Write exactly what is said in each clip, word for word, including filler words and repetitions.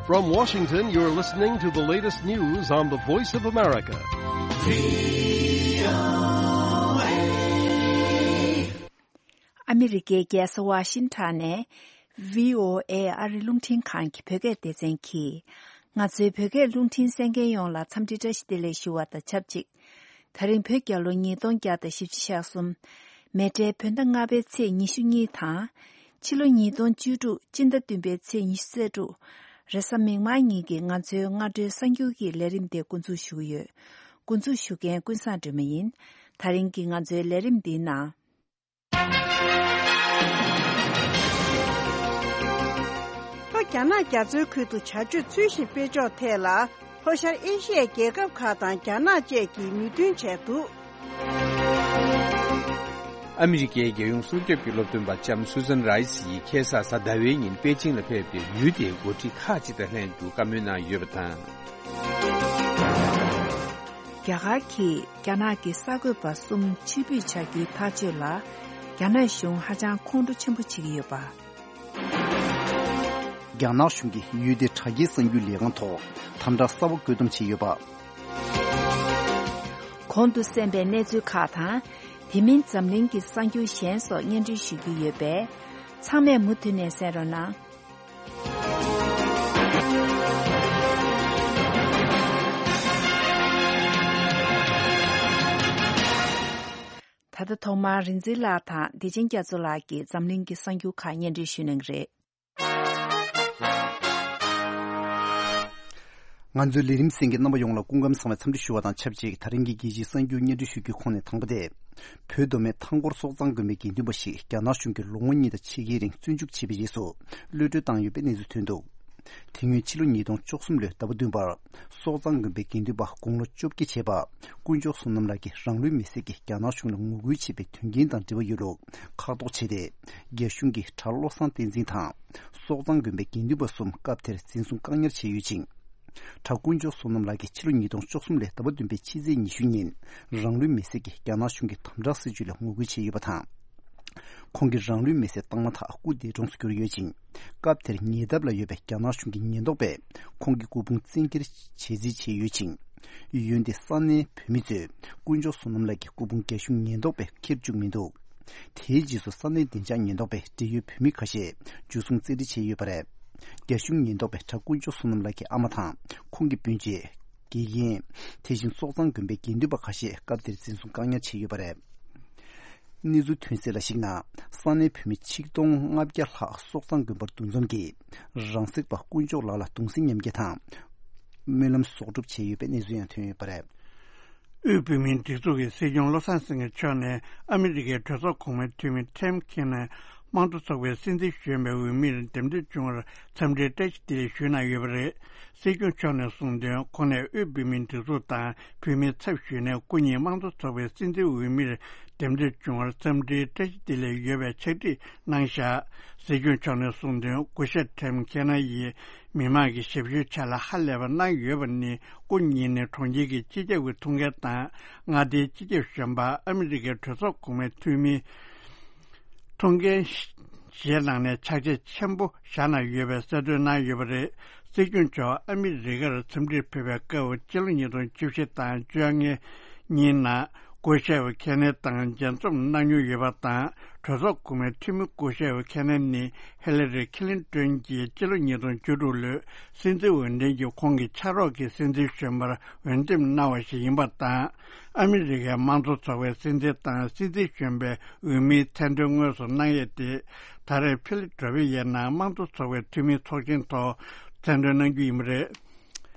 From Washington, you're listening to the latest news on the Voice of America. ཨ་མི་རི་ཀའི་རྒྱལ་ས་ཝ་ཤིང་ཊོན་ནས་བྷི་ཨོ་ཨེ་ཨ་རི་རླུང་འཕྲིན་ཁང་གི་བོད་སྐད་སྡེ་ཚན་གྱིས། ང་ཚོའི་བོད་སྐད་རླུང་འཕྲིན་གསན་མཁན་ཡོངས་ལ་འཚམས་འདྲི་བཀྲ་ཤིས་བདེ་ལེགས་ཞུ་བ་དང་ཆབས་ཅིག། ད་རིང་བོད་རྒྱལ་ལོ་ཉིས་སྟོང་བརྒྱ་དང་བཞི་བཅུ་ཞེ་གསུམ། མེ་སྤྲེལ་བོད་ཟླ་ལྔ་པའི་ཚེས་ཉི་ཤུ་གཉིས་དང་། ཕྱི་ལོ་ཉིས་སྟོང་བཅུ་དྲུག་སྤྱི་ཟླ་བདུན་པའི་ཚེས་ཉི་ཤུ་རྩ་དྲུག། རེས་གཟའ་མིག་དམར་ཉིན་གྱི་ང་ཚོའི་སྔ་དྲོའི་གསར་འགྱུར་གྱི་ལས་རིམ་དེ་འགོ་འཛུགས་ཞུ་གི་ཡོད། འགོ་འཛུགས་ཞུ་མཁན་ཀུན་བཟང་སྒྲོལ་མ་ཡིན། ད་རིང་གི་ང་ཚོའི་ལས་རིམ་འདིའི་ནང་། ལྷོ་རྒྱ་ནག་རྒྱ་མཚོའི་ཁུལ་དུ་བྱ་སྤྱོད་ཚུལ་བཞིན་སྤེལ་ཕྱོགས་ཐད་ལ། ལྷོ་ཤར་ཨེ་ཤི་ཡའི་རྒྱལ་ཁབ་ཁག་དང་རྒྱ་ནག་བཅས་ཀྱིས་མོས་མཐུན་བྱས་འདུག། ཨ་མི་རི་ཀའི་རྒྱལ་ཡོངས་སྲུང་སྐྱོབ་ཀྱི་སློབ་སྟོན་པ་ལྕམ་སུ་ཛན་རའི་སི་ཡིས་ཁ་སང་གཟའ་ཟླ་བའི་ཉིན་པེ་ཅིང་ལ་ཕེབས་ཏེ། ཡུལ་དེའི་འགོ་ཁྲིད་ཁག་ཅིག་དང་ལྷན་དུ་བཀའ་མོལ་གནང་ཡོད་པ་དང་། རྒྱ་གར་གྱིས་རྒྱ་ནག་གི་གསར་འགོད་པ་གསུམ་ཕྱིར་འབུད་བྱ་རྒྱུའི་ཐག་གཅོད་ལ། རྒྱ་ནག་གཞུང་ཧ་ཅང་ཁོང་ཁྲོ་ཆེན་པོ་བྱེད་ཀྱི་ཡོད་པ། རྒྱ་ནག་གཞུང་གིས་ཡུལ་དེའི་དྲ་རྒྱའི་གསར་འགྱུར་ལས་ཁང་ཐོག་དམ་དྲག་གསར་པ་བཀོད་འདོམས་བྱས་ཡོད་པ། གོང་དུ་གསན་པའི་གནས་ཚུལ་ཁག་དང་། དེ་མིན་འཛམ་གླིང་གི་གསར་འགྱུར་གཞན་སོགས་སྙན་སྒྲོན་ཞུ་རྒྱུ་ཡོད་པས། ཚང་མས་མུ་མཐུད་ནས་གསན་རོགས་གནང་། ད་ལྟ་ཐོག་མར་རིག་འཛིན་ལགས་དང་བདེ་ཆེན་རྒྱ་མཚོ་ལགས་ཀྱིས་འཛམ་གླིང་གི་གསར་འགྱུར་ཁག་སྙན་སྒྲོན་ཞུ་གནང་གི་རེད། ང་ཚོའི་ལས་རིམ་གསན་མཁན་རྣམ་པ་ཡོངས་ལ་སྐུ་ཁམས་བཟང་བའི་འཚམས་འདྲི་ཞུ་བ་དང་ཆབས་ཅིག། ད་རིང་གི་རྒྱལ་སྤྱིའི་གསར་འགྱུར་སྙན་སྒྲོན་ཞུ་རྒྱུའི་ཁོངས་ནས་དང་པོ་དེ། བོད་མདོ་སྨད་ཐང་སྐོར་སོག་གཙང་དགོན་པའི་དགེ་འདུན་པ་ཞིག་རྒྱ་ནག་གཞུང་གིས་ལོ་ངོ་གཉིས་དང་ཕྱེད་ཀའི་རིང་བཙོན་འཇུག་བྱས་པའི་རྗེས་སུ། གློད་གྲོལ་བཏང་ཡོད་པའི་གནས་ཚུལ་ཐོན་འདུག། དེ་སྔོན་ཕྱི་ལོ་ཉིས་སྟོང་བཅུ་གསུམ་ལོའི་ཟླ་བ་བདུན་པར། སོག་གཙང་དགོན་པའི་དགེ་འདུན་པ་དགུང་ལོ་བཅོ་བརྒྱད་བྱས་པ། དཀོན་མཆོག་བསོད་ནམས་ལགས་ཀྱིས་རང་ལུས་མེར་སྲེག་གིས་རྒྱ་ནག་གཞུང་ལ་ངོ་རྒོལ་བྱས་པའི་དོན་རྐྱེན་དང་འབྲེལ་བ་ཡོད་ལུགས་ཁག་ཐོག་བྱས་ཏེ། རྒྱ་གཞུང་གིས་གྲྭ་བློ་བཟང་བསྟན་འཛིན་དང་། སོག་གཙང་དགོན་པའི་དགེ་འདུན་པ་གསུམ་སྐབས་དེར་འཛིན་བཟུང་བཀག་ཉར་བྱས་ཡོད་ཅིང་། གྲྭ་དཀོན་མཆོག་བསོད་ནམས་ལགས་ཀྱིས་ཕྱི་ལོ་ཉིས་སྟོང་བཅུ་གསུམ་ལོའི་ཟླ་བ་བདུན་པའི་ཕྱི་ཚེས་ཉི་ཤུ་ཉིན། རང་ལུས་མེར་སྲེག་གིས་རྒྱ་ནག་གཞུང་གི་དམ་དྲག་སྲིད་བྱུས་ལ་ངོ་རྒོལ་བྱས་ཡོད་པ་དང་། ཁོང་གིས་རང་ལུས་མེར་སྲེག་བཏང་མ་ཐག་སྐུ་འདས་གྲོངས་སུ་གྱུར་ཡོད་ཅིང་། སྐབས་དེར་ཉེ་འདབས་ལ་ཡོད་པའི་རྒྱ་ནག་གཞུང་གི་ཉེན་རྟོག་པས་ཁོང་གི་སྐུ་ཕུང་བཙན་འཁྱེར་བྱས་རྩིས་བྱས་ཡོད་ཅིང་། འོན་ཏེ་ས་གནས་བོད་མི་ཚོས་དཀོན་མཆོག་བསོད་ནམས་ལགས་ཀྱི་སྐུ་ཕུང་རྒྱ་གཞུང་ཉེན་རྟོག་པས་འཁྱེར་བཅུག་མི་འདུག། དེའི་རྗེས་སུ་ས་གནས་བདེ་འཇགས་ཉེན་རྟོག་པས་འབྲེལ་ཡོད་བོད་མི་ཁ་ཤས་འཇུ་བཟུང་བཙན་ཁྲིད་བྱས་ཡོད་པ་རེད། རྒྱ་གཞུང་ཉེན་རྟོག་པས་གྲྭ་དཀོན་མཆོག་བསོད་ནམས་ལགས་ཀྱི་ཨ་མ་དང་ཁོང་གི་སྤུན་མཆེད། དགེ་རྒན། དེ་བཞིན་སོག་གཙང་དགོན་པའི་དགེ་འདུན་པ་ཁ་ཤས་སྐབས་དེར་འཛིན་བཟུང་བཀག་ཉར་བྱས་ཡོད་པ་རེད། གནས་ཚུལ་ཐོན་གསལ་ལ་གཞིགས་ན། ས་གནས་བོད་མི་ཆིག་སྟོང་ལྔ་བརྒྱ་ལྷག་སོག་གཙང་དགོན་པར་འདུ་འཛོམས་ཀྱིས། རང་སྲེག་པ་དཀོན་མཆོག་ལགས་ལ་གདུང་སེམས་མཉམ་སྐྱེད་དང་། སྨོན་ལམ་གསོག་སྒྲུབ་བྱས་ཡོད་པའི་གནས་ཚུལ་ཡང་ཐོན་ཡོད་པ་རེད། དབུས་བོད་མིའི་སྒྲིག་འཛུགས་ཀྱི་སྲིད་སྐྱོང་བློ་བཟང་སེང་གེ་མཆོག་ནས་ཨ་མི་རི་ཀའི་གྲོས་ཚོགས་གོང་མའི་འཐུས་མི་ཊིམ་ཁེ་ནར་དམངས་གཙོ་ཚོགས་པའི་སྲིད་འཛིན་གཞོན་པའི་འོས་མིར་འདེམས་ཐོན་བྱུང་བར་འཚམས་འདྲིའི་བཀྲ་ཤིས་བདེ་ལེགས་ཞུས་གནང་ཡོད་པ་རེད། སྲིད་སྐྱོང་མཆོག་ནས་གསུངས་དོན། ཁོང་ནས་དབུས་བོད་མིའི་སྒྲིག་འཛུགས་དང་བོད་མིའི་ཚབ་ཞུས་ནས་སྐུ་ཉིད་དམངས་གཙོ་ཚོགས་པའི་སྲིད་འཛིན་འོས་མིར་འདེམས་ཐོན་བྱུང་བར་འཚམས་འདྲིའི་བཀྲ་ཤིས་བདེ་ལེགས་ཡོད་པའི་ཕྱག་བྲིས་གནང་བཞག། སྲིད་སྐྱོང་མཆོག་ནས་གསུངས་དོན། སྐུ་ཞབས་ཊིམ་ཁེ་ནར་ཡིས་མི་མང་གི་ཞབས་ཞུའི་ཆེད་ལ་ཧ་ལས་པ་གནང་ཡོད་པ་ནི། སྐུ་ཉིད་ནི་གྲོང་ཁྱེར་གྱི་སྤྱི་ཁྱབ་ཀྱི་ཐུགས་འགན་དང་། མངའ་སྡེའི་སྤྱི་ཁྱབ་གཞོན་པ། ཨ་མི་རི་ཀའི་གྲོས་ཚོགས་གོང་མའི་འཐུས་མི། ཐུགས་འགན་བཞེས་གནང་ནས་ཕྱག་རྗེས་ཆེན་པོ་བཞག་གནང་ཡོད་པའི་གསལ་སྟོན་གནང་ཡོད་པ་རེད། སྲིད་སྐྱོང་མཆོག་ཨ་མི་རི་ཀར་འཚམས་འདྲིར་ཕེབས་པའི་སྐབས། སྤྱི་ལོ་ཉིས་སྟོང་བཅུ་བཞི་དང་བཅོ་ལྔའི་ཉིན་ནང་སྐུ་ཞབས་ཁེ་ནར་དང་མཇལ་འཛོམས་གནང་མྱོང་ཡོད་པ་དང་། གྲོས་ཚོགས་གོང་མའི་འཐུས་མི་སྐུ་ཞབས་ཁེ་ནར་ནི་ཧི་ལ་རི་ཁི་ལིན་ཏོན་གྱིས་སྤྱི་ལོ་ཉིས་སྟོང་བཅུ་དྲུག་ལོའི་སྲིད་འཛིན་འོས་འདེམས་ཀྱི་ཁོང་གི་ཕྱག་རོགས་ཀྱི་སྲིད་འཛིན་གཞོན་པར་འོས་འདེམས་གནང་བ་ཞིག་ཡིན་པ་དང་། ཨ་མི་རི་ཀའི་དམངས་གཙོ་ཚོགས་པའི་སྲིད་འཛིན་དང་སྲིད་འཛིན་གཞོན་པའི་འོས་མིའི་མཚན་འདོན་དངོས་སུ་གནང་ཡས་དེ། ད་རེས་ཕི་ལ་ཌེལ་ཕི་ཡའི་ནང་དམངས་གཙོ་ཚོགས་པའི་འཐུས་མིའི་ཚོགས་ཆེན་ཐོག་མཚན་འདོན་གནང་རྒྱུ་ཡིན་པ་རེད།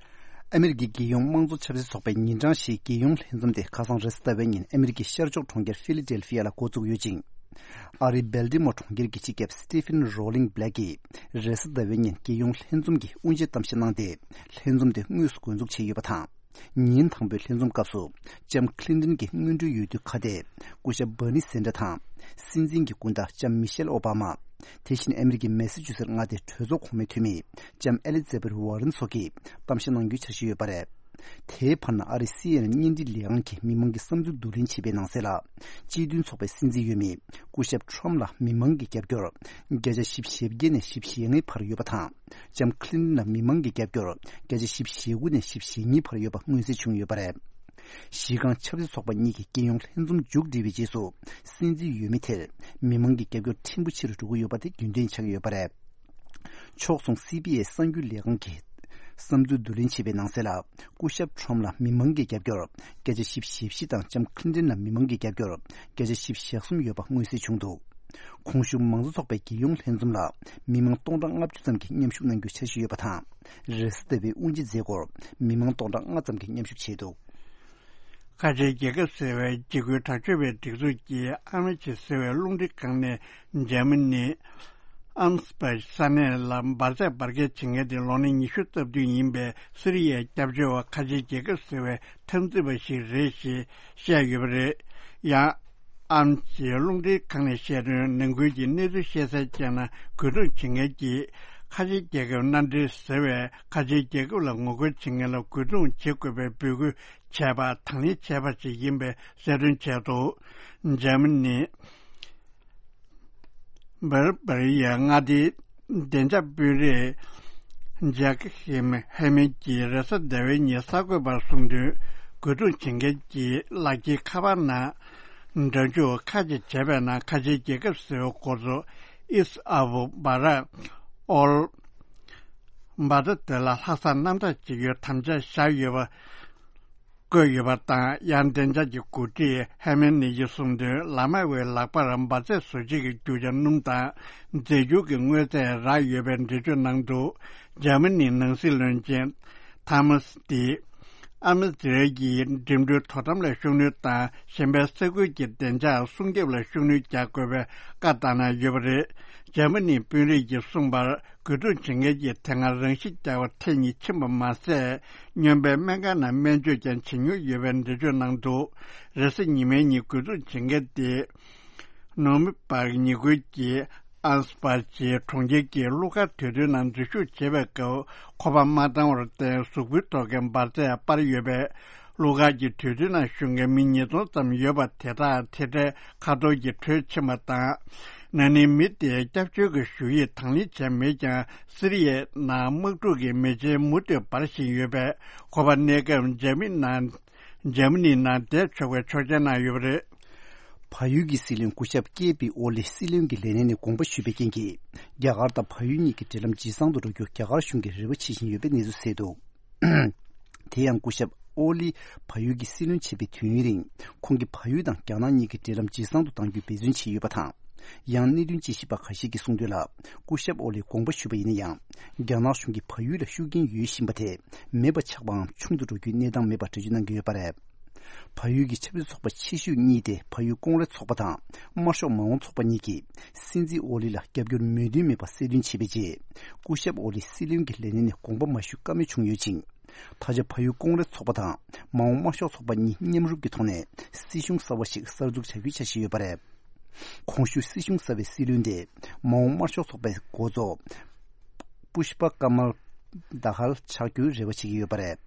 ཨ་མི་རི་ཀའི་རྒྱལ་ཡོངས་དམངས་གཙོ་ཆབ་སྲིད་ཚོགས་པའི་ཉིན་གྲངས་བཞིའི་རྒྱལ་ཡོངས་ལྷན་འཛོམས་དེ་ཁ་སང་རེས་གཟའ་ཟླ་བའི་ཉིན་ཨ་མི་རི་ཀའི་ཤར་ཕྱོགས་གྲོང་ཁྱེར་ཕི་ལ་ཌེལ་ཕི་ཡ་ལ་འགོ་བཙུགས་ཡོད་ཅིང་། ཨ་རིའི་སྦལ་ཏི་མོར་གྲོང་ཁྱེར་གྱི་སྤྱི་ཁྱབ་སི་ཏི་ཕིན་རོ་ལིང་སྦ་ལེག་གིས་རེས་གཟའ་ཟླ་བའི་ཉིན་རྒྱལ་ཡོངས་ལྷན་འཛོམས་ཀྱི་དབུ་འབྱེད་གཏམ་བཤད་གནང་སྟེ། ལྷན་འཛོམས་དེ་དངོས་སུ་འགོ་འཛུགས་བྱས་ཡོད་པ་དང་། ཉིན་དང་པོའི་ལྷན་འཛོམས་སྐབས་སུ། ལྕམ་ཁི་ལིན་ཏོན་གྱི་སྔོན་འགྲོའི་འོས་བསྡུ་ཁ་གཏད། སྐུ་ཞབས་བྷར་ནི་སན་ཌར་དང་། སྲིད་འཛིན་གྱི་སྐུ་ཟླ་ལྕམ་མི་ཤེལ་ཨོ་བྷ་མ། དེ་བཞིན་ཨ་མི་རི་ཀའི་མེ་སི་ཆུ་སེ་མངའ་སྡེའི་གྲོས་ཚོགས་གོང་མའི་འཐུས་མི། ལྕམ་ཨེ་ལི་ཛེ་བྷེད་ཝར་རན་སོགས་ཀྱིས་གཏམ་བཤད་གནང་རྒྱུའི་འཆར་གཞི་ཡོད་པ་རེད། དེའི་བར་ན་ཨ་རིའི་སི་ཨེན་ཨེན་བརྙན་འཕྲིན་ལས་ཁང་གིས་མི་མང་གི་བསམ་ཚུལ་བསྡུ་ལེན་བྱས་པའི་ནང་གསལ་ལ། སྤྱི་མཐུན་ཚོགས་པའི་སྲིད་འཛིན་འོས་མི་སྐུ་ཞབས་ཁྲོམ་ལ་མི་མང་གི་རྒྱབ་སྐྱོར་བརྒྱ་ཆ་བཞི་བཅུ་ཞེ་བརྒྱད་ནས་བཞི་བཅུ་ཞེ་ལྔའི་བར་ཡོད་པ་དང་། ལྕམ་ཁི་ལིན་ལ་མི་མང་གི་རྒྱབ་སྐྱོར་བརྒྱ་ཆ་བཞི་བཅུ་ཞེ་དགུ་ནས་བཞི་བཅུ་ཞེ་གཉིས་བར་ཡོད་པ་མངོན་གསལ་བྱུང་ཡོད་པ་རེད། གཞི་རྐང་ཆབ་སྲིད་ཚོགས་པ་གཉིས་ཀྱི་རྒྱལ་ཡོངས་ལྷན་འཛོམས་མཇུག་སྒྲིལ་བའི་རྗེས་སུ། སྲིད་འཛིན་འོས་མི་དེར་མི་མང་གི་རྒྱབ་སྐྱོར་ཕྲན་བུ་ཆེ་རུ་འགྲོ་གི་ཡོད་པ་དེ་རྒྱུན་ལྡན་ཆགས་ཀྱི་ཡོད་པ་རེད། ཕྱོགས་མཚུངས་སི་བི་ཨེས་གསར་འགྱུར་ལས་ཁང་གིས་བསམ་ཚུལ་བསྡུ་ལེན་བྱས་པའི་ནང་གསལ་ལ། སྐུ་ཞབས་ཁྲོམ་ལ་མི་མང་གི་རྒྱབ་སྐྱོར་བརྒྱ་ཆ་བཞི་བཅུ་ཞེ་བཞི་དང་ལྕམ་ཁི་ལིན་ལ་མི་མང་གི་རྒྱབ་སྐྱོར་བརྒྱ་ཆ་བཞི་བཅུ་ཞེ་གསུམ་ཡོད་པ་མངོན་གསལ་བྱུང་འདུག་གོང་ཞུས་མང་གཙོ་ཚོགས་པའི་རྒྱལ་ཡོངས་ལྷན་འཛོམས་ལ་མི་མང་སྟོང་ཕྲག་ལྔ་བཅུ་ཙམ་གྱིས་མཉམ་ཞུགས་གནང་རྒྱུའི་འཆར་གཞི་ཡོད་པ་དང་། རེས་གཟའ་ཟླ་བའི་དབུ་འབྱེད་མཛད་སྒོར་མི་མང་སྟོང་ཕྲག་ལྔ་ཙམ་གྱིས་མཉམ་ཞུགས་བྱས་འདུག་ཁ་ཆེའི་རྒྱལ་ཁབ་ཟེར་བའི་འཇིགས་སྐུལ་དྲག་སྤྱོད་པའི་སྒྲིག་འཛུགས་ཀྱིས་ཨ་མ་ཆི་ཟེར་བའི་རླུང་འཕྲིན་ཁང་ནས་འཇར་མ་ནི་ཨམ་སི་པ་ས་གནས་ལ་འབར་རྫས་འབར་གས་བྱེད་མཁན་དེ་ལོ་ན་ཉི་ཤུ་རྩ་བདུན་ཡིན་པའི་སི་རི་ཡའི་སྐྱབས་བཅོལ་བ་ཁ་ཆེའི་རྒྱལ་ཁབ་ཟེར་བའི་འཐབ་འཛིང་པ་ཞིག་རེད་ཞེས་བཤད་ཡོད་པ་རེད། ཡང་། ཨམ་ཆིས་རླུང་འཕྲིན་ཁང་ནས་བཤད་དོན། ནང་ཁུལ་གྱི་གནས་ཚུལ་ཤེས་གསལ་བྱས་ན། རྒོལ་རྡུང་བྱེད་མཁན་གྱིས་ཁ་ཆེའི་རྒྱལ་ཁབ་མནའ་འབྲེལ་ཟེར་བས་ཁ་ཆེའི་རྒྱལ་ཁབ་ལ་ངོ་རྒོལ་བྱེད་མཁན་ལ་རྒོལ་རྡུང་བྱེད་དགོས་པའི་འབོད་སྐུལ་བྱས་པ་དང་ལེན་བྱས་པ་ཞིག་ཡིན་པའི་གསལ་སྟོན་བྱས་འདུག་འཇར་མ་ནི། སྦར་སྦར་ཡའི་མངའ་སྡེའི་བདེ་འཇགས་དཔོན་རིགས་ཇག་ཧེམ་ཧེ་མན་གྱིས་རེས་གཟའ་ཟླ་བའི་ཉིན་གསར་འགོད་པར་གསུངས་དོན། རྒོལ་རྡུང་བྱེད་མཁན་གྱིས་ལག་ཁྱེར་ཁ་པར་ནང་སྒྲ་འཇུག་ཁ་ཅིག་བྱས་པའི་ནང་ཁ་ཆེའི་རྒྱལ་ཁབ་ཟེར་བའི་འགོ་གཙོ་ཨིས་ཨ་བུ་བྷ་ར་ཨོལ་བྷ་ཏ་དེ་ལ་ལྷག་བསམ་རྣམ་དག་བྱེད་རྒྱུའི་དམ་བཅའ་བཞག་ཡོད་པ། བཀོད་ཡོད་པ་དང་། ཡང་བདེ་འཇགས་ཀྱི་འགོ་ཁྲིད་ཧེ་མན་ནི་ཡིས་གསུངས་དོན། ལ་མ་ཝའི་ལག་པར་འབར་རྫས་བཟོ་བྱེད་ཀྱི་རྒྱུ་ཆ་སྣུམ་དང་རྫས་འགྱུར་གྱི་དངོས་རྫས་རག་ཡོད་པའི་འགྲེལ་བརྗོད་གནང་འདུག་འཇར་མ་ནིའི་ནང་སྲིད་བློན་ཆེན་ཐ་མ་སི་ཏི་ཨ་མི་ཛི་རལ་གྱིས་འགྲིམ་འགྲུལ་དོ་དམ་ལ་ཤུགས་སྣོན་དང་། གཞན་པའི་ས་ཁུལ་གྱི་བདེ་འཇགས་སྲུང་སྐྱོབ་ལ་ཤུགས་སྣོན་རྒྱག་དགོས་པའི་བཀའ་བཏང་གནང་ཡོད་པ་རེད། འཇར་མ་ནིའི་དཔོན་རིགས་ཀྱིས་གསུངས་པར། རྒོལ་རྡུང་བྱེད་མཁན་གྱིས་དེ་སྔ་རང་ཤི་རྒྱག་པ་ཐེངས་གཉིས་ཕྱིན་པ་མ་ཟད། སྨྱོན་པའི་སྨན་ཁང་ནང་སྨན་བཅོས་ཀྱང་བྱེད་མྱོང་ཡོད་པའི་འགྲེལ་བརྗོད་གནང་འདུག་རེས་གཟའ་ཉི་མའི་ཉིན་རྒོལ་རྡུང་བྱེད་མཁན་དེ། ནོ་མི་པར་ཉེ་ཁུལ་གྱི་ཨན་སི་པར་ཇི་གྲོང་ཁྱེར་གྱི་གླུ་གར་དུས་སྟོན་ནང་འཛུལ་ཞུགས་བྱེད་པའི་སྐབས། ཁོ་པ་མ་བཏང་བར་བརྟེན། གཟུགས་པོའི་ཐོག་གི་འབར་རྫས་སྤར་ཡོད་པས། གླུ་གར་གྱི་དུས་སྟོན་ནང་ཞུགས་མཁན་མི་ཉིས་སྟོང་ཙམ་ཡོད་པ་དེ་དག་ཐལ་སྒྲའི་ཁ་ཐོར་གྱིས་བྲོས་ཕྱིན་པ་དང་། ན་ནིང་མི་དེའི་སྐྱབས་བཅོལ་གྱི་ཞུ་ཡིག་དང་ལེན་བྱས་མེད་ཀྱང་། སི་རི་ཡའི་ནང་དམག་འཁྲུག་གི་མེ་ལྕེ་མུ་མཐུད་འབར་བཞིན་ཡོད་པས། ཁོ་པ་གནས་སྐབས་འཇར་མ་ནི་ནང་འཇར་མ་ནིའི་ནང་བསྡད་ཆོག་པའི་ཆོག་མཆན་གནང་ཡོད་པ་རེད། བལ་ཡུལ་གྱི་སྲིད་བློན་སྐུ་ཞབས་ཀེ་པི་ཨོ་ལི་སྲིད་བློན་གྱི་ལས་གནས་ནས་དགོངས་པ་ཞུས་པའི་རྐྱེན་གྱིས། རྒྱ་གར་དང་བལ་ཡུལ་གཉིས་ཀྱི་འབྲེལ་ལམ་ཇེ་བཟང་དུ་འགྲོ་རྒྱུ་རྒྱ་གར་གཞུང་གིས་རེ་བ་བྱེད་བཞིན་ཡོད་པའི་གནས་ཚུལ་གསལ་འདུག་དེ་ཡང་སྐུ་ཞབས་ཨོ་ལི་བལ་ཡུལ་གྱི་སྲིད་བློན་བྱས་པའི་དུས་ཡུན་རིང་། ཁོང་གིས་བལ་ཡུལ་དང་རྒྱ་ནག་གཉིས་ཀྱི་འབྲེལ་ལམ་ཇེ་བཟང་དུ་གཏང་རྒྱུའི་འབད་བརྩོན་བྱས་ཡོད་པ་དང་། ཡང་གནད་དོན་དཔྱད་ཞིབ་པ་ཁ་ཤས་ཀྱིས་གསུངས་དོན་ལ། སྐུ་ཞབས་ཨོ་ལིས་དགོངས་པ་ཞུས་པ་ཡིན་ན་ཡང་། རྒྱ་ནག་གཞུང་གིས་བལ་ཡུལ་ལ་ཤུགས་རྐྱེན་ཡོད་བཞིན་པ་དེ་མེད་པ་ཆགས་པའམ་ཆུང་དུ་འགྲོ་རྒྱུའི་གནས་སྟངས་མེད་པར་འགྲེལ་བརྗོད་གནང་གི་ཡོད་པ་རེད། བལ་ཡུལ་གྱི་ཆབ་སྲིད་ཚོགས་པ་ཆེ་ཤོས་གཉིས་ཏེ། བལ་ཡུལ་ཀོང་རེས་ཚོགས་པ་དང་། དམར་ཤོག་མ་འོངས་ཚོགས་པ་གཉིས་ཀྱིས། སྲིད་འཛིན་ཨོ་ལི་ལ་རྒྱབ་སྐྱོར་མོས་མཐུན་མེད་པ་གསལ་སྟོན་བྱས་པའི་རྗེས། སྐུ་ཞབས་ཨོ་ལི་སྲིད་བློན་གྱི་ལས་གནས་ནས་དགོངས་པ་མ་ཞུ་ཀ་མེད་བྱུང་ཡོད་ཅིང་། ད་ཆ་བལ་ཡུལ་ཀོང་རེས་ཚོགས་པ་དང་། མ་འོངས་དམར་ཤོག་ཚོགས་པ་གཉིས་མཉམ་རུབ་ཀྱི་ཐོག་ནས། སྲིད་གཞུང་གསར་བ་ཞིག་གསར་འཛུགས་བྱ་རྒྱུའི་འཆར་གཞི་ཡོད་པ་རེད། གོང་ཞུས་སྲིད་གཞུང་གསར་བའི་སྲིད་བློན་དེ། མ་འོངས་དམར་ཤོག་ཚོགས་པའི་འགོ་གཙོ། པུཤ་པ་ཀ་མལ་དྷ་ཧལ་ཆགས་རྒྱུའི་རེ་བ་བྱེད་ཀྱི་ཡོད་པ་རེད།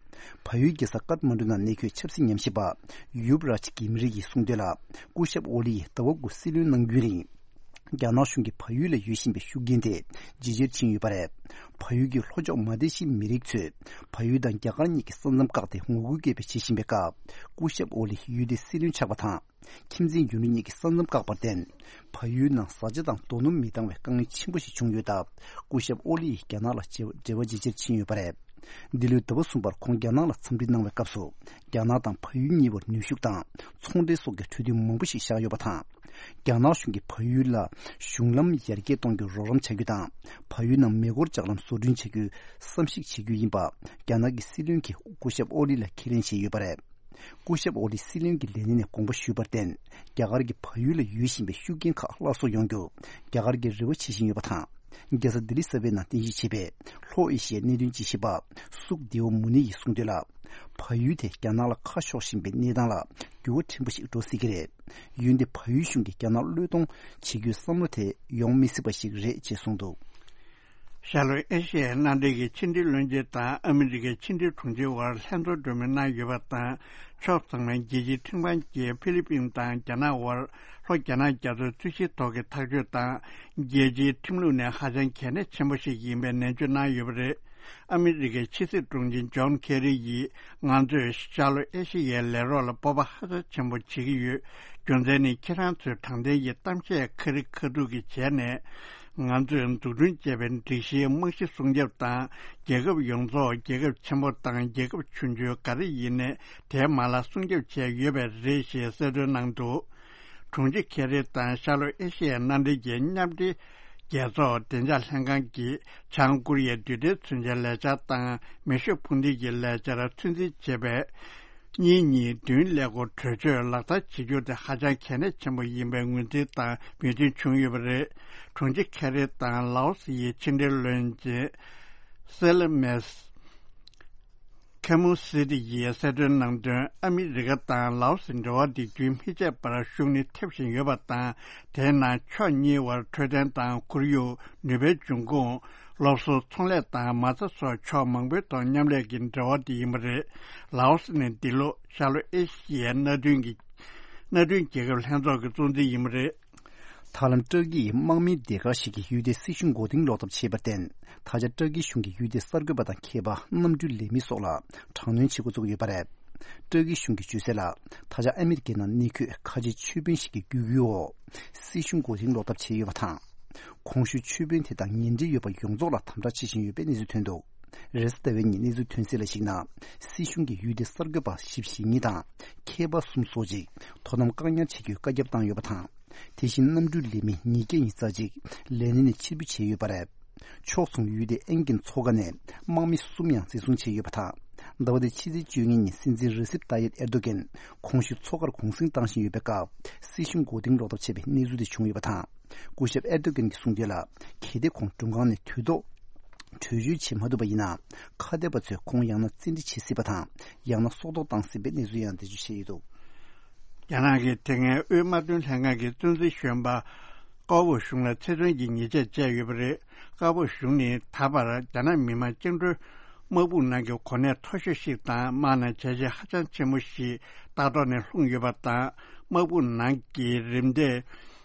བལ་ཡུལ་རྒྱལ་ས་ཀཏ་མན་ཌུ་ནང་གནས་འཁོད་ཆབ་སྲིད་ཉམས་ཞིབ་པ། ཡུབ་རཱཇ་གིམ་རི་ཡིས་གསུངས་དོན་ལ། སྐུ་ཞབས་ཨོ་ལི་ཡིས་ཟླ་བ་དགུ་སྲིད་བློན་གནང་རྒྱུན་རིང་། རྒྱ་ནག་གཞུང་གིས་བལ་ཡུལ་ལ་ཡོད་བཞིན་པའི་ཤུགས་རྐྱེན་དེ་ཇེ་ཆེར་ཕྱིན་ཡོད་པ་རེད། བལ་ཡུལ་གྱི་ལྷོ་ཕྱོགས་མ་ལེ་ཤི་ཡའི་མི་རིགས་ཚོས་བལ་ཡུལ་དང་རྒྱ་གར་གཉིས་ཀྱི་ས་མཚམས་བཀག་སྟེ་ངོ་རྒོལ་སྐད་འབོད་བྱེད་བཞིན་པའི་སྐབས། སྐུ་ཞབས་ཨོ་ལི་ཡུལ་དེའི་སྲིད་བློན་ཆགས་པ་དང་། ཁྱིམ་མཚེས་ཡུལ་གྲུ་གཉིས་ཀྱི་ས་མཚམས་བཀག་པར་བརྟེན། བལ་ཡུལ་ནང་བཟའ་བཅའ་དང་རྡོ་སྣུམ་མི་འདང་བའི་དཀའ་ངལ་ཆེན་པོ་ཞིག་བྱུང་ཡོད་སྟབས། སྐུ་ཞབས་ཨོ་ལི་ཡིས་རྒྱ་ནག་ལ་འབྲེལ་བ་ཇེ་ཆེར་ཕྱིན་ཡོད་པ་རེད། འདི་ལོའི་ཟླ་བ་གསུམ་པར་ཁོང་རྒྱ་ནག་ལ་འཚམས་འདྲི་གནང་བའི་སྐབས་སུ། རྒྱ་ནག་དང་བལ་ཡུལ་གཉིས་བར་ནུས་ཤུགས་དང་ཚོང་འབྲེལ་སོགས་ཀྱི་གྲོས་མཐུན་མང་པོ་ཞིག་བཞག་ཡོད་པ་དང་། རྒྱ་ནག་གཞུང་གིས་བལ་ཡུལ་ལ་གཞུང་ལམ་ཡར་རྒྱས་གཏོང་རྒྱུར་རོགས་རམ་བྱ་རྒྱུ་དང་། བལ་ཡུལ་ནང་མེ་འཁོར་ལྕགས་ལམ་བཟོ་སྐྲུན་བྱ་རྒྱུའི་བསམ་གཞིག་བྱེད་རྒྱུ་ཡིན་པ། རྒྱ་ནག་གི་སྲིད་བློན་གྱིས་སྐུ་ཞབས་ཨོ་ལི་ལ་ཁས་ལེན་བྱས་ཡོད་པ་རེད། སྐུ་ཞབས་ཨོ་ལི་སྲིད་བློན་གྱི་ལས་གནས་ནས་དགོངས་པ་ཞུས་པར་བརྟེན། རྒྱ་གར་གྱི་བལ་ཡུལ་ལ་ཡོད་བཞིན་པའི་ཤུགས་རྐྱེན་ཁག་སླར་གསོ་ཡོང་རྒྱུ། རྒྱ་གར་གྱིས་རེ་བ་བྱེད་བཞིན་ཡོད་པ་དང་། རྒྱལ་ས་ལྡི་ལི་གསར་པའི་ནང་རྟེན་གཞི་བྱས་པའི་ལྷོ་ཨེ་ཤི་ཡའི་གནད་དོན་དཔྱད་ཞིབ་པ་སུག་དེའུ་མུ་ནི་ཡིས་གསུངས་དོན་ལ། བལ་ཡུལ་དེ་རྒྱ་ནག་ལ་ཁ་ཕྱོགས་བཞིན་པའི་གནས་སྟངས་ལ་འགྱུར་བ་ཕྲན་བུ་ཞིག་འགྲོ་སྲིད་ཀྱི་རེད། འོན་ཏེ་བལ་ཡུལ་གཞུང་གིས་རྒྱ་ནག་བློས་གཏོང་བྱེད་རྒྱུའི་བསམ་བློ་དེ་ཡོང་མི་སྲིད་པ་ཞིག་རེད་ཅེས་གསུངས་འདུག་ཤར་ལྷོ་ཨེ་ཤི་ཡའི་མནའ་འབྲེལ་གྱི་ཕྱི་འབྲེལ་བློན་ཆེན་དང་ཨ་མི་རི་ཀའི་ཕྱི་འབྲེལ་དྲུང་ཆེ་དབར་ལྷན་ཚོགས་གྲོས་མོལ་གནང་ཡོད་པ་དང་། ཕྱོགས་ཚང་མས་རྒྱལ་སྤྱིའི་ཁྲིམས་ཁང་གིས་ཧྥི་ལི་པིན་དང་རྒྱ་ནག་དབར་ལྷོ་རྒྱ་ནག་རྒྱ་མཚོའི་རྩོད་གཞིའི་ཐོག་གི་ཐག་གཅོད་དང་། རྒྱལ་སྤྱིའི་ཁྲིམས་ལུགས་ནས་ཧ་ཅང་གལ་གནད་ཆེན་པོ་ཞིག་ཡིན་པའི་ནན་བརྗོད་གནང་ཡོད་པ་རེད། ཨ་མི་རི་ཀའི་ཕྱི་སྲིད་དྲུང་ཆེ་ཇོན་ཁེ་རི་ཡིས། ང་ཚོས་ཤར་ལྷོ་ཨེ་ཤི་ཡའི་ལས་རོགས་ལ་སྤོབས་པ་ཧ་ཅང་ཆེན་པོ་བྱེད་ཀྱི་ཡོད། རྒྱུ་མཚན་ནི་ཁྱེད་རང་ཚོས་དྲང་བདེན་གྱི་གཏམ་བཤད་ཁ་རི་ཁ་ཐུག་གི་བྱས་ནས། ང་ཚོས་འཛུགས་སྐྲུན་བྱས་པའི་སྒྲིག་གཞིའི་རྨང་གཞི་སྲུང་སྐྱོབ་དང་། རྒྱལ་ཁབ་ཡོངས་རྫོགས་རྒྱལ་ཁབ་ཆེན་པོ་དང་རྒྱལ་ཁབ་ཆུང་ཆུང་ག་རེ་ཡིན་ནའི་དེའི་མ་ལག་སྲུང་སྐྱོབ་བྱས་ཡོད་པ་རེད་ཞེས་གསལ་སྟོན་གནང་འདུག་དྲུང་ཆེ་ཁེ་རི་དང་ཤར་ལྷོ་ཨེ་ཤི་ཡའི་མནའ་འབྲེལ་གྱི་མཉམ་འབྲེལ་རྒྱལ་ཚོགས་བདེ་འཇགས་ལྷན་ཁང་གིས་བྱང་ཀོ་རི་ཡའི་རྡུལ་ཕྲན་མཚོན་ཆའི་ལས་འཆར་དང་མེ་ཤུགས་འཕུར་མདེལ་གྱི་ལས་འཆར་ཚོད་འཛིན་བྱེད་པའི་གཉིས་གཉིས་བདུན་ཀླད་ཀོར་གྲོས་ཆོད་ལག་བསྟར་བྱེད་རྒྱུ་དེ་ཧ་ཅང་གལ་གནད་ཆེན་པོ་ཡིན་པའི་ངོས་འཛིན་དང་མོས་མཐུན་བྱུང་ཡོད་པ་རེད། དྲུང་ཆེ་ཁེ་རི་དང་ལའོ་སི་ཡི་ཕྱི་འབྲེལ་བློན་ཆེན་སེ་ལ་མེས། ཁེ་མོ་སི་ཏི་ཡིས་གསལ་སྟོན་གནང་དོན། ཨ་མི་རི་ཀ་དང་ལའོ་སི་འབྲེལ་བ་འདི་རྒྱུན་མི་ཆད་པར་ཤུགས་ནི་ཐེབས་བཞིན་ཡོད་པ་དང་། དེའི་ནང་ཕྱོགས་གཉིས་དབར་འཕྲོད་བསྟེན་དང་ཁོར་ཡུག་ནུས་པའི་འབྱུང་ཁུངས། སློབ་གསོ། ཚོང་ལས་དང་མ་རྩ་སོགས་ཕྱོགས་མང་པོའི་ཐོག་མཉམ་ལས་ཀྱི་འབྲེལ་བ་དེ་ཡིན་པ་རེད། ལའོ་སི་ནི་འདི་ལོ་ཤར་ལྷོ་ཨེ་ཤི་ཡའི་མནའ་མཐུན་གྱི་མནའ་མཐུན་རྒྱལ་ཁབ་ལྷན་ཚོགས་ཀྱི་གཙོ་འཛིན་ཡིན་པ་རེད། ཐའི་ལན་ཊར་ཀི་ཡིས་དམག་མིའི་སྡེ་ཁག་ཞིག་གི་ཡུལ་དེའི་སྲིད་གཞུང་མགོ་རྟིང་སློག་ཐབས་བྱས་པར་བརྟེན། ད་ཆ་ཊར་ཀི་གཞུང་གིས་ཡུལ་དེའི་གསར་འགོད་པ་དང་མཁས་པ། གནམ་གྲུའི་ལས་མི་སོགས་ལ་དྲག་གནོན་བྱེད་འགོ་བཙུགས་ཡོད་པ་རེད། ཊར་ཀི་གཞུང་གིས་བརྗོད་གསལ་ལ། ད་ཆ་ཨ་མི་རི་ཀའི་ནང་གནས་འཁོད་ཁ་ཆེ་ཆོས་དཔོན་ཞིག་གི་བརྒྱུད་སྐུལ་འོག་སྲིད་གཞུང་མགོ་རྟིང་སློག་ཐབས་བྱས་ཡོད་པ་དང་། གོང་ཞུས་ཆོས་དཔོན་དེ་དང་ངན་འབྲེལ་ཡོད་པ་ཡོངས་རྫོགས་ལ་དམ་དྲག་བྱེད་བཞིན་ཡོད་པའི་གནས་ཚུལ་ཐོན་འདུག་རེས་གཟའ་ཟླ་བའི་ཉིན་གནས་ཚུལ་ཐོན་གསལ་ལ་གཞིགས་ན། སྲིད་གཞུང་གིས་ཡུལ་དེའི་གསར་འགོད་པ་བཞི་བཅུ་ཞེ་གཉིས་དང་། མཁས་པ་གསུམ་སོགས་ཅིག་དོ་དམ་བཀག་ཉར་བྱེད་རྒྱུའི་བཀའ་ཁྱབ་བཏང་ཡོད་པ་དང་། དེ་བཞིན་གནམ་གྲུའི་ལས་མི་ཉིས་བརྒྱ་ཉི་ཤུ་རྩ་གཅིག་ལས་གནས་ནས་ཕྱིར་འབུད་བྱས་ཡོད་པ་རེད། ཕྱོགས་མཚུངས་ཡུལ་དེའི་ཨེན་ཀིན་མཚོ་ཁ་ནས་དམག་མི་གསུམ་ཡང་འཛིན་བཟུང་བྱས་ཡོད་པ་དང་། ཟླ་བ་འདིའི་ཕྱི་ཚེས་བཅུ་གཉིས་ཉིན་སྲིད་འཛིན་རེ་སིབ་ཏཱ་ཡིབ་ཨེར་དོ་གན་གོང་ཞུས་མཚོ་ཁར་གུང་གསེང་བཏང་བཞིན་ཡོད་པའི་སྐབས། སྲིད་གཞུང་མགོ་རྟིང་སློག་ཐབས་བྱས་པའི་གནས་ཚུལ་དེ་བྱུང་ཡོད་པ་དང་། སྐུ་ཞབས་ཨེར་དོ་གན་གྱིས་གསུངས་དོན་ལ། གལ་ཏེ་ཁོང་མགྲོན་ཁང་ནས་དུས་ཐོག་བྲོས་བྱོལ་བྱེད་མ་ཐུབ་པ་ཡིན་ན། ཁ་གཏད་པ་ཚོས་ཁོང་ཡང་ན་བཙན་ཁྲིད་བྱེད་སྲིད་པ་དང་། ཡང་ན་སྲོག་ཐོག་བཏང་སྲིད་པའི་གནས་ཚུལ་ཡང་འགྲེལ་བརྗོད་བྱས་ཡོད་འདུག་རྒྱ་ནག་གི་དེ་སྔའི་དབུས་དམག་དོན་ལྷན་ཁང་གི་གཙོ་འཛིན་གཞོན་པ་ཀའོ་པོ་ཞུང་ལ་ཚེ་བཙོན་གྱི་ཉེས་ཆད་བཅད་ཡོད་པ་རེད། ཀའོ་པོ་ཞུང་ནི་ད་བར་རྒྱ་ནག་མི་དམངས་བཅིངས་འགྲོལ་དམག་དཔུང་ནང་གི་གོ་གནས་མཐོ་ཤོས་ཤིག་དང་། དམག་ནང་བྱས་རྗེས་ཧ་ཅང་ཆེན་པོ་ཞིག་ལྟག་ཐོག་ནས་ལྷུང་ཡོད་པ་དང་། དམག་དཔུང་ནང་གི་རིམ་གྲས་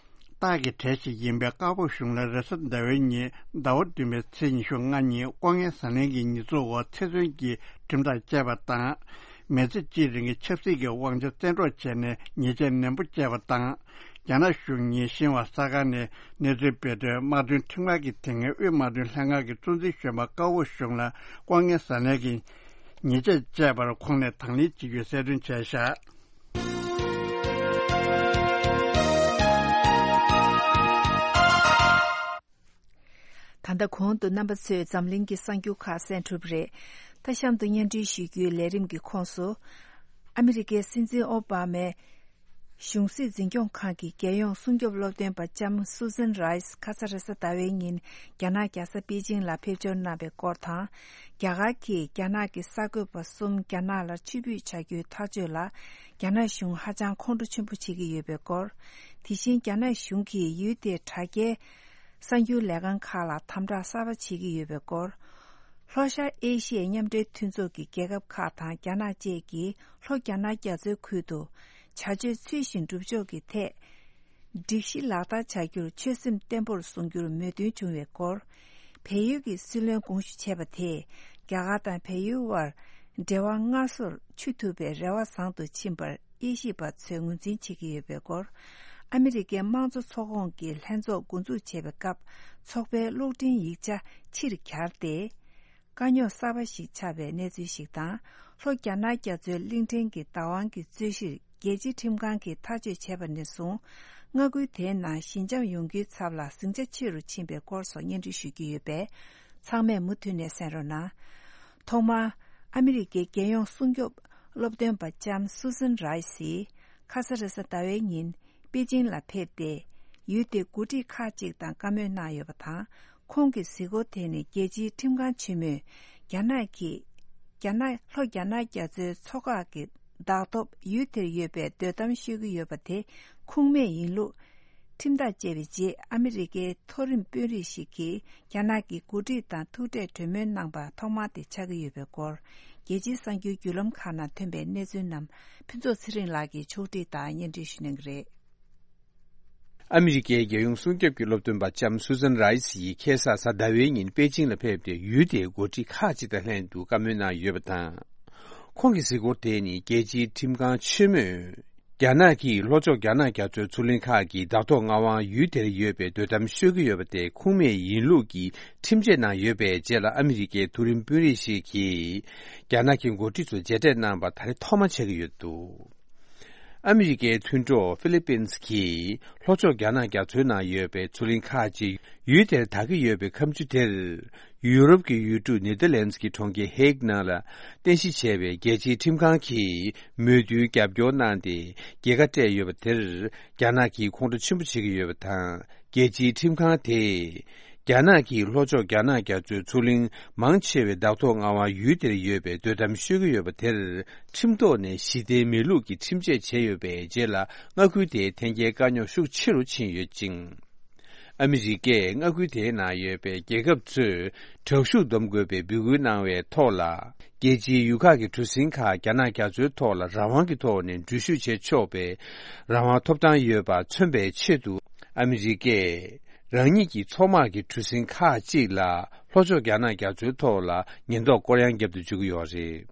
སྟག་གི་གྲས་ཤིག་ཡིན་པའི་ཀའོ་པོ་ཞུང་ལ་རེས་གཟའ་ཟླ་བའི་ཉིན་ཟླ་བ་བདུན་པའི་ཚེས་ཉི་ཤུ་ལྔ་ཉིན་ལྐོག་རྔན་ཟ་ལེན་གྱི་ཉེས་འཛུགས་འོག་ཚེ་བཙོན་གྱི་ཁྲིམས་ཐག་བཅད་པ་དང་། མི་ཚེ་གཅིག་རིང་གི་ཆབ་སྲིད་ཀྱི་དབང་ཆ་བཙན་འཕྲོག་བྱས་ནས་ཉེས་ཆད་ནན་པོ་བཅད་པ་དང་། རྒྱ་ནག་གཞུང་ཉིན་ཤིན་ཧྭ་གསར་ཁང་ནས་གནས་ཚུལ་སྤེལ་དོན། དམག་དོན་ཁྲིམས་ཁང་གི་དེ་སྔའི་དབུས་དམག་དོན་ལྷན་ཁང་གི་གཙོ་འཛིན་གཞོན་པ་ཀའོ་པོ་ཞུང་ལ་ལྐོག་རྔན་ཟ་ལེན་གྱི་ཉེས་ཆད་བཅད་པར་ཁོང་ནས་དང་ལེན་བྱེད་རྒྱུའི་གསལ་སྟོན་བྱས་བཞག་ད་ལྟ་གོང་དུ་རྣམ་པ་ཚོས་འཛམ་གླིང་གི་གསར་འགྱུར་ཁག་གསན་གྲུབ་རེད། ད་གཤམ་དུ་སྙན་སྒྲོན་ཞུ་རྒྱུའི་ལས་རིམ་གྱི་ཁོངས་སུ། ཨ་མི་རི་ཀའི་སྲིད་འཛིན་ཨོ་བྷ་མས་གཞུང་སྲིད་འཛིན་སྐྱོང་ཁང་གི་རྒྱལ་ཡོངས་སྲུང་སྐྱོབ་སློབ་སྟོན་པ་ལྕམ་སུ་ཟན་རའིས་ཁ་ས་རེས་གཟའ་ཟླ་བའི་ཉིན་རྒྱ་ནག་རྒྱལ་ས་པེ་ཅིང་ལ་ཕེབས་འབྱོར་གནང་བའི་སྐོར་དང་། རྒྱ་གར་གྱིས་རྒྱ་ནག་གི་གསར་འགོད་པ་གསུམ་རྒྱ་ནག་ལ་ཕྱིར་འབུད་བྱ་རྒྱུའི་ཐག་གཅོད་ལ་རྒྱ་ནག་གཞུང་ཧ་ཅང་ཁོང་ཁྲོ་ཆེན་པོ་བྱེད་ཀྱི་ཡོད་པའི་སྐོར། དེ་བཞིན་རྒྱ་ནག་གཞུང་གིས་ཡུལ་དེའི་དྲ་རྒྱའི་གསར་འགྱུར་ལས་ཁང་ཁག་ལ་དམ་དྲག་གསར་པ་བྱེད་ཀྱི་ཡོད་པའི་སྐོར། ལྷོ་ཤར་ཨེ་ཤི་ཡའི་མཉམ་འབྲེལ་མཐུན་ཚོགས་ཀྱི་རྒྱལ་ཁབ་ཁག་དང་རྒྱ་ནག་བཅས་ཀྱིས་ལྷོ་རྒྱ་ནག་རྒྱ་མཚོའི་ཁུལ་དུ་བྱ་སྤྱོད་ཚུལ་བཞིན་སྒྲུབ་ཕྱོགས་ཀྱི་ཐད། སྒྲིག་གཞི་ལག་བསྟར་བྱ་རྒྱུར་ཆོད་སེམས་བརྟན་པོར་བཟུང་རྒྱུར་མོས་མཐུན་བྱུང་བའི་སྐོར། བལ་ཡུལ་གྱི་སྲིད་བློན་དགོངས་ཞུ་བྱས་པ་དེས་རྒྱ་གར་དང་བལ་ཡུལ་དབར་འབྲེལ་བ་སྔར་སོར་ཆུད་ཐུབ་པའི་རེ་བ་བཟང་དུ་ཕྱིན་པར་དབྱེ་ཞིབ་པ་ཚོས་ངོས་འཛིན་བྱེད་ཀྱི་ཡོད་པའི་སྐོར། ཨ་མི་རི་ཀའི་དམངས་གཙོ་ཚོགས་ཁོངས་ཀྱི་ལྷན་ཚོགས་འགོ་འཛུགས་བྱེད་པའི་སྐབས་ཚོགས་པའི་གློག་འཕྲིན་ཡིག་ཆ་ཕྱིར་གྱར་ཏེ། དཀའ་རྙོག་གསར་པ་ཞིག་ཆགས་པའི་གནས་ཚུལ་ཞིག་དང་། ལྷོ་རྒྱ་ནག་རྒྱ་མཚོའི་གླིང་ཕྲན་གྱི་བདག་དབང་གི་རྩོད་གཞིར་རྒྱལ་སྤྱིའི་ཁྲིམས་ཁང་གིས་ཐག་གཅོད་བྱས་པ་ནས་བཟུང་། མངའ་ཁུལ་དེའི་ནང་ཞི་འཇམ་ཡོང་རྒྱུའི་ཚབ་ལ་ཟིང་ཆ་ཆེ་རུ་ཕྱིན་པའི་སྐོར་སོགས་སྙན་སྒྲོན་ཞུ་རྒྱུ་ཡོད་པས། ཚང་མས་མུ་མཐུད་ནས་གསན་རོགས་གནང་། ཐོག་མར། ཨ་མི་རི་ཀའི་རྒྱལ་ཡོངས་སྲུང་སྐྱོབ་སློབ་སྟོན་པ་ལྕམ་སུ་ཟན་རའི་སི། ཁ་ས་རེས་གཟའ་ཟླ་བའི་ཉིན། པེ་ཅིང་ལ་ཕེབས་ཏེ། ཡུལ་དེའི་འགོ་ཁྲིད་ཁག་ཅིག་དང་བཀའ་མོལ་གནང་ཡོད་པ་དང་། ཁོང་གི་གཟིགས་སྐོར་དེ་ནི་རྒྱལ་སྤྱིའི་ཁྲིམས་ཁང་ཆེན་མོས། རྒྱ་ནག་གིས། རྒྱ་ནག་ལྷོ་རྒྱ་ནག་རྒྱ་མཚོའི་མཚོ་ཁག་གི་བདག་ཐོབ་ཡུལ་དེར་ཡོད་པའི་དོ་དམ་ཤོད་ཀྱི་ཡོད་པ་དེ་ཁུངས་མེད་ཡིན་ལུགས། ཁྲིམས་ཐག་བཅད་པའི་རྗེས། ཨ་མི་རི་ཀའི་མཐོ་རིམ་དཔོན་རིགས་ཤིག་གིས་རྒྱ་ནག་གི་འགོ་ཁྲིད་དང་ཐུག་འཕྲད་གྲོས་མོལ་གནང་པ་ཐོག་མ་དེ་ཆགས་ཀྱི་ཡོད་པའི་སྐོར། རྒྱལ་སྤྱིའི་གསར་འགྱུར་བརྒྱུད་ལམ་ཁག་ནང་ཐོན་པའི་གནས་ཚུལ་རྣམས་ཕུན་ཚོགས་ཚེ་རིང་ལགས་ཀྱིས་ཕྱོགས་སྒྲིག་དང་སྙན་སྒྲོན་ཞུ་གནང་གི་རེད། ཨ་མི་རི་ཀའི་རྒྱལ་ཡོངས་སྲུང་སྐྱོབ་ཀྱི་སློབ་སྟོན་པ་ལྕམ་སུ་ཟན་རའི་སི་ཡིས་ཁ་སང་གཟའ་ཟླ་བའི་ཉིན་པེ་ཅིང་ལ་ཕེབས་ཏེ། ཡུལ་དེའི་འགོ་ཁྲིད་ཁག་ཅིག་དང་ལྷན་དུ་བཀའ་མོལ་གནང་ཡོད་པ་དང་། ཁོང་གི་གཟིགས་སྐོར་དེ་ནི་རྒྱལ་སྤྱིའི་ཁྲིམས་ཁང་ཆེན་མོས། རྒྱ་ནག་གིས་ལྷོ་ཕྱོགས་རྒྱ་ནག་རྒྱ་མཚོའི་མཚོ་གླིང་ཁག་གི་བདག་ཐོག་མངའ་དབང་ཡུལ་དེར་ཡོད་པའི་དོ་དམ་ཤོད་ཀྱི་ཡོད་པ་དེ་ཁུངས་མེད་ཡིན་ལུགས་ཀྱི་ཁྲིམས་ཆད་གནང་ཡོད་པའི་རྗེས་ལ། ཨ་མི་རི་ཀའི་མཐོ་རིམ་དཔོན་རིགས་ཤིག་གིས་རྒྱ་ནག་གི་འགོ་ཁྲིད་ཚོ་མཇལ་འཕྲད་གནང་པ་ད་རེས་ཐོག་མ་ཆགས་ཀྱི་ཡོད་འདུག་ཨ་མི་རི་ཀའི་མཐུན་གྲོགས་ཧྥི་ལི་པིན་གྱིས་ལྷོ་ཕྱོགས་རྒྱ་ནག་རྒྱ་མཚོའི་ནང་ཡོད་པའི་མཚོ་གླིང་ཁག་ཅིག་ཡུལ་དེར་དག་གི་ཡོད་པའི་ཁ་མཆུ་དེར། ཡུ་རོབ་ཀྱི་ཡུལ་གྲུ་ནེ་ཐར་ལན་ཌི་ཀྱི་གྲོང་ཁྱེར་ཧེག་ནང་ལ་རྟེན་གཞི་བྱས་པའི་རྒྱལ་སྤྱིའི་ཁྲིམས་ཁང་གིས་མོས་མཐུན་རྒྱབ་སྐྱོར་གནང་སྟེ། རྒྱལ་ཁ་སྤྲད་ཡོད་པ་དེར་རྒྱ་ནག་གིས་ཁོང་ཁྲོ་ཆེན་པོ་བྱེད་ཀྱི་ཡོད་པ་དང་། རྒྱལ་སྤྱིའི་ཁྲིམས་ཁང་དེས། རྒྱ་ནག་གིས་ལྷོ་ཕྱོགས་རྒྱ་ནག་རྒྱ་མཚོའི་མཚོ་གླིང་མང་ཆེ་བའི་བདག་ཐོག་མངའ་དབང་ཡུལ་དེར་ཡོད་པའི་དོ་དམ་ཤོད་ཀྱི་ཡོད་པ་དེར། ཁྲིམས་ཐོག་ནས་ཞི་བདེ་མེད་ལུགས་ཀྱི་ཁྲིམས་ཆད་བྱས་ཡོད་པའི་རྗེས་ལ། མངའ་ཁུལ་དེའི་ཐོན་སྐྱེད་དཀའ་རྙོག་ཤུགས་ཆེ་རུ་ཕྱིན་ཡོད་ཅིང་། ཨ་མི་རི་ཀས་མངའ་ཁུལ་དེའི་ནང་ཡོད་པའི་རྒྱལ་ཁབ་ཚོས་དྲག་ཤུགས་སྡོམ་དགོས་པའི་འབོད་སྐུལ་གནང་བའི་ཐོག་ལ། རྒྱལ་སྤྱིའི་ཡུལ་ཁག་གི་གྲུ་གཟིངས་ཁག་རྒྱ་ནག་རྒྱ་མཚོའི་ཐོག་ལ་རང་དབང་གི་ཐོག་ནས་འགྲུལ་བཞུད་བྱེད་ཆོག་པའི་རང་དབང་ཐོབ་ཐང་ཡོད་པ་མཚོན་པའི་ཆེད་དུ། ཨ་མི་རི་ཀས་རང་ཉིད་ཀྱི་མཚོ་དམག་གི་གྲུ་གཟིངས་ཁག་ཅིག་ལ་ལྷོ་ཕྱོགས་རྒྱ་ནག་རྒྱ་མཚོའི་ཐོག་ལ་ཉེན་རྟོག་སྐོར་གཡང་བརྒྱབ་ཏུ་འཇུག་གི་ཡོད་རེད།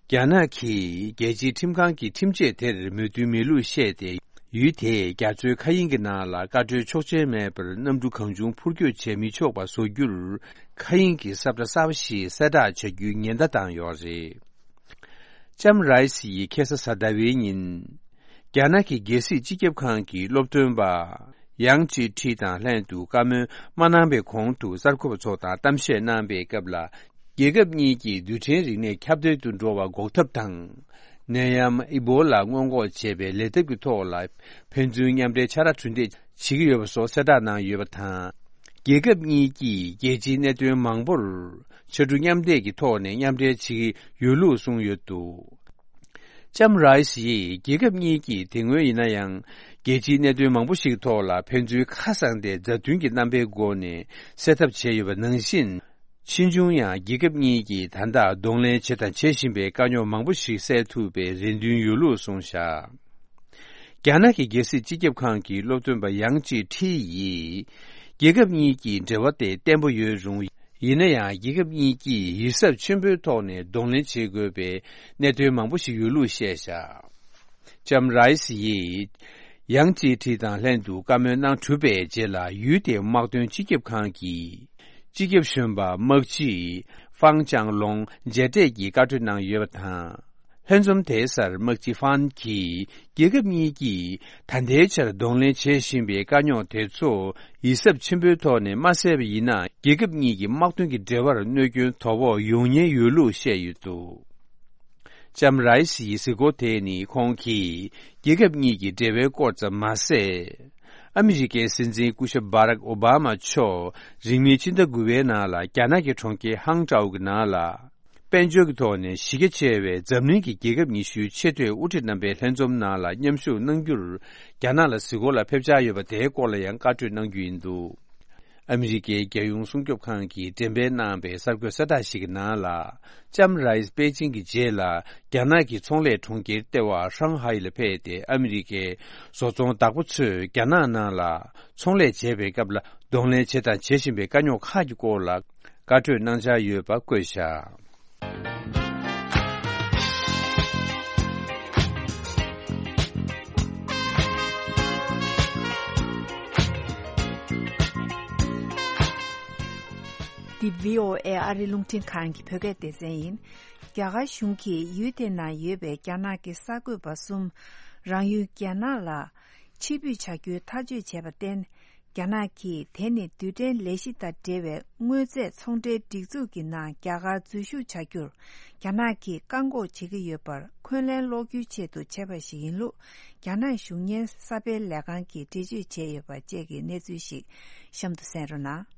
རྒྱ་ནག་གིས་རྒྱལ་སྤྱིའི་ཁྲིམས་ཁང་གི་ཁྲིམས་ཆད་དེར་མོས་མཐུན་མེད་ལུགས་བཤད་དེ། ཡུལ་དེས་རྒྱ་མཚོའི་མཁའ་དབྱིངས་ཀྱི་ནང་ལ་བཀའ་འཁྲོལ་ཆོག་མཆན་མེད་པར་གནམ་གྲུ་གང་བྱུང་འཕུར་སྐྱོད་བྱེད་མི་ཆོག་པ་བཟོ་རྒྱུར། མཁའ་དབྱིངས་ཀྱི་ས་ཁྲ་གསར་པ་ཞིག་གསལ་བསྒྲགས་བྱ་རྒྱུའི་ཉེན་བརྡ་བཏང་ཡོད་རེད། ལྕམ་རའི་སི་ཡིས་ཁ་སང་གཟའ་ཟླ་བའི་ཉིན། རྒྱ་ནག་གི་རྒྱལ་སྲིད་སྤྱི་ཁྱབ་ཁང་གི་སློབ་སྟོན་པ། ཡང་ཅི་ཁྲི་དང་ལྷན་དུ་བཀའ་མོལ་མ་གནང་པའི་གོང་དུ། གསར་འགོད་པ་ཚོ་དང་གཏམ་བཤད་གནང་པའི་སྐབས་ལ། རྒྱལ་ཁབ་གཉིས་ཀྱིས་རྡུལ་ཕྲན་རིག་གནས་ཁྱབ་གདལ་དུ་འགྲོ་བ་འགོག་ཐབས་དང་། ནད་ཡམས་ཨི་བོ་ལ་སྔོན་འགོག་བྱེད་པའི་ལས་ཐབས་ཀྱི་ཐོག་ལ་ཕན་ཚུན་མཉམ་འབྲེལ་ཕྱག་ར་གྲུ་འདེགས་བྱེད་ཀྱི་ཡོད་པ་སོགས་གསལ་བསྒྲགས་གནང་ཡོད་པ་དང་། རྒྱལ་ཁབ་གཉིས་ཀྱིས་རྒྱལ་སྤྱིའི་གནད་དོན་མང་པོར་ཕྱར་གྲུ་མཉམ་འདེགས་ཀྱི་ཐོག་ནས་མཉམ་འབྲེལ་བྱེད་ཀྱི་ཡོད་ལུགས་གསུངས་ཡོད་འདུག་ལྕམ་རའི་སི་ཡིས། རྒྱལ་ཁབ་གཉིས་ཀྱིས་དེ་སྔོན་ཡིན་ན་ཡང་རྒྱལ་སྤྱིའི་གནད་དོན་མང་པོ་ཞིག་ཐོག་ལ་ཕན་ཚུན་ཁ་གསང་སྟེ་མཛའ་མཐུན་གྱི་རྣམ་པའི་སྒོ་ནས་སེལ་ཐབས་བྱས་ཡོད་པ་ནང་བཞིན། ཕྱིས་འབྱུང་ཡང་རྒྱལ་ཁབ་གཉིས་ཀྱིས་ད་ལྟ་གདོང་ལེན་བྱས་དང་བྱེད་བཞིན་པའི་དཀའ་རྙོག་མང་པོ་ཞིག་སེལ་ཐུབ་པའི་རེ་འདུན་ཡོད་ལུགས་གསུངས་བཞག་རྒྱ་ནག་གི་རྒྱལ་སྲིད་སྤྱི་ཁྱབ་ཁང་གི་སློབ་སྟོན་པ་ཡང་ཅི་ཁྲི་ཡིས། རྒྱལ་ཁབ་གཉིས་ཀྱི་འབྲེལ་བ་དེ་བརྟན་པོ་ཡོད་རུང་། ཡིན་ན་ཡང་རྒྱལ་ཁབ་གཉིས་ཀྱིས་ཡིད་གཟབ་ཆེན་པོའི་ཐོག་ནས་གདོང་ལེན་བྱེད་དགོས་པའི་གནད་དོན་མང་པོ་ཞིག་ཡོད་ལུགས་བཤད་བཞག་ལྕམ་རའི་སི་ཡིས། ཡང་ཅི་ཁྲི་དང་ལྷན་དུ་བཀའ་མོལ་གནང་གྲུབ་པའི་རྗེས་ལ། ཡུལ་དེའི་དམག་དོན་སྤྱི་ཁྱབ་ཁང་གི་སྤྱི་ཁྱབ་གཞོན་པ་དམག་སྤྱི་ཧྥང་ཅང་ལོང་མཇལ་འཕྲད་ཀྱིས་བཀའ་འཁྲོལ་གནང་ཡོད་པ་དང་། ལྷན་འཛོམས་དེའི་སར་དམག་སྤྱི་ཧྥང་གིས། རྒྱལ་ཁབ་གཉིས་ཀྱིས་ད་ལྟའི་ཆར་གདོང་ལེན་བྱེད་བཞིན་པའི་དཀའ་རྙོག་དེ་ཚོ་ཡིད་གཟབ་ཆེན་པོའི་ཐོག་ནས་མ་སེལ་བ་ཡིན་ན། རྒྱལ་ཁབ་གཉིས་ཀྱི་དམག་དོན་གྱི་འབྲེལ་བར་གནོད་སྐྱོན་དོ་ཕོག་ཡོང་ཉེན་ཡོད་ལུགས་བཤད་ཡོད་འདུག་ལྕམ་རའི་སི་ཡི་གཟིགས་སྐོར་དེ་ནི་ཁོང་གིས་རྒྱལ་ཁབ་གཉིས་ཀྱི་འབྲེལ་བའི་སྐོར་ཙམ་མ་ཟད། ཨ་མི་རི་ཀའི་སྲིད་འཛིན་སྐུ་ཞབས་བྷ་རག་ཨོ་བྷ་མ་མཆོག་རིང་མིན་ཕྱི་ཟླ་དགུ་པའི་ནང་ལ་རྒྱ་ནག་གི་གྲོང་ཁྱེར་ཧང་ཀྲའོ་གི་ནང་ལ། དཔལ་འབྱོར་གྱི་ཐོག་ནས་གཞི་རྒྱ་ཆེ་བའི་འཛམ་གླིང་གི་རྒྱལ་ཁབ་ཉི་ཤུའི་ཆེས་མཐོའི་དབུ་ཁྲིད་རྣམ་པའི་ལྷན་འཛོམས་ནང་ལ་མཉམ་ཞུགས་གནང་རྒྱུར། རྒྱ་ནག་ལ་གཟིགས་སྐོར་ལ་ཕེབས་འཆར་ཡོད་པ་དེའི་སྐོར་ལ་ཡང་བཀའ་འཁྲོལ་གནང་རྒྱུ་ཡིན་འདུག་ཨ་མི་རི་ཀའི་རྒྱལ་ཡོངས་སྲུང་སྐྱོབ་ཁང་གིས་འགྲེམས་སྤེལ་གནང་པའི་གསར་འགོད་གསལ་བསྒྲགས་ཤིག་གི་ནང་ལ། ལྕམ་རའི་སི་པེ་ཅིང་གི་རྗེས་ལ། རྒྱ་ནག་གི་ཚོང་ལས་གྲོང་ཁྱེར་ལྟེ་བ་ཧྲང་ཧའེ་ལ་ཕེབས་ཏེ། ཨ་མི་རི་ཀའི་བཟོ་ཚོང་བདག་པོ་ཚོས་རྒྱ་ནག་ནང་ལ་ཚོང་ལས་བྱེད་པའི་སྐབས་ལ། གདོང་ལེན་བྱེད་དང་བྱེད་བཞིན་པའི་དཀའ་རྙོག་ཁག་གི་སྐོར་ལ། བཀའ་འཁྲོལ་གནང་འཆར་ཡོད་པ་བཀོད་བཞག་འདི་བྷི་ཨོ་ཨེ་ཨ་རིའི་རླུང་འཕྲིན་ཁང་གི་བོད་སྐད་སྡེ་ཚན་ཡིན། རྒྱ་གར་གཞུང་གིས་ཡུལ་དེ་ནང་ཡོད་པའི་རྒྱ་ནག་གི་གསར་འགོད་པ་གསུམ། རང་ཡུལ་རྒྱ་ནག་ལ་ཕྱིར་འབུད་བྱ་རྒྱུའི་ཐག་གཅོད་བྱས་པར་བརྟེན། རྒྱ་ནག་གིས་དེ་ནི་རྡུལ་ཕྲན་ལས་གཞི་དང་འབྲེལ་བའི་དངོས་རྫས་ཚོང་འབྲེལ་སྒྲིག་འཛུགས་ཀྱི་ནང་རྒྱ་གར་འཛུལ་ཞུགས་བྱ་རྒྱུར། རྒྱ་ནག་གིས་བཀག་འགོག་བྱེད་ཀྱི་ཡོད་པར་འཁོན་ལན་སློག་རྒྱུའི་ཆེད་དུ་བྱས་པ་ཞིག་ཡིན་ལུགས། རྒྱ་ནག་གཞུང་གཉེར་གསར་སྤེལ་ལས་ཁང་གིས་འགྲེལ་བརྗོད་བྱས་ཡོད་པ་བཅས་ཀྱི་གནས་ཚུལ་ཞིག་གཤམ་དུ་གསན་རོགས་གནང་།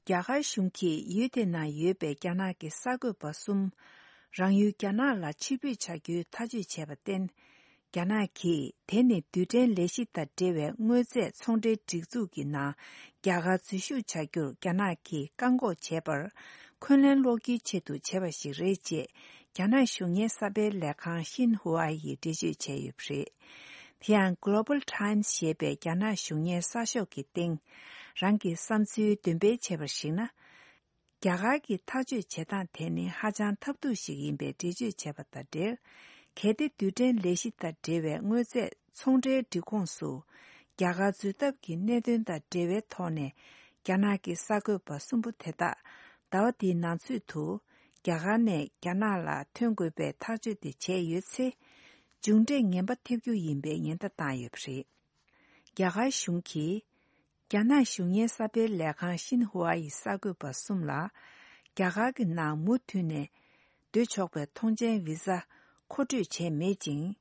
རྒྱ་གར་གཞུང་གིས་ཡུལ་དེ་ནང་ཡོད་པའི་རྒྱ་ནག་གི་གསར་འགོད་པ་གསུམ། རང་ཡུལ་རྒྱ་ནག་ལ་ཕྱིར་འབུད་བྱ་རྒྱུའི་ཐག་གཅོད་བྱས་པར་བརྟེན། རྒྱ་ནག་གིས་དེ་ནི་རྡུལ་ཕྲན་ལས་གཞི་དང་འབྲེལ་བའི་དངོས་རྫས་ཚོང་འབྲེལ་སྒྲིག་འཛུགས་ཀྱི་ནང་རྒྱ་གར་འཛུལ་ཞུགས་བྱ་རྒྱུར་རྒྱ་ནག་གིས་བཀག་འགོག་བྱས་པར་འཁོན་ལན་སློག་རྒྱུའི་ཆེད་དུ་བྱས་པ་ཞིག་རེད་ཅེས་རྒྱ་ནག་གཞུང་གཉེར་གསར་སྤེལ་ལས་ཁང་ཤིན་ཧུ་ཨ་ཡིས་འགྲེལ་བརྗོད་བྱས་ཡོད་པ་རེད། དེ་ཡང་Global Times་ཞེས་པའི་རྒྱ་ནག་གཞུང་གཉེར་གསར་ཤོག་གི་སྟེང་རང་གི་བསམ་ཚུལ་འདོན་སྤེལ་བྱས་པར་གཞིགས་ན། རྒྱ་གར་གྱི་ཐག་གཅོད་བྱེད་སྟངས་དེ་ནི་ཧ་ཅང་ཐབས་སྡུག་ཞིག་ཡིན་པའི་འགྲེལ་བརྗོད་བྱས་པ་དང་འབྲེལ། གལ་ཏེ་རྡུལ་ཕྲན་ལས་གཞི་དང་འབྲེལ་བའི་དངོས་རྫས་ཚོང་འབྲེལ་སྒྲིག་ཁོངས་སུ་རྒྱ་གར་འཛུལ་ཐབས་ཀྱི་གནད་དོན་དང་འབྲེལ་བའི་ཐོག་ནས་རྒྱ་ནག་གི་གསར་འགོད་པ་གསུམ་པོ་དེ་དག་ཟླ་བ་འདིའི་ནང་ཚུད་དུ་རྒྱ་གར་ནས་རྒྱ་ནག་ལ་ཐོན་དགོས་པའི་ཐག་གཅོད་དེ་བྱས་ཡོད་ཚེ། མཇུག་འབྲས་ངན་པ་ཐེབས་རྒྱུ་ཡིན་པའི་ཉེན་བརྡ་བཏང་ཡོད་པ་རེད། རྒྱ་གར་གཞུང་གིས། རྒྱ་ནག་གཞུང་གཉེར་གསར་སྤེལ་ལས་ཁང་ཤིན་ཧུ་ཨ་ཡི་གསར་འགོད་པ་གསུམ་ལ། རྒྱ་གར་གྱི་ནང་མུ་མཐུད་ནས་སྡོད་ཆོག་པའི་ཐོངས་མཆན་བི་ཟ་མཁོ་སྤྲོད་བྱས་མེད་ཅིང་།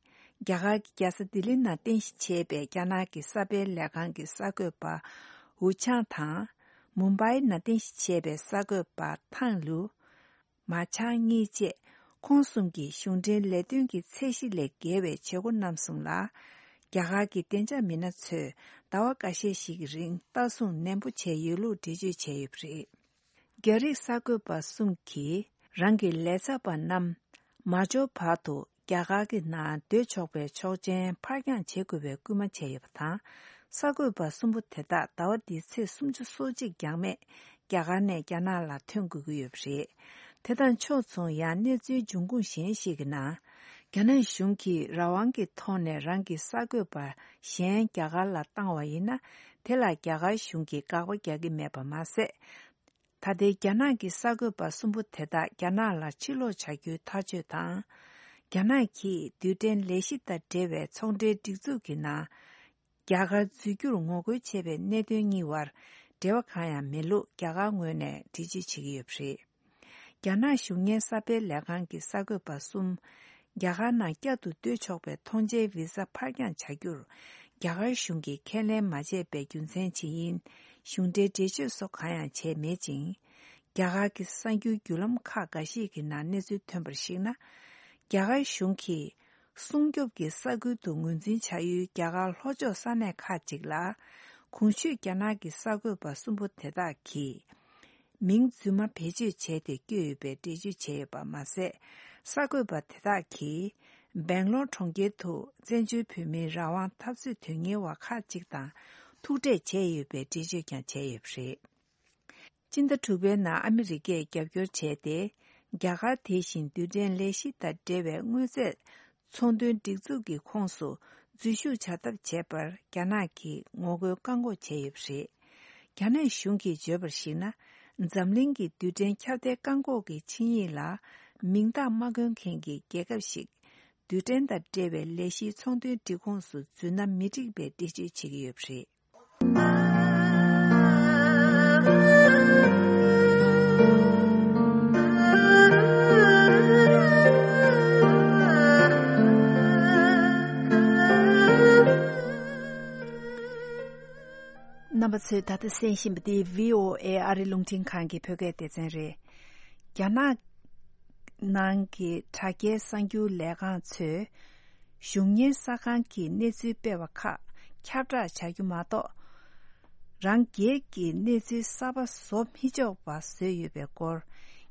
རྒྱ་གར་གྱི་རྒྱལ་ས་ལྡི་ལི་ནང་རྟེན་གཞི་བྱས་པའི་རྒྱ་ནག་གི་གསར་སྤེལ་ལས་ཁང་གི་གསར་འགོད་པ་ཝུ་ཆང་དང་། མུམ་བྷའི་ནང་རྟེན་གཞི་བྱས་པའི་གསར་འགོད་པ་ཐང་ལུའུ། མཱ་ཆང་གཉིས་བཅས་ཁོང་གསུམ་གྱིས་གཞུང་འབྲེལ་ལས་དོན་གྱི་ཚད་གཞི་ལས་བརྒལ་བའི་བྱེད་སྒོ་གནང་སོང་ལ། རྒྱ་གར་གྱི་བདེ་འཇགས་མི་སྣ་ཚོས་ཟླ་བ་འགའ་ཤས་ཤིག་གི་རིང་ལྟ་སྲུང་ནན་པོ་བྱས་ཡོད་ལུགས་འགྲེལ་བརྗོད་བྱས་ཡོད་པ་རེད། རྒྱ་རིགས་གསར་འགོད་པ་གསུམ་གྱིས་རང་གི་ལས་ཚབ་པ་རྣམས་མ་འབྱོར་བར་དུ་རྒྱ་གར་གྱི་ནང་སྡོད་ཆོག་པའི་ཆོག་མཆན་ཕར་འགྱངས་བྱེད་དགོས་པའི་སྐུལ་མ་བྱས་ཡོད་པ་དང་། གསར་འགོད་པ་གསུམ་པོ་དེ་དག་ཟླ་བ་འདིའི་ཚེས་སུམ་ཅུ་སོ་གཅིག་འགྱངས་མེད་རྒྱ་གར་ནས་རྒྱ་ནག་ལ་ཐོན་དགོས་ཀྱི་ཡོད་པ་རེད། དེ་དང་ཕྱོགས་མཚུངས་ཡང་གནས་ཚུལ་འབྱུང་ཁུངས་གཞན་ཞིག་གི་ནང་། རྒྱ་ནག་གཞུང་གིས་རང་དབང་གི་ཐོག་ནས་རང་གི་གསར་འགོད་པ་གཞན་རྒྱ་གར་ལ་བཏང་བ་ཡིན་ན། དེ་ལ་རྒྱ་གར་གཞུང་གིས་དགག་པ་རྒྱག་གི་མེད་པ་མ་ཟད། ད་ལྟའི་རྒྱ་ནག་གི་གསར་འགོད་པ་གསུམ་པོ་དེ་དག་རྒྱ་ནག་ལ་ཕྱིར་ལོག་བྱ་རྒྱུའི་ཐག་གཅོད་དང་། རྒྱ་ནག་གིས་རྡུལ་ཕྲན་ལས་གཞི་དང་འབྲེལ་བའི་ཚོང་འབྲེལ་སྒྲིག་འཛུགས་ཀྱི་ནང་། རྒྱ་གར་འཛུལ་རྒྱུར་ངོ་རྒོལ་བྱས་པའི་གནད་དོན་གཉིས་བར་འབྲེལ་བ་གང་ཡང་མེད་ལུགས་རྒྱ་གར་ངོས་ནས་འགྲེལ་བརྗོད་བྱེད་ཀྱི་ཡོད་པ་རེད། རྒྱ་ནག་གཞུང་གཉེར་གསར་སྤེལ་ལས་ཁང་གི་གསར་འགོད་པ་གསུམ། རྒྱ་གར་ནང་བསྐྱར་དུ་སྡོད་ཆོག་པའི་ཐོངས་མཆན་བི་ཟ་ཕར་འགྱངས་བྱ་རྒྱུར། རྒྱ་གར་གཞུང་གིས་ཁས་ལེན་མ་བྱས་པའི་རྒྱུ་མཚན་ཇི་ཡིན། གཞུང་འབྲེལ་འགྲེལ་བརྗོད་སོགས་གང་ཡང་བྱས་མེད་ཅིང་། རྒྱ་གར་གྱི་གསར་འགྱུར་བརྒྱུད་ལམ་ཁག་འགའ་ཤས་ཀྱི་ནང་གནས་ཚུལ་ཐོན་པར་གཞིགས་ན། རྒྱ་གར་གཞུང་གིས་སྲུང་སྐྱོབ་ཀྱི་ས་ཁུལ་དུ་ངོས་འཛིན་བྱ་ཡུལ་རྒྱ་གར་ལྷོ་ཕྱོགས་ས་གནས་ཁག་ཅིག་ལ། གོང་ཞུས་རྒྱ་ནག་གི་གསར་འགོད་པ་གསུམ་པོ་དེ་དག་གིས། མིང་རྫུན་མ་བེད་སྤྱོད་བྱས་ཏེ་བསྐྱོད་ཡོད་པའི་འགྲེལ་བརྗོད་བྱས་ཡོད་པ་མ་ཟད། གསར་འགོད་པ་དེ་དག་གིས་སྦེང་ལོར་གྲོང་ཁྱེར་དུ་བཙན་བྱོལ་བོད་མིའི་རང་དབང་འཐབ་རྩོད་དོན་གཉེར་བ་ཁག་ཅིག་དང་ཐུག་འཕྲད་བྱས་ཡོད་པའི་འགྲེལ་བརྗོད་ཀྱང་བྱས་ཡོད་པ་རེད། སྤྱི་ཟླ་དྲུག་པའི་ནང་ཨ་མི་རི་ཀས་རྒྱབ་སྐྱོར་བྱས་ཏེ། རྒྱ་གར་དེ་བཞིན་རྡུལ་ཕྲན་ལས་གཞི་དང་འབྲེལ་བའི་དངོས་རྫས་ཚོང་དོན་སྒྲིག་འཛུགས་ཀྱི་ཁོངས་སུ་འཛུལ་ཞུགས་བྱ་ཐབས་བྱས་པར་རྒྱ་ནག་གིས་ངོ་རྒོལ་བཀག་འགོག་བྱས་ཡོད་པ་རེད། རྒྱ་ནག་གཞུང་གིས་བརྗོད་པར་གཞིགས་ན། འཛམ་གླིང་གི་རྡུལ་ཕྲན་ཁྱབ་གདལ་བཀག་འགོག་གི་ཆིངས་ཡིག་ལ་མིང་རྟགས་མ་བཀོད་མཁན་གྱི་རྒྱལ་ཁབ་ཞིག་རྡུལ་ཕྲན་དང་འབྲེལ་བའི་ལས་གཞིའི་ཚོང་དོན་སྒྲིག་ཁོངས་སུ་འཛུལ་ན་མི་འགྲིག་པའི་འགྲེལ་བརྗོད་བྱེད་ཀྱི་ཡོད་པ་རེད། རྣམ་པ་ཚོས་ད་ལྟ་གསན་བཞིན་པ་འདི་བྷི་ཨོ་ཨེ་ཨ་རི་རླུང་འཕྲིན་ཁང་གི་བོད་སྐད་སྡེ་ཚན་རེད། རྒྱ་ནག་ནང་གི་དྲ་རྒྱའི་གསར་འགྱུར་ལས་ཁང་ཚོས་གཞུང་གཉེར་གསར་ཁང་གི་གནས་ཚུལ་སྤེལ་བ་ཁག་ཁྱབ་བསྒྲགས་བྱ་རྒྱུ་མ་གཏོགས། རང་སྒེར་གྱི་གནས་ཚུལ་གསར་པ་བཟོ་མི་ཆོག་པ་བཟོས་ཡོད་པའི་སྐོར།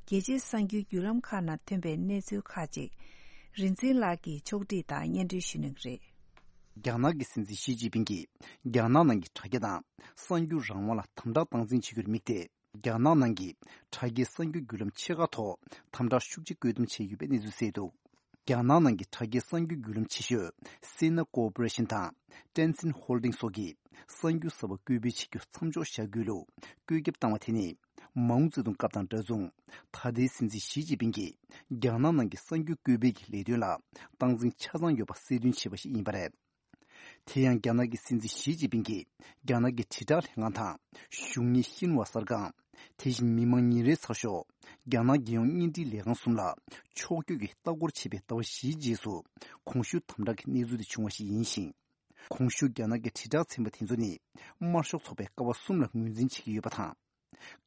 རྒྱལ་སྤྱིའི་གསར་འགྱུར་བརྒྱུད་ལམ་ཁག་ནང་ཐོན་པའི་གནས་ཚུལ་ཁག་ཅིག་རིག་འཛིན་ལགས་ཀྱིས་ཕྱོགས་སྒྲིག་དང་སྙན་སྒྲོན་ཞུ་གནང་གི་རེད། རྒྱ་ནག་གི་སྲིད་འཛིན་ཞི་ཅིན་ཕིང་གིས་རྒྱ་ནག་ནང་གི་དྲ་རྒྱ་དང་གསར་འགྱུར་རང་དབང་ལ་དམ་དྲག་སྟངས་འཛིན་བྱེད་རྒྱུར་དམིགས་ཏེ། རྒྱ་ནག་ནང་གི་དྲ་རྒྱའི་གསར་འགྱུར་བརྒྱུད་ལམ་ཆེ་ཁག་ཐོག་དམ་དྲག་ཤུགས་ཆེ་བཀོད་འདོམས་བྱས་ཡོད་པའི་གནས་ཚུལ་གསལ་འདུག་རྒྱ་ནག་ནང་གི་དྲ་རྒྱའི་གསར་འགྱུར་བརྒྱུད་ལམ་ཆེ་ཤོས་Sina Corporation དང་Tencent Holdings སོགས་ཀྱིས་གསར་འགྱུར་གསར་པ་བཀོད་སྤེལ་བྱེད་རྒྱུ་མཚམས་འཇོག་བྱ་དགོས་ལུགས་བཀོད་ཁྱབ་བཏང་བ་དེ་ནི། མའོ་ཙེ་ཏུང་སྐབས་དང་འདྲ་མཚུངས། ད་ལྟའི་སྲིད་འཛིན་ཞི་ཅིན་ཕིང་གིས་རྒྱ་ནག་ནང་གི་གསར་འགྱུར་བཀོད་སྤེལ་གྱི་ལས་དོན་ལ་སྟངས་འཛིན་ཆ་ཚང་ཡོད་པ་གསལ་སྟོན་བྱས་པ་ཞིག་ཡིན་པ་རེད། དེ་ཡང་རྒྱ་ནག་གི་སྲིད་འཛིན་ཞི་ཅིན་ཕིང་གིས་རྒྱ་ནག་གི་དྲིལ་བསྒྲགས་ལྷན་ཁང་དང་གཞུང་གཉེར་ཤིན་ཧྭ་གསར་ཁང་། དེ་བཞིན་མི་དམངས་ཉིན་རེའི་ཚགས་ཤོག་རྒྱ་ནག་རྒྱལ་ཡོངས་བརྙན་འཕྲིན་ལས་ཁང་གསུམ་ལ་ཕྱོགས་བསྐྱོད་ཀྱིས་ལྟ་སྐོར་བྱས་པའི་ཟླ་བ་བཞིའི་རྗེས་སུ་གོང་ཞུས་དམ་དྲག་གི་གནས་ཚུལ་དེ་བྱུང་བ་ཞིག་ཡིན་ཞིང་། གོང་ཞུས་རྒྱ་ནག་གི་དྲིལ་བསྒྲགས་ཚན་པ་དེ་ཚོ་ནི་དམར་ཤོག་ཚོགས་པའི་ཀ་བ་གསུམ་ལ་ངོས་འཛིན་བྱེད་ཀྱི་ཡོད་པ་དང་།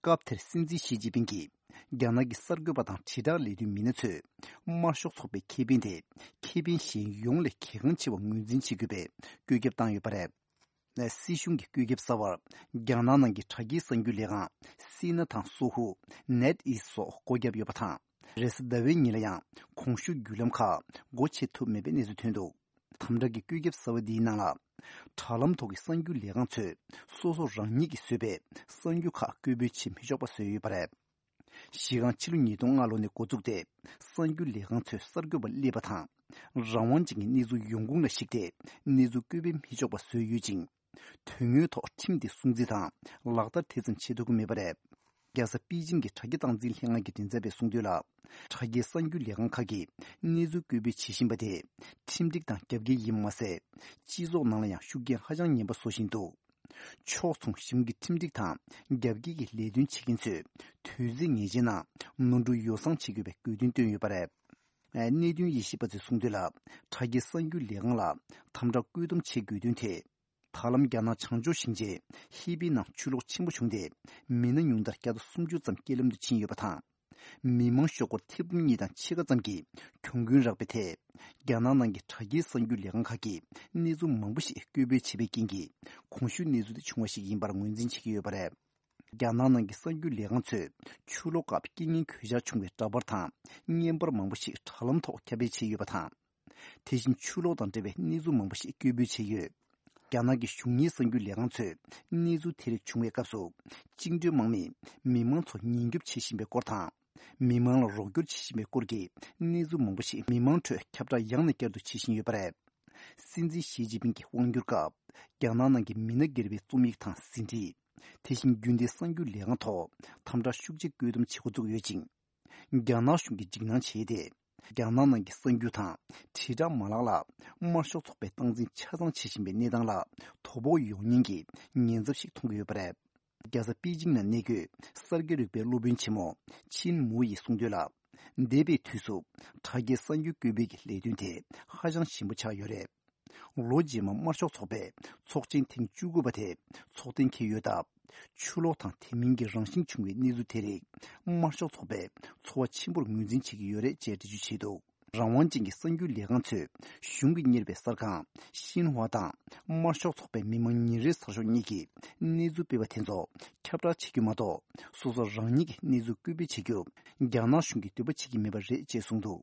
སྐབས་དེར་སྲིད་འཛིན་ཞི་ཅིན་ཕིང་གིས་ རྒྱ་ནག་གི་གསར་འགོད་པ་དང་དྲིལ་བསྒྲགས་ལས་དོན་མི་སྣ་ཚོས་དམར་ཤོག་ཚོགས་པའི་ཁེ་ཕན་དེ་ཁེ་ཕན་གཞན་ཡོངས་ལས་གལ་འགངས་ཆེ་བར་ངོས་འཛིན་བྱེད་དགོས་པའི་བཀོད་ཁྱབ་བཏང་ཡོད་པ་རེད། སྲིད་གཞུང་གི་བཀོད་ཁྱབ་གསར་བར་རྒྱ་ནག་ནང་གི་དྲ་རྒྱའི་གསར་འགྱུར་ལས་ཁང་སི་ན་དང་སོ་ཧུ། ནེད་ཨིས་སོགས་སྒོ་བརྒྱབ་ཡོད་པ་དང་། རེས་གཟའ་ཟླ་བའི་ཉིན་ལ་ཡང་གོང་ཞུས་བརྒྱུད་ལམ་ཁག་སྒོ་ཕྱེ་ཐུབ་མེད་པའི་གནས་ཚུལ་ཐོན་འདུག་དམ་དྲག་གི་བཀོད་ཁྱབ་གསར་བ་འདིའི་ནང་ལ། དྲ་ལམ་ཐོག་གི་གསར་འགྱུར་ལས་ཁང་ཚོས་སོ་སོ་རང་ཉིད་ཀྱིས་བཟོས་པའི་གསར་འགྱུར་ཁག་སྐད་འབོད་བྱེད་མི་ཆོག་པ་བཟོས་ཡོད་པ་རེད། གཞི་རྐང་ཕྱི་ལོ་ཉིས་སྟོང་ལྔ་ལོ་ནས་འགོ་བཙུགས་ཏེ། གསར་འགྱུར་ལས་ཁང་ཚོས་གསར་འགོད་པ་སླེབས་པ་དང་། རང་དབང་ཅན་གྱི་གནས་ཚུལ་ཡོང་ཁུངས་ལ་གཞིགས་ཏེ་གནས་ཚུལ་སྐད་འབོད་མི་ཆོག་པ་བཟོས་ཡོད་ཅིང་། དོན་དངོས་ཐོག་ཁྲིམས་དེ་སྲུང་བརྩི་དང་ལག་བསྟར་དེ་ཙམ་བྱེད་ཐུབ་ཀྱི་མེད་པ་རེད། རྒྱལ་ས་པེ་ཅིང་གི་དྲ་རྒྱ་སྟངས་འཛིན་ལྷན་ཁང་གི་མགྲིན་ཚབ་པས་གསུངས་དོན་ལ། དྲ་རྒྱའི་གསར་འགྱུར་ལས་ཁང་ཁག་གིས་གནས་ཚུལ་སྐད་འབོད་བྱེད་བཞིན་པ་དེ་ཁྲིམས་སྒྲིག་དང་རྒྱབ་འགལ་ཡིན་པ་མ་ཟད། སྤྱི་ཚོགས་ནང་ལ་ཡང་ཤུགས་རྐྱེན་ཧ་ཅང་ངན་པ་བཟོ་བཞིན་འདུག་ཕྱོགས་མཚུངས་གཞུང་གི་ཁྲིམས་སྒྲིག་དང་རྒྱབ་འགལ་གྱི་ལས་དོན་བྱེད་མཁན་ཚོས་དུས་ཚོད་ངེས་ཅན་ནང་ནོར་འཁྲུལ་ཡོ་བསྲང་བྱེད་དགོས་པའི་དགོས་འདུན་བཏོན་ཡོད་པ་རེད། གནད་དོན་དབྱེ་ཞིབ་པ་ཚོས་གསུངས་དོན་ལ། དྲ་རྒྱའི་གསར་འགྱུར་ལས་ཁང་ལ་དམ་དྲག་བཀོད་འདོམས་བྱེད་དགོས་དོན་དེ། ད་ལམ་རྒྱ་ནག་བྱང་ཕྱོགས་ཞིང་ཆེན་ཧི་པི་ནང་ཆུ་ལོག་ཆེན་པོ་བྱུང་སྟེ། མི་སྣ་ཉུང་མཐར་བརྒྱ་དང་སུམ་ཅུ་ཙམ་རྐྱེན་ལམ་དུ་ཕྱིན་ཡོད་པ་དང་། མི་མང་ཤོག་སྒོར་ཐེར་འབུམ་གཉིས་དང་ཕྱེད་ཀ་ཙམ་གྱིས་གྱོང་གུན་རག་པའི་ཐད། རྒྱ་ནག་ནང་གི་དྲ་རྒྱའི་གསར་འགྱུར་ལས་ཁང་ཁག་གིས་གནས་ཚུལ་མང་པོ་ཞིག་སྐད་འབོད་བྱས་པའི་རྐྱེན་གྱིས། གོང་ཞུས་གནས་ཚུལ་དེ་བྱུང་བ་ཞིག་ཡིན་པར་ངོས་འཛིན་བྱེད་ཀྱི་ཡོད་པ་རེད། རྒྱ་ནག་ནང་གི་གསར་འགྱུར་ལས་ཁང་ཚོས་ཆུ་ལོག་སྐབས་རྐྱེན་ངན་གོད་ཆག་བྱུང་བའི་འདྲ་པར་དང་བརྙན་པར་མང་པོ་ཞིག་དྲ་ལམ་ཐོག་ཁྱབ་སྤེལ་བྱས་ཡོད་པ་དང་། དེ་བཞིན་ཆུ་ལོག་དང་འབྲེལ་བའི་གནས་ཚུལ་མང་པོ་ཞིག་སྐད་འབོད་བྱས་ཡོད། རྒྱ་ནག་གི་གཞུང་གཉེར་གསར་འགྱུར་ལས་ཁང་ཚོས་གནས་ཚུལ་དེ་རིགས་བྱུང་བའི་སྐབས་སུ། བཅིངས་འགྲོལ་དམག་མིས་མི་མང་ཚོ་ཉེན་སྐྱོབ་བྱེད་བཞིན་པའི་སྐོར་དང་། མི་མང་ལ་རོགས་སྐྱོར་བྱེད་བཞིན་པའི་སྐོར་གྱི་གནས་ཚུལ་མང་པོ་ཞིག་མི་མང་ཁྲོད་ཁྱབ་བསྒྲགས་ཡང་ནས་བསྐྱར་དུ་བྱེད་བཞིན་ཡོད་པ་རེད། སྲིད་འཛིན་ཞི་ཅིན་ཕིང་གི་དབང་སྒྱུར་སྐབས། རྒྱ་ནག་ནང་གི་མི་སྣ་སྒེར་བའི་རྩོམ་ཡིག་དང་ཟིན་བྲིས། དེ་བཞིན་རྒྱུན་ལྡན་གསར་འགྱུར་ལས་ཁང་ཐོག་དམ་དྲག་ཤུགས་ཆེ་བཀོད་འདོམས་བྱེད་འགོ་བཙུགས་ཡོད་ཅིང་། རྒྱ་ནག་གཞུང་གིས་འཇིགས་སྣང་བྱས་ཏེ། རྒྱ་ནག་ནང་གི་གསར་འགྱུར་དང་དྲིལ་བསྒྲགས་མ་ལག་ལ་དམར་ཤོག་ཚོགས་པའི་སྟངས་འཛིན་ཆ་ཚང་བྱེད་བཞིན་པའི་གནས་སྟངས་ལ་དོ་ཕོག་ཡོང་ཉེན་གྱི་ཉེན་ཚབས་ཤིག་མཐོང་གི་ཡོད་པ་རེད། རྒྱལ་ས་པེ་ཅིང་ནང་གནས་འཁོད་གསར་འགྱུར་རིག་པའི་སློབ་དཔོན་ཆེན་མོ་ཆིན་མུའུ་ཡིས་གསུངས་དོན་ལ། འདས་པའི་དུས་སུ་དྲ་རྒྱའི་གསར་འགྱུར་བཀོད་སྤེལ་གྱི་ལས་དོན་དེ་ཧ་ཅང་ཞན་པོ་ཆགས་ཡོད་རེད། ལོ་རྗེས་མ་དམར་ཤོག་ཚོགས་པའི་ཚོགས་ཆེན་ཐེངས་བཅུ་དགུ་པ་དེ་ཚོགས་གཏན་འཁེལ་ཡོད་སྟབས། ཆུ་ལོག་དང་དེ་མིན་གྱི་རང་བཞིན་བྱུང་བའི་གནས་ཚུལ་དེ་རིགས་དམར་ཤོག་ཚོགས་པས་ཚོར་བ་ཆེན་པོར་ངོས་འཛིན་བྱེད་ཀྱི་ཡོད་རེད་ཅེས་འགྲེལ་བརྗོད་བྱས་འདུག་རང་དབང་ཅན་གྱི་གསར་འགྱུར་ལས་ཁང་ཚོས་གཞུང་གིས་གཉེར་བའི་གསར་ཁང་ཤིན་ཧྭ་དང་དམར་ཤོག་ཚོགས་པའི་མི་མང་ཉིན་རེའི་གསར་ཤོག་གཉིས་ཀྱིས་གནས་ཚུལ་སྤེལ་བ་དེ་ཚོ་ཁྱབ་བསྒྲགས་བྱེད་རྒྱུ་མ་གཏོགས། སོ་སོ་རང་ཉིད་ཀྱི་གནས་ཚུལ་སྐད་འབོད་བྱེད་རྒྱུ་རྒྱ་ནག་གཞུང་གིས་འདོད་པ་བྱེད་ཀྱི་མེད་པ་རེད་ཅེས་གསུངས་འདུག་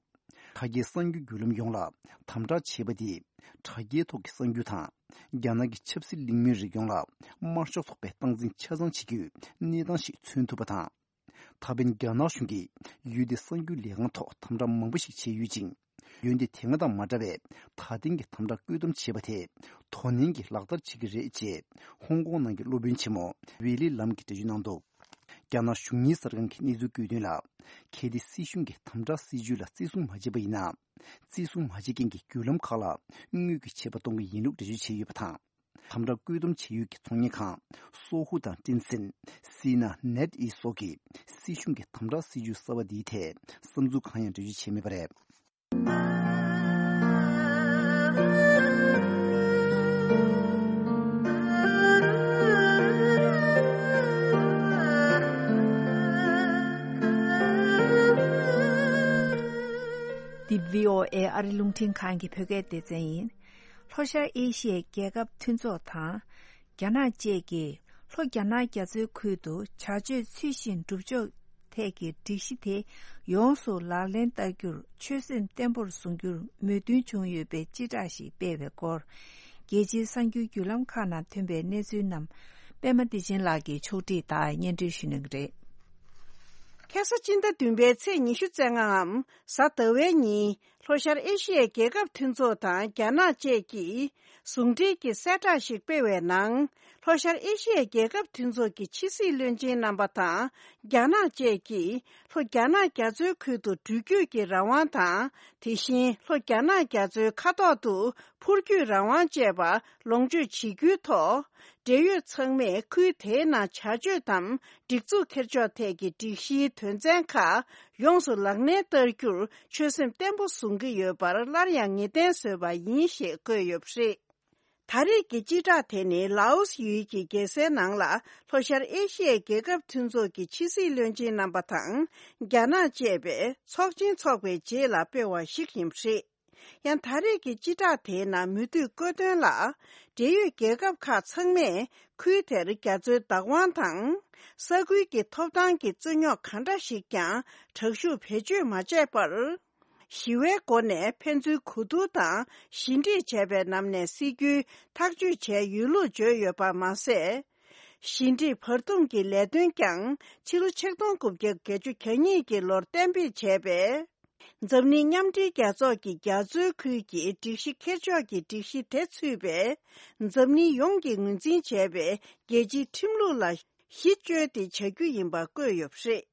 དྲ་རྒྱའི་གསར་འགྱུར་བརྒྱུད་ལམ་ཡོངས་ལ་དམ་དྲག་བྱས་པ་འདིས། དྲ་རྒྱའི་ཐོག་གི་གསར་འགྱུར་དང་། རྒྱ་ནག་གི་ཆབ་སྲིད་གླེང་མོལ་རིགས་ཡོངས་ལ་དམར་ཤོག་ཚོགས་པའི་སྟངས་འཛིན་ཆ་ཚང་བྱེད་རྒྱུའི་གནས་སྟངས་ཤིག་མཚོན་ཐུབ་པ་དང་། ད་ཕན་རྒྱ་ནག་གཞུང་གིས་ཡུལ་དེའི་གསར་འགྱུར་ལས་ཁང་ཐོག་དམ་དྲག་མང་པོ་ཞིག་བྱས་ཡོད་ཅིང་། ཡུལ་དེ་དེ་སྔ་དང་མ་འདྲ་བའི་ད་ཐེངས་ཀྱི་དམ་དྲག་བཀོད་འདོམས་བྱས་པ་དེ་དོ་ནན་གྱིས་ལག་བསྟར་བྱེད་ཀྱི་རེད་ཅེས་ཧོང་ཀོང་ནང་གི་སློབ་དཔོན་ཆེན་མོ་ཝེ་ལི་ལམ་གྱིས་འགྲེལ་བརྗོད་གནང་འདུག་རྒྱ་ནག་གཞུང་གཉེར་གསར་ཁང་གིས་གནས་ཚུལ་བཀོད་དོན་ལ། གལ་ཏེ་སྲིད་གཞུང་གིས་དམ་དྲག་སྲིད་ཇུས་ལ་བརྩི་སྲུང་མ་བྱས་པ་ཡིན་ན། བརྩི་སྲུང་མ་བྱེད་མཁན་གྱི་བརྒྱུད་ལམ་ཁག་ལ་དངུལ་གྱི་ཆད་པ་གཏོང་གི་ཡིན་ལུགས་འགྲེལ་བརྗོད་བྱས་ཡོད་པ་དང་། དམ་དྲག་བཀོད་འདོམས་བྱེད་ཡུལ་གྱི་ཚོང་གཉེར་ཁང་སོ་ཧུ་དང་ཀྲིན་སན། སི་ན་ནེད་ཨི་སོགས་ཀྱིས་སྲིད་གཞུང་གི་དམ་དྲག་སྲིད་ཇུས་གསར་བ་འདིའི་ཐད་བསམ་ཚུལ་གང་ཡང་འགྲེལ་བརྗོད་བྱས་མེད་པ་རེད། འདི་བྷི་ཨོ་ཨེ་ཨ་རི་རླུང་འཕྲིན་ཁང་གི་བོད་སྐད་སྡེ་ཚན་ཡིན། ལྷོ་ཤར་ཨེ་ཤི་ཡའི་རྒྱལ་ཁབ་མཐུན་ཚོགས་དང་། རྒྱ་ནག་བཅས་ཀྱིས་ལྷོ་རྒྱ་ནག་རྒྱ་མཚོའི་ཁུལ་དུ་བྱ་སྤྱོད་ཚུལ་བཞིན་སྒྲུབ་ཕྱོགས་ཐད་ཀྱི་སྒྲིག་གཞི་དེ་ཡོངས་སུ་ལག་ལེན་བསྟར་རྒྱུར་ཆོད་སེམས་བརྟན་པོར་བཟུང་རྒྱུར་མོས་མཐུན་བྱུང་ཡོད་པའི་སྤྱི་བསྒྲགས་ཤིག་སྤེལ་བའི་སྐོར། རྒྱལ་སྤྱིའི་གསར་འགྱུར་བརྒྱུད་ལམ་ཁག་ནང་ཐོན་པའི་གནས་ཚུལ་རྣམས་པད་མ་བདེ་ཆེན་ལགས་ཀྱིས་ཕྱོགས་སྒྲིག་དང་སྙན་སྒྲོན་ཞུ་གནང་གི་རེད། ཁ་སང་སྤྱི་ཟླ་བདུན་པའི་ཚེས་ཉི་ཤུ་རྩ་ལྔའམ་གཟའ་ཟླ་བའི་ཉིན། ལྷོ་ཤར་ཨེ་ཤི་ཡའི་རྒྱལ་ཁབ་མཐུན་ཚོགས་དང་རྒྱ་ནག་བཅས་ཀྱིས་ཟུང་འབྲེལ་གྱི་གསལ་བསྒྲགས་ཤིག་སྤེལ་བའི་ནང་། ལྷོ་ཤར་ཨེ་ཤི་ཡའི་རྒྱལ་ཁབ་མཐུན་ཚོགས་ཀྱི་ཕྱི་སྲིད་བློན་ཆེན་རྣམ་པ་དང་རྒྱ་ནག་བཅས་ཀྱིས་ལྷོ་རྒྱ་ནག་རྒྱ་མཚོའི་ཁུལ་དུ་འགྲུལ་སྐྱོད་ཀྱི་རང་དབང་དང་། དེ་བཞིན་ལྷོ་རྒྱ་ནག་རྒྱ་མཚོའི་ཁ་ཐོག་ཏུ་འཕུར་སྐྱོད་རང་དབང་བཅས་པ་ལོངས་སྤྱོད་བྱེད་རྒྱུའི་ཐོག་འབྲེལ་ཡོད་ཚང་མས་ཁུལ་དེའི་ནང་བྱ་སྤྱོད་དམ་སྒྲིག་འཛུགས་འཁྱེར་ཕྱོགས་ཐད་ཀྱི་སྒྲིག་གཞིའི་དོན་ཚན་ཁག་ཡོངས་སུ་ལག་ལེན་བསྟར་རྒྱུར་ཆོད་སེམས་བརྟན་པོ་བཟུང་གི་ཡོད་པར་སླར་ཡང་ངེས་གཏན་བཟོས་པ་ཡིན་ཞེས་བཀོད་ཡོད་པ་རེད། ད་རེས་ཀྱི་སྤྱི་བསྒྲགས་དེ་ནི་ལའོ་སི་ཡུལ་གྱི་རྒྱལ་སའི་ནང་ལ་ལྷོ་ཤར་ཨེ་ཤི་ཡའི་རྒྱལ་ཁབ་མཐུན་ཚོགས་ཀྱི་ཕྱི་སྲིད་བློན་ཆེན་རྣམ་པ་དང་རྒྱ་ནག་བཅས་པའི་ཚོགས་ཆེན་འཚོགས་པའི་རྗེས་ལ་སྤེལ་བ་ཞིག་ཡིན་པ་རེད། ཡང་ད་རེས་ཀྱི་སྤྱི་བསྒྲགས་དེའི་ནང་མུ་མཐུད་བཀོད་དོན་ལ། འབྲེལ་ཡོད་རྒྱལ་ཁབ་ཁག་ཚང་མས་ཁུལ་དེར་རྒྱ་མཚོའི་བདག་དབང་དང་། ས་ཁུལ་གྱི་ཐོབ་ཐང་གི་རྩོད་རྙོག་གང་འདྲ་ཞིག་ཀྱང་དྲག་ཤུགས་བེད་སྤྱོད་མ་བྱས་པར། ཞི་བའི་སྒོ་ནས་ཕན་ཚུན་གོ་བསྡུར་དང་ཞི་འགྲིག་བྱས་པའི་ནང་ནས་སྲིད་ཇུས་ཐག་གཅོད་བྱས་ཡོད་ལུགས་བརྗོད་ཡོད་པ་མ་ཟད། ཞི་འགྲིག་བར་འདུམ་གྱི་ལས་དོན་ཀྱང་ཕྱི་ལོ་ཆིག་སྟོང་དགུ་བརྒྱ་བརྒྱད་ཅུ་གྱ་གཉིས་ཀྱི་ལོར་གཏན་འབེབས་བྱས་པས། འཛམ་གླིང་མཉམ་འབྲེལ་རྒྱལ་ཚོགས་ཀྱི་རྒྱ་མཚོའི་ཁུལ་གྱི་སྒྲིག་གཞི་འཁྱེར་ཕྱོགས་ཀྱི་སྒྲིག་གཞི་དེ་ཚུད་པས། འཛམ་གླིང་ཡོངས་ཀྱིས་ངོས་འཛིན་བྱས་པའི་རྒྱལ་སྤྱིའི་ཁྲིམས་ལུགས་ལ་གཞི་བཅོལ་ཏེ་བྱ་རྒྱུ་ཡིན་པ་བཀོད་ཡོད་པ་རེད།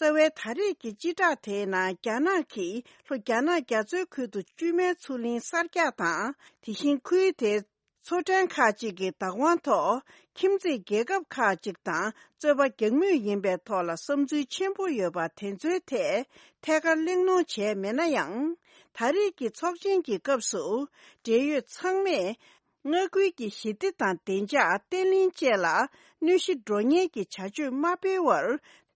རྩ་བའི་ད་རེས་ཀྱི་སྤྱི་བསྒྲགས་དེའི་ནང་རྒྱ་ནག་གིས་ལྷོ་རྒྱ་ནག་རྒྱ་མཚོའི་ཁུལ་དུ་བཅོས་མའི་མཚོ་གླིང་གསར་རྒྱག་དང་། དེ་བཞིན་ཁུལ་དེའི་མཚོ་ཕྲན་ཁག་ཅིག་གི་བདག་དབང་ཐོག་ཁྱིམ་མཚེས་རྒྱལ་ཁབ་ཁག་ཅིག་དང་རྩོད་པ་རྒྱག་མུས་ཡིན་པའི་ཐོག་ལ་བསམ་ཚུལ་ཆེན་པོ་ཡོད་པ་དེ་ཚོའི་ཐད་ཐད་ཀར་གླེང་སློང་བྱས་མེད་ན་ཡང་། ད་རེས་ཀྱི་ཚོགས་ཆེན་གྱི་སྐབས་སུ་འབྲེལ་ཡོད་ཚང་མས། མངའ་ཁུལ་གྱི་ཞི་བདེ་དང་བདེ་འཇགས་བརྟན་ལྷིང་བཅས་ལ་གནོད་གཞི་འགྲོ་ཉེན་གྱི་བྱ་སྤྱོད་མ་སྤེལ་བར་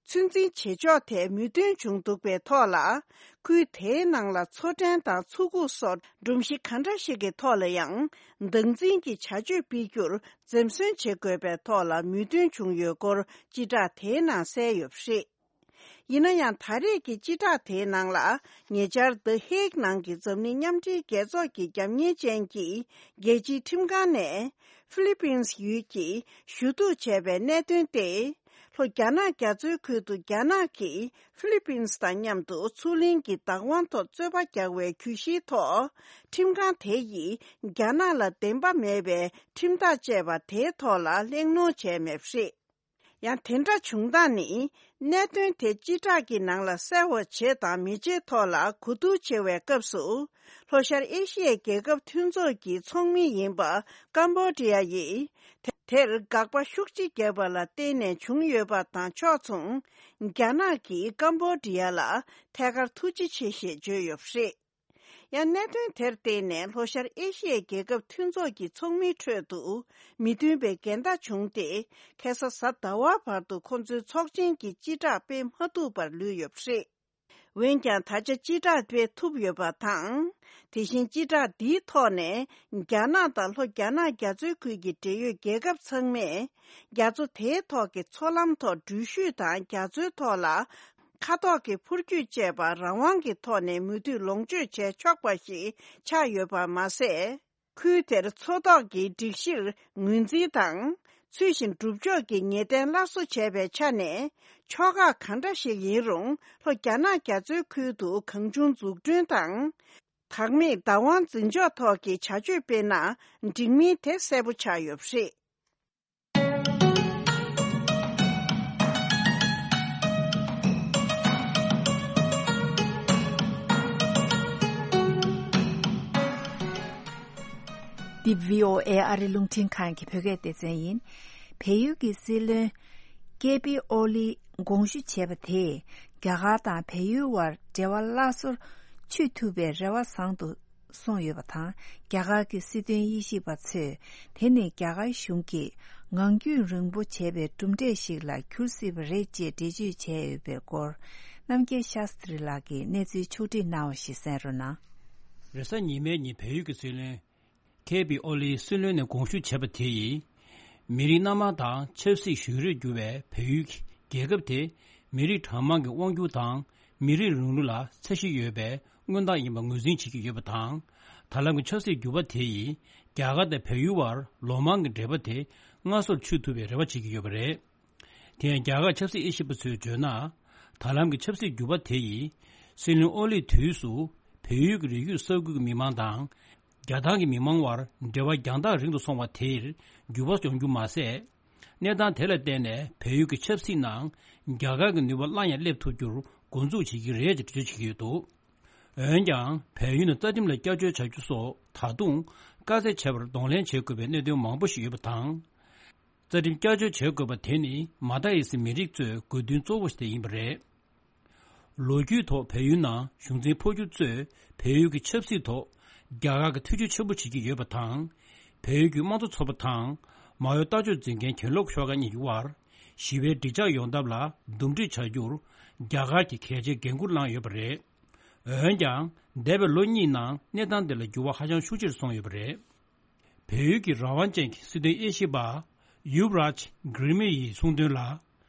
ཚོད་འཛིན་བྱེད་ཕྱོགས་ཐད་མོས་མཐུན་བྱུང་འདུག་པའི་ཐོག་ལ། ཁུལ་དེའི་ནང་ལ་མཚོ་ཕྲན་དང་མཚོ་ཁུག་སོགས་སྒྲོམ་གཞི་ག་འདྲ་ཞིག་གི་ཐོག་ལ་ཡང་། སྟངས་འཛིན་གྱི་བྱ་སྤྱོད་སྤེལ་རྒྱུར་འཛེམ་ཟོན་བྱེད་དགོས་པའི་ཐོག་ལ་མོས་མཐུན་བྱུང་ཡོད་སྐོར་སྤྱི་བསྒྲགས་དེའི་ནང་གསལ་ཡོད་པ་རེད། ཡིན་ན་ཡང་ད་རེས་ཀྱི་སྤྱི་བསྒྲགས་དེའི་ནང་ལ། ཉེ་ཆར་The Hague ནང་གི་འཛམ་གླིང་མཉམ་འབྲེལ་རྒྱལ་ཚོགས་ཀྱི་རྒྱབ་གཉེར་ཅན་གྱི་རྒྱལ་སྤྱིའི་ཁྲིམས་ཁང་ནས་ཧྥི་ལི་པིན་སི་ཡུལ་གྱིས་ཞུ་གཏུག་བྱས་པའི་གནད་དོན་ཏེ། ལྷོ་རྒྱ་ནག་རྒྱ་མཚོའི་ཁུལ་དུ་རྒྱ་ནག་གིས་ཧྥི་ལི་པིན་སི་དང་མཉམ་དུ་མཚོ་གླིང་གི་བདག་དབང་ཐོག་རྩོད་པ་རྒྱག་པའི་གྱོད་གཞིའི་ཐོག་ཁྲིམས་ཁང་དེ་ཡིས་རྒྱ་ནག་ལ་བདེན་པ་མེད་པའི་ཁྲིམས་ཐག་བཅད་པ་དེའི་ཐོག་ལ་གླེང་སློང་བྱས་མེད་པ་རེད། ཡང་དེ་འདྲ་བྱུང་སྟངས་ནི། གནད་དོན་དེ་སྤྱི་བསྒྲགས་ཀྱི་ནང་ལ་གསལ་བ་བྱེད་དང་མི་བྱེད་ཐོག་ལ་གོ་བསྡུར་བྱེད་པའི་སྐབས་སུ། ལྷོ་ཤར་ཨེ་ཤི་ཡའི་རྒྱལ་ཁབ་མཐུན་ཚོགས་ཀྱི་ཚོགས་མི་ཡིན་པ་ཀམ་བྷོ་ཌི་ཡ་ཡིས། དེ་དེར་དགག་པ་ཤུགས་ཆེ་བརྒྱབ་པ་ལ་བརྟེན་ནས་བྱུང་ཡོད་པ་དང་ཕྱོགས་མཚུངས། རྒྱ་ནག་གིས་ཀམ་བྷོ་ཌི་ཡ་ལ་ཐད་ཀར་ཐུགས་རྗེ་ཆེ་ཞེས་བརྗོད་ཡོད་པ་རེད། ཡང་གནད་དོན་དེར་བརྟེན་ནས་ལྷོ་ཤར་ཨེ་ཤི་ཡའི་རྒྱལ་ཁབ་མཐུན་ཚོགས་ཀྱི་ཚོགས་མིའི་ཁྲོད་དུ་མི་མཐུན་པའི་འགལ་ཟླ་བྱུང་སྟེ། ཁ་སང་གཟའ་ཟླ་བ་བར་དུ་ཁོང་ཚོའི་ཚོགས་ཆེན་གྱི་སྤྱི་བསྒྲགས་སྤེལ་མ་ཐུབ་པར་ལུས་ཡོད་པ་རེད། འོན་ཀྱང་ད་ཆ་སྤྱི་བསྒྲགས་སྤེལ་ཐུབ་ཡོད་པ་དང་། དེ་བཞིན་སྤྱི་བསྒྲགས་འདིའི་ཐོག་ནས་རྒྱ་ནག་དང་ལྷོ་རྒྱ་ནག་རྒྱ་མཚོའི་ཁུལ་གྱི་འབྲེལ་ཡོད་རྒྱལ་ཁབ་ཚང་མས་རྒྱ་མཚོ་དེའི་ཐོག་གི་མཚོ་ལམ་ཐོག་འགྲུལ་བཞུད་དང་རྒྱ་མཚོའི་ཐོག་ལ། མཁའ་ཐོག་གི་འཕུར་སྐྱོད་བཅས་པ་རང་དབང་གི་ཐོག་ནས་མུ་མཐུད་ལོངས་སྤྱོད་བྱས་ཆོག་པ་ཞིག་ཆགས་ཡོད་པ་མ་ཟད། ཁུལ་དེར་མཚོ་ཐོག་གི་སྒྲིག་གཞིར་ངོས་འཛིན་དང་། ཚུལ་བཞིན་སྒྲུབ་ཕྱོགས་ཀྱི་ངེས་གཏན་སླར་གསོ་བྱས་པའི་ཆ་ནས། ཕྱོགས་ཁག་གང་འདྲ་ཞིག་ཡིན་རུང་། ལྷོ་རྒྱ་ནག་རྒྱ་མཚོའི་ཁུལ་དུ་གང་བྱུང་འཛུགས་སྐྲུན་དང་། བདག་མེད་བདག་དབང་འཛིན་ཕྱོགས་ཐོག་གི་བྱ་སྤྱོད་སྤེལ་ན། འགྲིག་མིན་དེ་གསལ་པོ་ཆགས་ཡོད་པ་རེད། འདི་བྷི་ཨོ་ཨེ་ཨ་རི་རླུང་འཕྲིན་ཁང་གི་བོད་སྐད་སྡེ་ཚན་ཡིན། བལ་ཡུལ་གྱི་སྲིད་བློན་ཀེ་པི་ཨོ་ལི་དགོངས་ཞུ་བྱས་པ་དེས་རྒྱ་གར་དང་བལ་ཡུལ་དབར་འབྲེལ་བ་སླར་གསོར་ཆུད་ཐུབ་པའི་རེ་བ་བཟང་དུ་སོང་ཡོད་པ་དང་། རྒྱ་གར་གྱི་སྲིད་དོན་དབྱེ་ཞིབ་པ་ཚོས་དེ་ནི་རྒྱ་གར་གཞུང་གིས་ངང་རྒྱུད་རིང་པོ་བྱས་པའི་གྲུབ་འབྲས་ཤིག་ལ་འགྱུར་སྲིད་པ་རེད་ཅེས་འགྲེལ་བརྗོད་བྱས་ཡོད་པའི་སྐོར། རྣམ་རྒྱལ་ཤཱ་སྟྲི་ལགས་ཀྱིས་གནས་ཚུལ་ཕྱོགས་བསྒྲིགས་གནང་བ་ཞིག་གསན་རོགས་གནང་། རེས་གཟའ་ཉི་མའི་ཉིན་བལ་ཡུལ་གྱི་སྲིད་བློན་ཀེ་པི་ཨོ་ལིས་སྲིད་བློན་ནས་དགོངས་ཞུ་བྱས་པ་དེ་ཡིས། མི་རིགས་སྣ་མང་དང་ཆབ་སྲིད་གཞུང་རིགས་འགྱུར་བའི་བལ་ཡུལ་གྱི་རྒྱལ་ཁབ་དེ། མི་རིགས་གྲངས་མང་གི་དབང་སྒྱུར་དང་མི་རིགས་རིང་ལུགས་ལ་ཚད་གཞི་ཡོད་པའི་མངོན་རྟགས་ཡིན་པ་ངོས་འཛིན་བྱེད་ཀྱི་ཡོད་པ་དང་། ད་ལམ་གྱི་ཆབ་སྲིད་འགྱུར་བ་དེ་ཡིས་རྒྱ་གར་དང་བལ་ཡུལ་བར་ལོ་མང་གི་འབྲེལ་བ་དེ་སྔར་སོར་ཆུད་ཐུབ་པའི་རེ་བ་བྱེད་ཀྱི་ཡོད་པ་རེད། དེ་ཡང་རྒྱ་གར་ཆབ་སྲིད་དབྱེ་ཞིབ་པ་ཚོས་བརྗོད་ན། ད་ལམ་གྱི་ཆབ་སྲིད་འགྱུར་བ་དེ་ཡིས། སྲིད་བློན་ཨོ་ལིའི་དུས་སུ་བལ་ཡུལ་གྱི་རི་རྒྱུད་ས་ཁུལ་གྱི་མི་མང་དང་། རྒྱ་ནག་གི་མི་མང་དབར་འབྲེལ་བ་རྒྱང་ཐག་རིང་དུ་སོང་བ་དེར་འགྱུར་བ་ཡོང་རྒྱུ་མ་ཟད། གནས་སྟངས་དེ་ལ་བརྟེན་ནས་བལ་ཡུལ་གྱི་ཆབ་སྲིད་ནང་རྒྱ་གར་གྱི་ནུས་པ་སླར་ཡང་སླེབས་ཐུབ་རྒྱུར་འགོ་འཛུགས་བྱེད་ཀྱི་རེད་ཅེས་འགྲེལ་བརྗོད་བྱེད་ཀྱི་ཡོད་འདུག། འོན་ཀྱང་བལ་ཡུལ་ནས་རྩ་ཁྲིམས་ལ་བསྐྱར་བཅོས་བྱ་རྒྱུ་སོགས་ད་དུང་དཀའ་ཚེགས་ཆེ་བར་གདོང་ལེན་བྱེད་དགོས་པའི་གནད་དོན་མང་པོ་ཞིག་ཡོད་པ་དང་། རྩ་ཁྲིམས་བསྐྱར་བཅོས་བྱེད་དགོས་པ་དེ་ནི་མ་མཐའ་ཡི་སི་མི་རིགས་གཙོས་དགོས་འདུན་གཙོ་བོ་ཞིག་དེ་ཡིན་པ་རེད། ལོ་རྒྱུས་ཐོག་བལ་ཡུལ་ནང་གཞུང་འཛིན་འཕོ་འགྱུར་གཙོས་བལ་ཡུལ་གྱི་ཆབ་སྲིད་ཐོག་རྒྱ་གར་གྱི་ཐེ་བྱུས་ཆེན་པོ་བྱེད་ཀྱི་ཡོད་པ་དང་། བལ་ཡུལ་གྱི་དམངས་གཙོ་ཚོགས་པ་དང་མ་འོས་ལྟ་སྤྱོད་འཛིན་མཁན་གྱེན་ལོག་ཤོག་ཁག་གཉིས་ཀྱི་དབར་ཞི་བའི་འགྲིག་འཇགས་ཡོང་ཐབས་ལ་འདུམ་འགྲིག་བྱ་རྒྱུར་རྒྱ་གར་གྱིས་གལ་ཆེའི་འགན་འཁུར་བླངས་ཡོད་པ་རེད། འོན་ཀྱང་། འདས་པའི་ལོ་གཉིས་ནང་གནས་སྟངས་དེ་ལ་འགྱུར་བ་ཧ་ཅང་ཤུགས་ཆེར་སོང་ཡོད་པ་རེད། བལ་ཡུལ་གྱི་རང་དབང་ཅན་གྱི་སྲིད་དོན་དབྱེ་ཞིབ་པ་ཡུབ་རཱཇ་གྷི་རི་མི་ཡིས་གསུངས་དོན་ལ།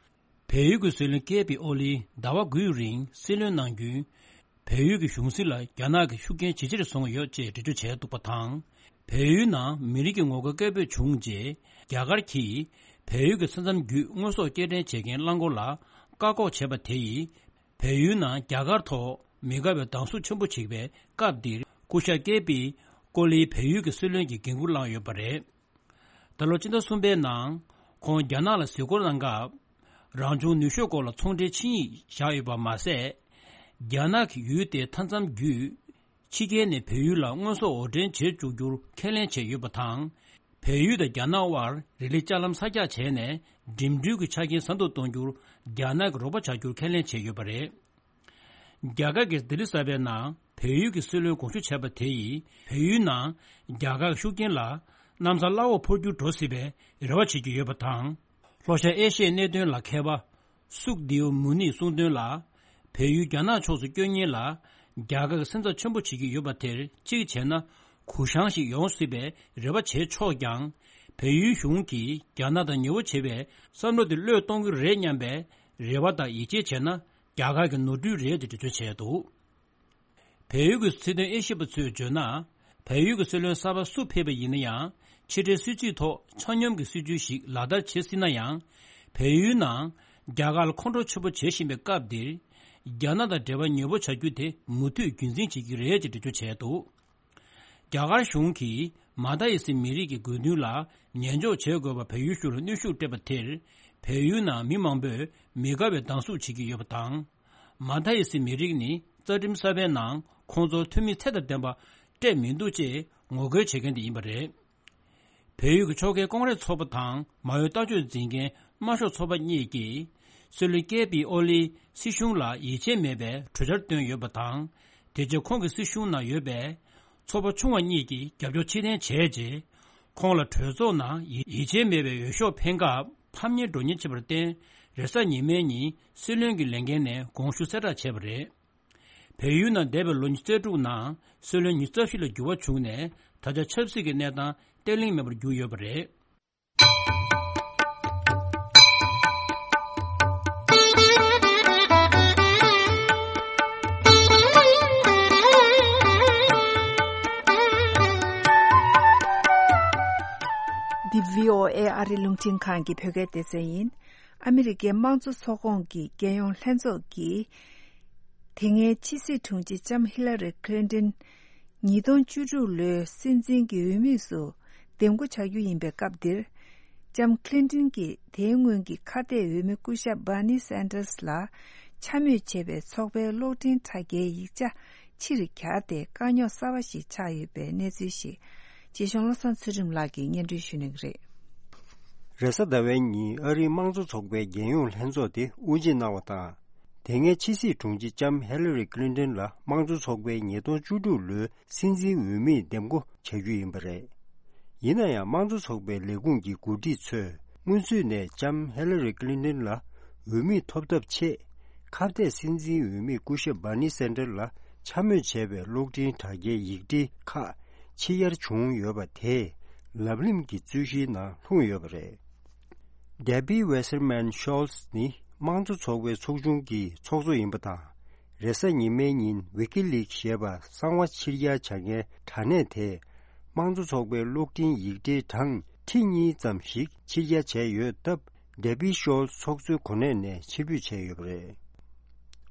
བལ་ཡུལ་གྱི་སྲིད་བློན་ཀེ་པི་ཨོ་ལིས་ཟླ་བ་དགུའི་རིང་སྲིད་བློན་གནང་རྒྱུན། བལ་ཡུལ་གྱི་གཞུང་སྲིད་ལ་རྒྱ་ནག་གི་ཤུགས་རྐྱེན་ཇེ་ཆེར་སོང་ཡོད་ཅེས་འགྲེལ་བརྗོད་བྱས་འདུག་པ་དང་། བལ་ཡུལ་ནང་མི་རིགས་ཀྱི་ངོ་རྒོལ་སྐད་འབོད་བྱུང་རྗེས། རྒྱ་གར་གྱིས་བལ་ཡུལ་གྱི་ས་མཚམས་བརྒྱུད་དངོས་ཟོག་སྐྱེལ་འདྲེན་བྱེད་མཁན་རླངས་འཁོར་ལ་བཀག་འགོག་བྱས་པ་དེ་ཡིས། བལ་ཡུལ་ནང་རྒྱ་གར་ཐོག་མི་དགའ་བའི་སྡང་ཟུག་ཆེན་པོ་བྱེད་པའི་སྐབས་འདིར། སྐུ་ཞབས་ཀེ་པི་ཀོ་ལིས་བལ་ཡུལ་གྱི་སྲིད་བློན་གྱི་འགན་འཁུར་བླངས་ཡོད་པ་རེད། ད་ལོ་སྤྱི་ཟླ་གསུམ་པའི་ནང་ཁོང་རྒྱ་ནག་ལ་གཟིགས་སྐོར་གནང་སྐབས། རང་བྱུང་ནུས་ཤུགས་སྐོར་ལ་ཚོང་འབྲེལ་ཆིངས་ཡིག་བཞག་ཡོད་པ་མ་ཟད། རྒྱ་ནག་གིས་ཡུལ་དེའི་མཐའ་མཚམས་བརྒྱུད། ཕྱི་རྒྱལ་ནས་བལ་ཡུལ་ལ་དངོས་ཟོག་འོར་འདྲེན་བྱེད་བཅུག་རྒྱུར་ཁས་ལེན་བྱས་ཡོད་པ་དང་། བལ་ཡུལ་དང་རྒྱ་ནག་དབར་རི་ལི་ལྕགས་ལམ་གསར་རྒྱག་བྱས་ནས་འགྲིམ་འགྲུལ་གྱི་ཆ་རྐྱེན་ཟབ་ཏུ་གཏོང་རྒྱུར་རྒྱ་ནག་གིས་རོགས་པ་བྱ་རྒྱུར་ཁས་ལེན་བྱས་ཡོད་པ་རེད། རྒྱ་གར་གྱི་ལྡི་ལི་གསར་པའི་ནང་བལ་ཡུལ་གྱི་སྲིད་བློན་དགོངས་ཞུ་བྱས་པ་དེ་ཡིས་བལ་ཡུལ་ནང་རྒྱ་གར་གྱི་ཤུགས་རྐྱེན་ལ་གནམ་ས་བླ་འོག་འཕོ་འགྱུར་འགྲོ་སྲིད་པའི་རེ་བ་བྱེད་ཀྱི་ཡོད་པ་དང་། ལྷོ་ཤར་ཨེ་ཤི་ཡའི་གནད་དོན་ལ་མཁས་པ་སུག་དེའུ་མུ་ནིས་གསུངས་དོན་ལ། བལ་ཡུལ་རྒྱ་ནག་ཕྱོགས་སུ་བསྐྱོད་མཁན་ལ་རྒྱ་གར་གྱིས་སེམས་འཚབ་ཆེན་པོ་བྱེད་ཀྱི་ཡོད་པ་དེར་གཅིག་བྱས་ན་གུ་བཤངས་ཤིག་ཡོང་སྲིད་པའི་རེ་བ་བྱས་ཆོག་ཀྱང་། བལ་ཡུལ་གཞུང་གིས་རྒྱ་ནག་དང་ཉེ་བོ་བྱེད་པའི་བསམ་བློ་དེ་བློས་གཏོང་གི་རེད་སྙམ་པའི་རེ་བ་དང་ཡིད་ཆེས་བྱས་ན། རྒྱ་གར་གྱི་ནོར་འཁྲུལ་རེད་ཅེས་འགྲེལ་བརྗོད་བྱས་འདུག་བལ་ཡུལ་གྱི་སྲིད་དོན་དབྱེ་ཞིབ་པ་ཚོས་བརྗོད་ན། བལ་ཡུལ་གྱི་སྲིད་བློན་གསར་པ་སུ་ཕེབས་པ་ཡིན་ན་ཡང་། ཕྱི་འབྲེལ་སྲིད་ཇུས་ཐོག་ཆ་སྙོམས་ཀྱི་སྲིད་ཇུས་ཤིག་ལག་བསྟར་བྱེད་སྲིད་ན་ཡང་། བལ་ཡུལ་ནང་རྒྱ་གར་ལ་ཁོང་ཁྲོ་ཆེན་པོ་བྱེད་བཞིན་པའི་སྐབས་འདིར། རྒྱ་ནག་དང་འབྲེལ་བ་ཉེ་བོ་བྱ་རྒྱུ་དེ་མུ་མཐུད་རྒྱུན་འཛིན་བྱེད་ཀྱི་རེད་ཅེས་འགྲེལ་བརྗོད་བྱས་འདུག་རྒྱ་གར་གཞུང་གིས་མ་མཐའ་ཡི་སི་མི་རིགས་ཀྱི་དགོས་འདུན་ལ་ཉན་འཇོག་བྱེད་དགོས་པ་བལ་ཡུལ་གཞུང་ལ་གནོན་ཤུགས་སྤྲད་པ་དེར། བལ་ཡུལ་ནང་མི་མང་པོས་མི་དགའ་བའི་སྡང་ཟུག་བྱེད་ཀྱི་ཡོད་པ་དང་། མ་མཐའ་ཡི་སི་མི་རིགས་ནི་རྩ་ཁྲིམས་གསར་པའི་ནང་ཁོང་ཚོར་འཐུས་མི་ཚད་དང་ལྡན་པ་སྤྲད་མི་འདུག་ཅེས་ངོ་རྒོལ་བྱེད་མཁན་དེ་ཡིན་པ་རེད། བལ་ཡུལ་གྱི་ཕྱོགས་འགལ་ཀོང་རེས་ཚོགས་པ་དང་མ་འོས་ལྟ་སྤྱོད་འཛིན་མཁན་དམར་ཤོག་ཚོགས་པ་གཉིས་ཀྱིས། སྲིད་བློན་ཀེ་པི་ཨོ་ལིས་སྲིད་གཞུང་ལ་ཡིད་ཆེས་མེད་པའི་གྲོས་འཆར་བཏོན་ཡོད་པ་དང་། དེ་རྗེས་ཁོང་གི་སྲིད་གཞུང་ནང་ཡོད་པའི་ཚོགས་པ་ཆུང་བ་གཉིས་ཀྱིས་རྒྱབ་སྐྱོར་ཕྱིར་འཐེན་བྱས་རྗེས། ཁོང་ལ་གྲོས་ཚོགས་ནང་ཡིད་ཡིད་ཆེས་མེད་པའི་འོས་ཤོག་འཕེན་སྐབས་ཕམ་ཉེས་འགྲོ་ཉེན་ཆེ་བར་བརྟེན། རེས་གཟའ་ཉི་མའི་ཉིན་སྲིད་བློན་གྱི་ལས་འགན་ནས་དགོངས་ཞུ་གསལ་བསྒྲགས་བྱས་པ་རེད། བལ་ཡུལ་ནང་འདས་པའི་ལོ་ཉི་ཤུ་རྩ་དྲུག་ནང་སྲིད་བློན་ཉི་ཤུ་རྩ་བཞི་ལ་འགྱུར་བ་བྱུང་ནས། ད་ཆ་ཆབ་སྲིད་ཀྱི་གནས་སྟངས་བརྟན་བརླིང་མེད་པར་གྱུར་ཡོད་པ་རེད། འདི་བྷི་ཨོ་ཨེ་ཨ་རི་རླུང་འཕྲིན་ཁང་གི་བོད་སྐད་སྡེ་ཚན་ཡིན། ཨ་མི་རི་ཀའི་དམངས་གཙོ་ཚོགས་ཁོངས་ཀྱི་རྒྱལ་ཡོངས་ལྷན་ཚོགས་ཀྱིས། དེ་སྔའི་ཕྱི་སྲིད་དྲུང་ཆེ་ལྕམ་ཧི་ལ་རི་ཁི་ལིན་ཏིན། ཉིས་སྟོང་བཅུ་དྲུག་ལོའི་སྲིད་འཛིན་གྱི་འོས་མིས་སུ་འདེམས་བསྐོ་བྱ་རྒྱུ་ཡིན་པའི་སྐབས་འདིར། ལྕམ་ཁི་ལིན་ཏིན་གྱིས་དེའི་སྔོན་གྱི་ཁ་གཏད་འོས་མི་སྐུ་ཞབས་སྦར་ནི་སན་ཏར་སི་ལ་འཕྱ་སྨོད་བྱས་པའི་ཚོགས་པའི་གློག་འཕྲིན་དྲ་རྒྱའི་ཡིག་ཆ་ཕྱིར་གྱར་ཏེ། དཀའ་རྙོག་གསར་བ་ཞིག་ཆགས་ཡོད་པའི་གནས་ཚུལ་ཞིག་རྗེ་གཞུང་བློ་བཟང་ཚུལ་ཁྲིམས་ལགས་ཀྱིས་སྙན་སྒྲོན་ཞུ་གནང་གི་རེད། རེས་གཟའ་ཟླ་བའི་ཉིན་ཨ་རིའི་དམངས་གཙོ་ཚོགས་པའི་རྒྱལ་ཡོངས་ལྷན་ཚོགས་དེ་དབུ་འབྱེད་གནང་བ་དང་། དེ་སྔའི་ཕྱི་སྲིད་དྲུང་ཆེ་ལྕམ་ཧེ་ལ་རི་ཀི་ལིན་ཏིན་ལ་དམངས་གཙོ་ཚོགས་པའི་ཉིས་སྟོང་བཅུ་དྲུག་ལོའི་སྲིད་འཛིན་འོས་མིས་འདེམས་བསྐོ་བྱ་རྒྱུ་ཡིན་པ་རེད། ཡིན་ན་ཡང་། དམངས་གཙོ་ཚོགས་པའི་ལས་ཁུངས་ཀྱི་འགོ་ཁྲིད་ཚོས་སྔོན་ཚུད་ནས་ལྕམ་ཧེ་ལ་རི་ཀི་ལིན་ཏིན་ལ་འོས་མིར་ཐོབ་ཐབས་ཆེད། ཁ་གཏད་སྲིད་འཛིན་འོས་མི་སྐུ་ཞབས་སྦར་ནི་སན་ཏར་ལ་འཕྱ་སྨོད་བྱས་པའི་གློག་འཕྲིན་དྲ་རྒྱའི་ཡིག་འབྲེལ་ཁག་ཕྱིར་གྱར་བྱུང་ཡོད་པ་དེས་ལབ་གླེང་གི་རྩོད་གཞིའི་ནང་ལྷུང་ཡོད་པ་རེད། Debbie Wasserman Schultz ནི་དམངས་གཙོ་ཚོགས་པའི་ཚོགས་ཆུང་གི་ཚོགས་གཙོ་ཡིན་པ་དང་། རེས་གཟའ་ཉི་མའི་ཉིན་ཝི་ཀི་ལིག་ཞེས་པ་གསང་བ་ཕྱིར་གྱར་བྱ་མཁན་དྲ་གནས་དེས། དམངས་གཙོ་ཚོགས་པའི་གློག་འཕྲིན་ཡིག་འབྲེལ་གྲངས་ཁྲི་གཉིས་ཙམ་ཞིག་ཕྱིར་གྱར་བྱས་ཡོད་སྟབས། Debbie Schultz ཚོགས་གཙོའི་གོ་གནས་ནས་ཕྱིར་འབུད་བྱས་ཡོད་པ་རེད།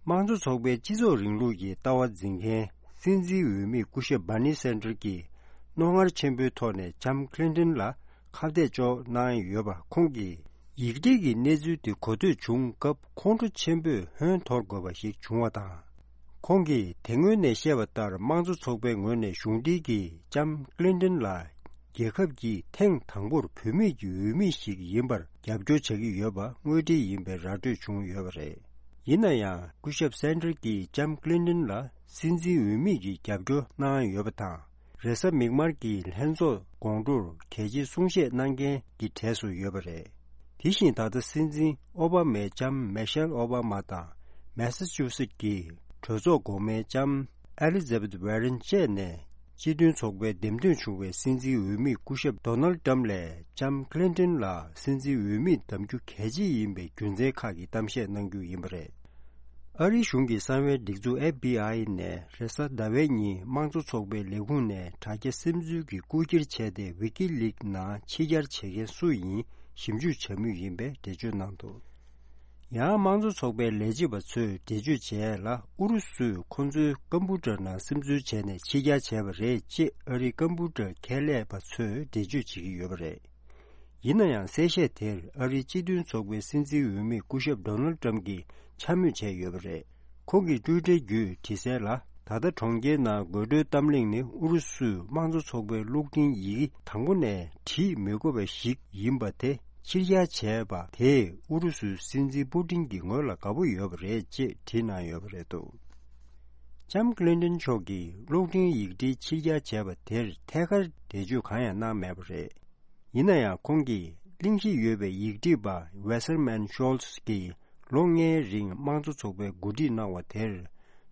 དམངས་གཙོ་ཚོགས་པའི་སྤྱི་ཚོགས་རིང་ལུགས་ཀྱི་ལྟ་བ་འཛིན་མཁན་སྲིད་འཛིན་འོས་མི་སྐུ་ཞབས་སྦར་ནི་སན་ཏར་གྱིས་རྣོ་ངར་ཆེན་པོའི་ཐོག་ནས་ལྕམ་ཁི་ལིན་ཏིན་ལ་ཁ་གཏད་གཅོག་གནང་ཡོད་པ། ཁོང་གིས་ཡིག་འབྲེལ་གྱི་གནས་ཚུལ་དེ་གོ་ཐོས་བྱུང་སྐབས་ཁོང་ཁྲོ་ཆེན་པོས་ཧོན་འཐོར་དགོས་པ་ཞིག་བྱུང་བ་དང་། ཁོང་གིས་དེ་སྔོན་ནས་བཤད་པ་ལྟར། དམངས་གཙོ་ཚོགས་པའི་ངོས་ནས་གཞུང་འབྲེལ་གྱིས་ལྕམ་ཁི་ལིན་ཏིན་ལ་རྒྱལ་ཁབ་ཀྱི་ཐེངས་དང་པོར་བུད་མེད་ཀྱི་འོས་མི་ཞིག་ཡིན་པར་རྒྱབ་སྐྱོར་བྱ་གི་ཡོད་པ་དངོས་འབྲེལ་ཡིན་པའི་ར་སྤྲོད་བྱུང་ཡོད་པ་རེད། ཡིན་ན་ཡང་། སྐུ་ཞབས་སན་ཏར་གྱིས་ལྕམ་ཁི་ལིན་ཏིན་ལ་སྲིད་འཛིན་འོས་མི་གི་རྒྱབ་སྐྱོར་གནང་ཡོད་པ་དང་། རེས་གཟའ་མིག་དམར་གྱི་ལྷན་ཚོགས་དགོང་དྲོར་གལ་ཆེའི་གསུང་བཤད་གནང་མཁན་གྱི་གྲས་སུ་ཡོད་པ་རེད། དེ་བཞིན་ད་ལྟ་སྲིད་འཛིན་ཨོ་བྷ་མའི་ལྕམ་མེ་ཤེལ་ཨོ་བྷ་མ་དང་མེ་ས་ཅུ་སེ་ཀྱི་གྲོས་ཚོགས་གོང་མའི་ལྕམ་ཨེ་ལི་ཛ་བེད་ཝེ་རན་བཅས་ནས་སྤྱི་མཐུན་ཚོགས་པའི་འདེམས་ཐོན་བྱུང་བའི་སྲིད་འཛིན་འོས་མི་སྐུ་ཞབས་ཌོ་ནལ་ཏྲམ་ལས་ལྕམ་ཀི་ལིན་ཏོན་ལ་སྲིད་འཛིན་འོས་མི་གདམ་རྒྱུ་གལ་ཆེ་ཡིན་པའི་རྒྱུ་མཚན་ཁག་གི་གཏམ་བཤད་གནང་རྒྱུ་ཡིན་པ་རེད། ཨ་རིའི་གཞུང་གི་གསང་བའི་སྒྲིག་འཛུགས་ཨེཕ་བྷི་ཨའི་ནས་རེས་གཟའ་ཟླ་བའི་ཉིན་དམངས་གཙོ་ཚོགས་པའི་ལས་ཁུངས་ནས་དྲ་རྒྱ་སིམ་འཛུལ་གྱི་རྐུ་འཁྱེར་བྱས་ཏེ་ཝི་ཀི་ལིག་ནང་ཕྱི་གྱར་བྱེད་མཁན་སུ་ཡིན་ཞིབ་འཇུག་བྱ་མུས་ཡིན་པའི་འགྲེལ་བརྗོད་གནང་འདུག་ཡང་དམངས་གཙོ་ཚོགས་པའི་ལས་བྱེད་པ་ཚོས་འགྲེལ་བརྗོད་བྱས་ལ་ཨུ་རུ་སུས་ཁོང་ཚོའི་ཀམ་པུ་ཊར་ནང་སིམ་འཛུལ་བྱས་ནས་ཕྱི་གྱར་བྱས་པ་རེད་ཅེས་ཨ་རིའི་ཀམ་པུ་ཊར་ཁྱད་ལས་པ་ཚོས་འགྲེལ་བརྗོད་བྱེད་ཀྱི་ཡོད་པ་རེད། ཡིན་ན་ཡང་གསལ་བཤད་དེར་ཨ་རིའི་སྤྱི་མཐུན་ཚོགས་པའི་སྲིད་འཛིན་འོས་མི་སྐུ་ཞབས་ཌོ་ནལ་ཏྲམ་གྱིས་འཕྱ་སྨོད་བྱས་ཡོད་པ་རེད། ཁོང་གིས་ཊུའི་ཊར་བརྒྱུད་བྲིས་གསལ་ལ། ད་ལྟ་གྲོང་ཁྱེར་ནང་དགོད་བྲོའི་གཏམ་གླེང་ནི་ཨུ་རུ་སུས་དམངས་གཙོ་ཚོགས་པའི་གློག་འཕྲིན་ཡི་གེ་དང་པོ་ནས་བྲིས་མི་དགོས་པ་ཞིག་ཡིན་པ་དེ་ཕྱིར་གྱར་བྱས་པ་དེས་ཨུ་རུ་སུའི་སྲིད་འཛིན་པུ་ཏིན་གྱི་ངོ་ལ་དགའ་པོ་ཡོད་པ་རེད་ཅེས་བྲིས་གནང་ཡོད་པ་རེད་འདུག་ལྕམ་ཀི་ལིན་ཏོན་མཆོག་གིས་གློག་འཕྲིན་ཡིག་འབྲེལ་ཕྱིར་གྱར་བྱས་པ་དེར་ཐད་ཀར་འགྲེལ་བརྗོད་གང་ཡང་གནང་མེད་པ་རེད། ཡིན་ན་ཡང་ཁོང་གིས་གླེང་གཞི་ཡོད་པའི་ཡིག་སྒྲིག་པ་ཝེ་སར་མན་ཤོལ་ཚ་གིས་ལོ་ལྔའི་རིང་དམངས་གཙོ་ཚོགས་པའི་འགོ་ཁྲིད་གནང་བ་དེར་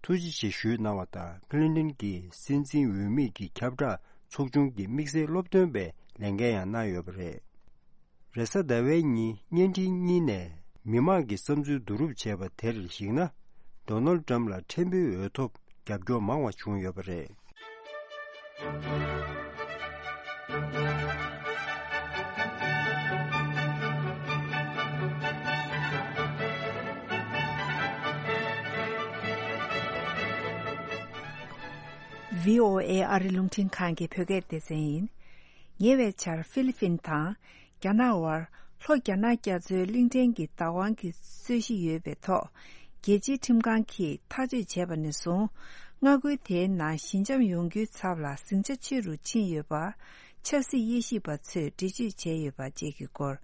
ཐུགས་རྗེ་ཆེ་ཞུས་གནང་བ་དང་ཀི་ལིན་ཏོན་གྱིས་སྲིད་འཛིན་འོས་མི་གྱི་ཁྱབ་བསྒྲགས་ཚོགས་ཆུང་གི་དམིགས་བསལ་སློབ་སྟོན་པའི་ལས་འགན་ཡང་གནང་ཡོད་པ་རེད། རེས་གཟའ་ཟླ་བའི་ཉིན་བརྙན་འཕྲིན་གཉིས་ནས་མི་མང་གི་བསམ་ཚུལ་བསྡུ་རུབ་བྱས་པ་དེར་གཞིགས་ན། ཌོ་ནལ་ཏྲམ་ལ་ཕྲན་བུའི་འོས་ཐོབ་རྒྱབ་སྐྱོར་མང་བ་བྱུང་ཡོད་པ་རེད། ཝི་ཨོ་ཨེ་ཨ་རི་རླུང་འཕྲིན་ཁང་གི་བོད་སྐད་སྡེ་ཚན་ཡིན། ཉེ་བའི་ཆར་ཧྥི་ལི་ཕིན་དང་རྒྱ་ནག་དབར་ལྷོ་རྒྱ་ནག་རྒྱ་མཚོའི་གླིང་ཕྲན་གྱི་བདག་དབང་གི་རྩོད་གཞི་ཡོད་པའི་ཐོག་རྒྱལ་སྤྱིའི་ཁྲིམས་ཁང་གིས་ཐག་གཅོད་བྱས་པ་ནས་བཟུང་མངའ་ཁུལ་དེའི་ནང་ཞི་འཇམ་ཡོང་རྒྱུའི་ཚབ་ལ་ཟིང་ཆ་ཆེ་རུ་ཕྱིན་ཡོད་པ་ཆབ་སྲིད་དབྱེ་ཞིབ་པ་ཚོས་འགྲེལ་བརྗོད་བྱས་ཡོད་པ་བཅས་ཀྱི་སྐོར་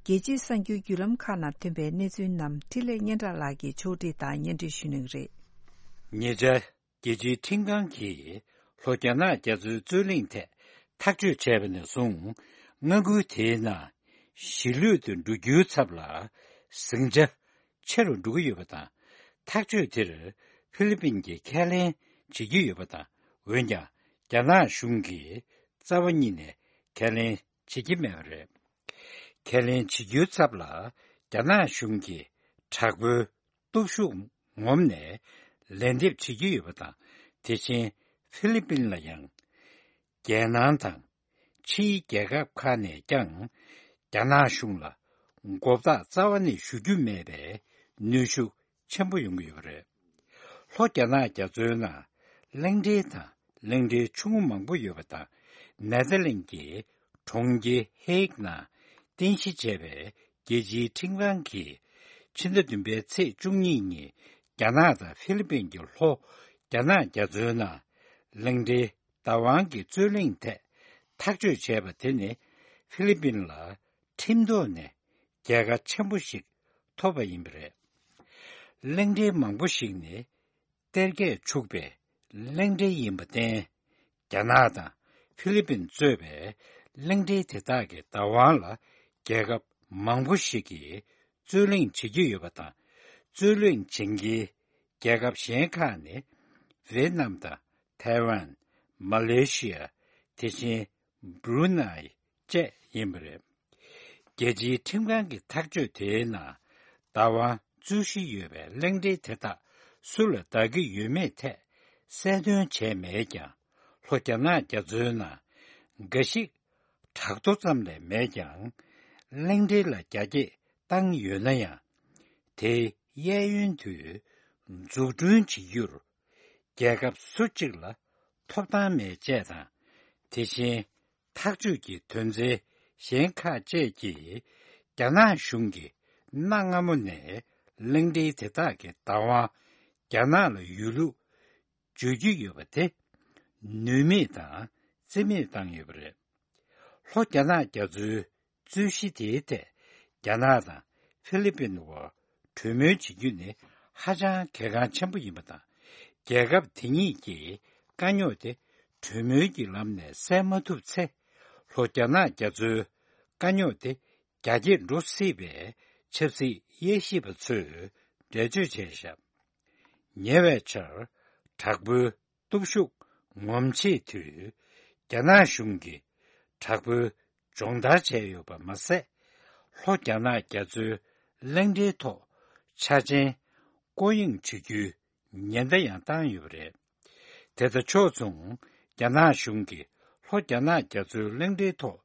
རྒྱལ་སྤྱིའི་གསར་འགྱུར་བརྒྱུད་ལམ་ཁག་ནང་ཐོན་པའི་གནས་ཚུལ་རྣམས་འཕྲིན་ལས་སྙན་གྲགས་ལགས་ཀྱིས་ཕྱོགས་སྒྲིག་དང་སྙན་སྒྲོན་ཞུ་གནང་གི་རེད། ཉེ་ཆར། རྒྱལ་སྤྱིའི་ཁྲིམས་ཁང་གིས་ལྷོ་རྒྱ་ནག་རྒྱ་མཚོའི་རྩོད་གླེང་ཐད་ཐག་གཅོད་བྱས་པ་ནས་བཟུང་མངའ་ཁུལ་དེའི་ནང་ཞི་ལྷོད་དུ་འགྲོ་རྒྱུའི་ཚབ་ལ་ཟིང་ཆ་ཆེ་རུ་འགྲོ་གི་ཡོད་པ་དང་། ཐག་གཅོད་དེར་ཧྥི་ལི་པིན་གྱིས་ཁས་ལེན་བྱེད་ཀྱི་ཡོད་པ་དང་། འོན་ཀྱང་རྒྱ་ནག་གཞུང་གིས་རྩ་བ་ཉིད་ནས་ཁས་ལེན་བྱེད་ཀྱི་མེད་པ་རེད། ཁས་ལེན་བྱེད་རྒྱུའི་ཚབ་ལ་རྒྱ་ནག་གཞུང་གིས་དྲག་པོའི་སྟོབས་ཤུགས་ངོམ་ནས་ལན་འདེབས་བྱེད་ཀྱི་ཡོད་པ་དང་། དེ་བཞིན་ཧྥི་ལི་པིན་ལ་ཡང་རྒྱལ་ནང་དང་ཕྱིའི་རྒྱལ་ཁབ་ཁག་ནས་ཀྱང་རྒྱ་ནག་གཞུང་ལ་མགོ་བཏགས་རྩ་བ་ནས་ཞུ་རྒྱུ་མེད་པའི་གནོན་ཤུགས་ཆེན་པོ་ཡོང་གི་ཡོད་པ་རེད། ལྷོ་རྒྱ་ནག་རྒྱ་མཚོའི་ནང་གླིང་ཕྲན་དང་གླིང་ཕྲན་ཆུང་ངུ་མང་པོ་ཡོད་པ་དང་། ནེ་ཐར་ལེན་གྱི་གྲོང་ཁྱེར་ཧེག་ནང་རྟེན་གཞི་བྱས་པའི་རྒྱལ་སྤྱིའི་ཁྲིམས་ཁང་གིས་ཕྱི་ཟླ་བདུན་པའི་ཚེས་བཅུ་གཉིས་ཉིན་རྒྱ་ནག་དང་ཧྥི་ལི་པིན་གྱི་ལྷོ་རྒྱ་ནག་རྒྱ་མཚོའི་ནང་གླིང་ཕྲན་བདག་དབང་གི་རྩོད་གླེང་ཐད་ཐག་གཅོད་བྱས་པ་དེ་ནི་ཧྥི་ལི་པིན་ལ་ཁྲིམས་ཐོག་ནས་རྒྱལ་ཁ་ཆེན་པོ་ཞིག་ཐོབ་པ་ཡིན་པ་རེད། གླིང་ཕྲན་མང་པོ་ཞིག་ནི་གཏེར་ཁས་འཁྱུག་པའི་གླིང་ཕྲན་ཡིན་པར་བརྟེན། རྒྱ་ནག་དང་ཧྥི་ལི་པིན་གཙོས་པའི་གླིང་ཕྲན་དེ་དག་གི་བདག་དབང་ལ་རྒྱལ་ཁབ་མང་པོ་ཞིག་གིས་རྩོད་གླེང་བྱེད་ཀྱི་ཡོད་པ་དང་། རྩོད་གླེང་བྱེད་མཁན་རྒྱལ་ཁབ་གཞན་ཁག་ནི་ཝེ་ཏི་ནམ་དང་ཐའེ་ཝན། མ་ལེ་ཤི་ཡ། དེ་བཞིན་བྷུ་རུ་ནའི་བཅས་ཡིན་པ་རེད། རྒྱལ་སྤྱིའི་ཁྲིམས་ཁང་གི་ཐག་གཅོད་དེའི་ནང་བདག་དབང་རྩོད་གཞི་ཡོད་པའི་གླིང་ཕྲན་དེ་དག་སུ་ལ་བདག་གི་ཡོད་མེད་ཐད་གསལ་སྟོན་བྱས་མེད་ཀྱང་། ལྷོ་རྒྱ་ནག་རྒྱ་མཚོའི་ནང་འགའ་ཞིག་བྲག་རྡོ་ཙམ་ལས་མེད་ཀྱང་། གླིང་ཕྲན་ལ་རྒྱ་སྐྱེད་བཏང་ཡོད་ན་ཡང་། དེའི་གཡས་གཡོན་དུ་འཛུགས་སྐྲུན་བྱེད་རྒྱུར་རྒྱལ་ཁབ་སུ་གཅིག་ལ་ཐོབ་ཐང་མེད་ཅེས་དང་། དེ་བཞིན་ཐག་གཅོད་ཀྱི་དོན་ཚན་གཞན་ཁག་བཅས་ཀྱིས་རྒྱ་ནག་གཞུང་གིས་གནའ་སྔ་མོ་ནས་གླིང་ཕྲན་དེ་དག་གི་བདག་དབང་རྒྱ་ནག་ལ་ཡོད་ལུགས་བརྗོད་ཀྱི་ཡོད་པ་དེ་ནུས་མེད་དང་རྩིས་མེད་བཏང་ཡོད་པ་རེད། ལྷོ་རྒྱ་ནག་རྒྱ་མཚོའི་རྩོད་གཞི་དེའི་ཐད་རྒྱ་ནག་དང་ཧྥི་ལི་པིན་དབར་གྲོས་མོལ་བྱེད་རྒྱུ་ནི་ཧ་ཅང་གལ་འགངས་ཆེན་པོ་ཡིན་པ་དང་། རྒྱལ་ཁབ་དེ་གཉིས་ཀྱིས་དཀའ་རྙོག་དེ་ གྲོས་མོལ་གྱི་ལམ་ནས་སེལ་མ་ཐུབ་ཚེ། ལྷོ་རྒྱ་ནག་རྒྱ་མཚོའི་དཀའ་རྙོག་དེ་རྒྱ་སྐྱེད་འགྲོ་སྲིད་པའི་ཆབ་སྲིད་དབྱེ་ཞིབ་པ་ཚོས་འགྲེལ་བརྗོད་བྱས་བཞག་ཉེ་བའི་ཆར་དྲག་པོའི་སྟོབས་ཤུགས་ངོམ་བྱེད་དུས། རྒྱ་ནག་གཞུང་གིས་དྲག་པོའི་སྦྱོང་བརྡར་བྱས་ཡོད་པ་མ་ཟད། ལྷོ་རྒྱ་ནག་རྒྱ་མཚོའི་གླིང་ཕྲན་ཐོག་འཆར་ཅན་སྐོར་གཡེང་བྱེད་རྒྱུའི་ཉེན་བརྡ་ཡང་བཏང་ཡོད་པ་རེད། དེ་དང་ཕྱོགས་མཚུངས། རྒྱ་ནག་གཞུང་གིས་ལྷོ་རྒྱ་ནག་རྒྱ་མཚོའི་གླིང་ཕྲན་ཐོག་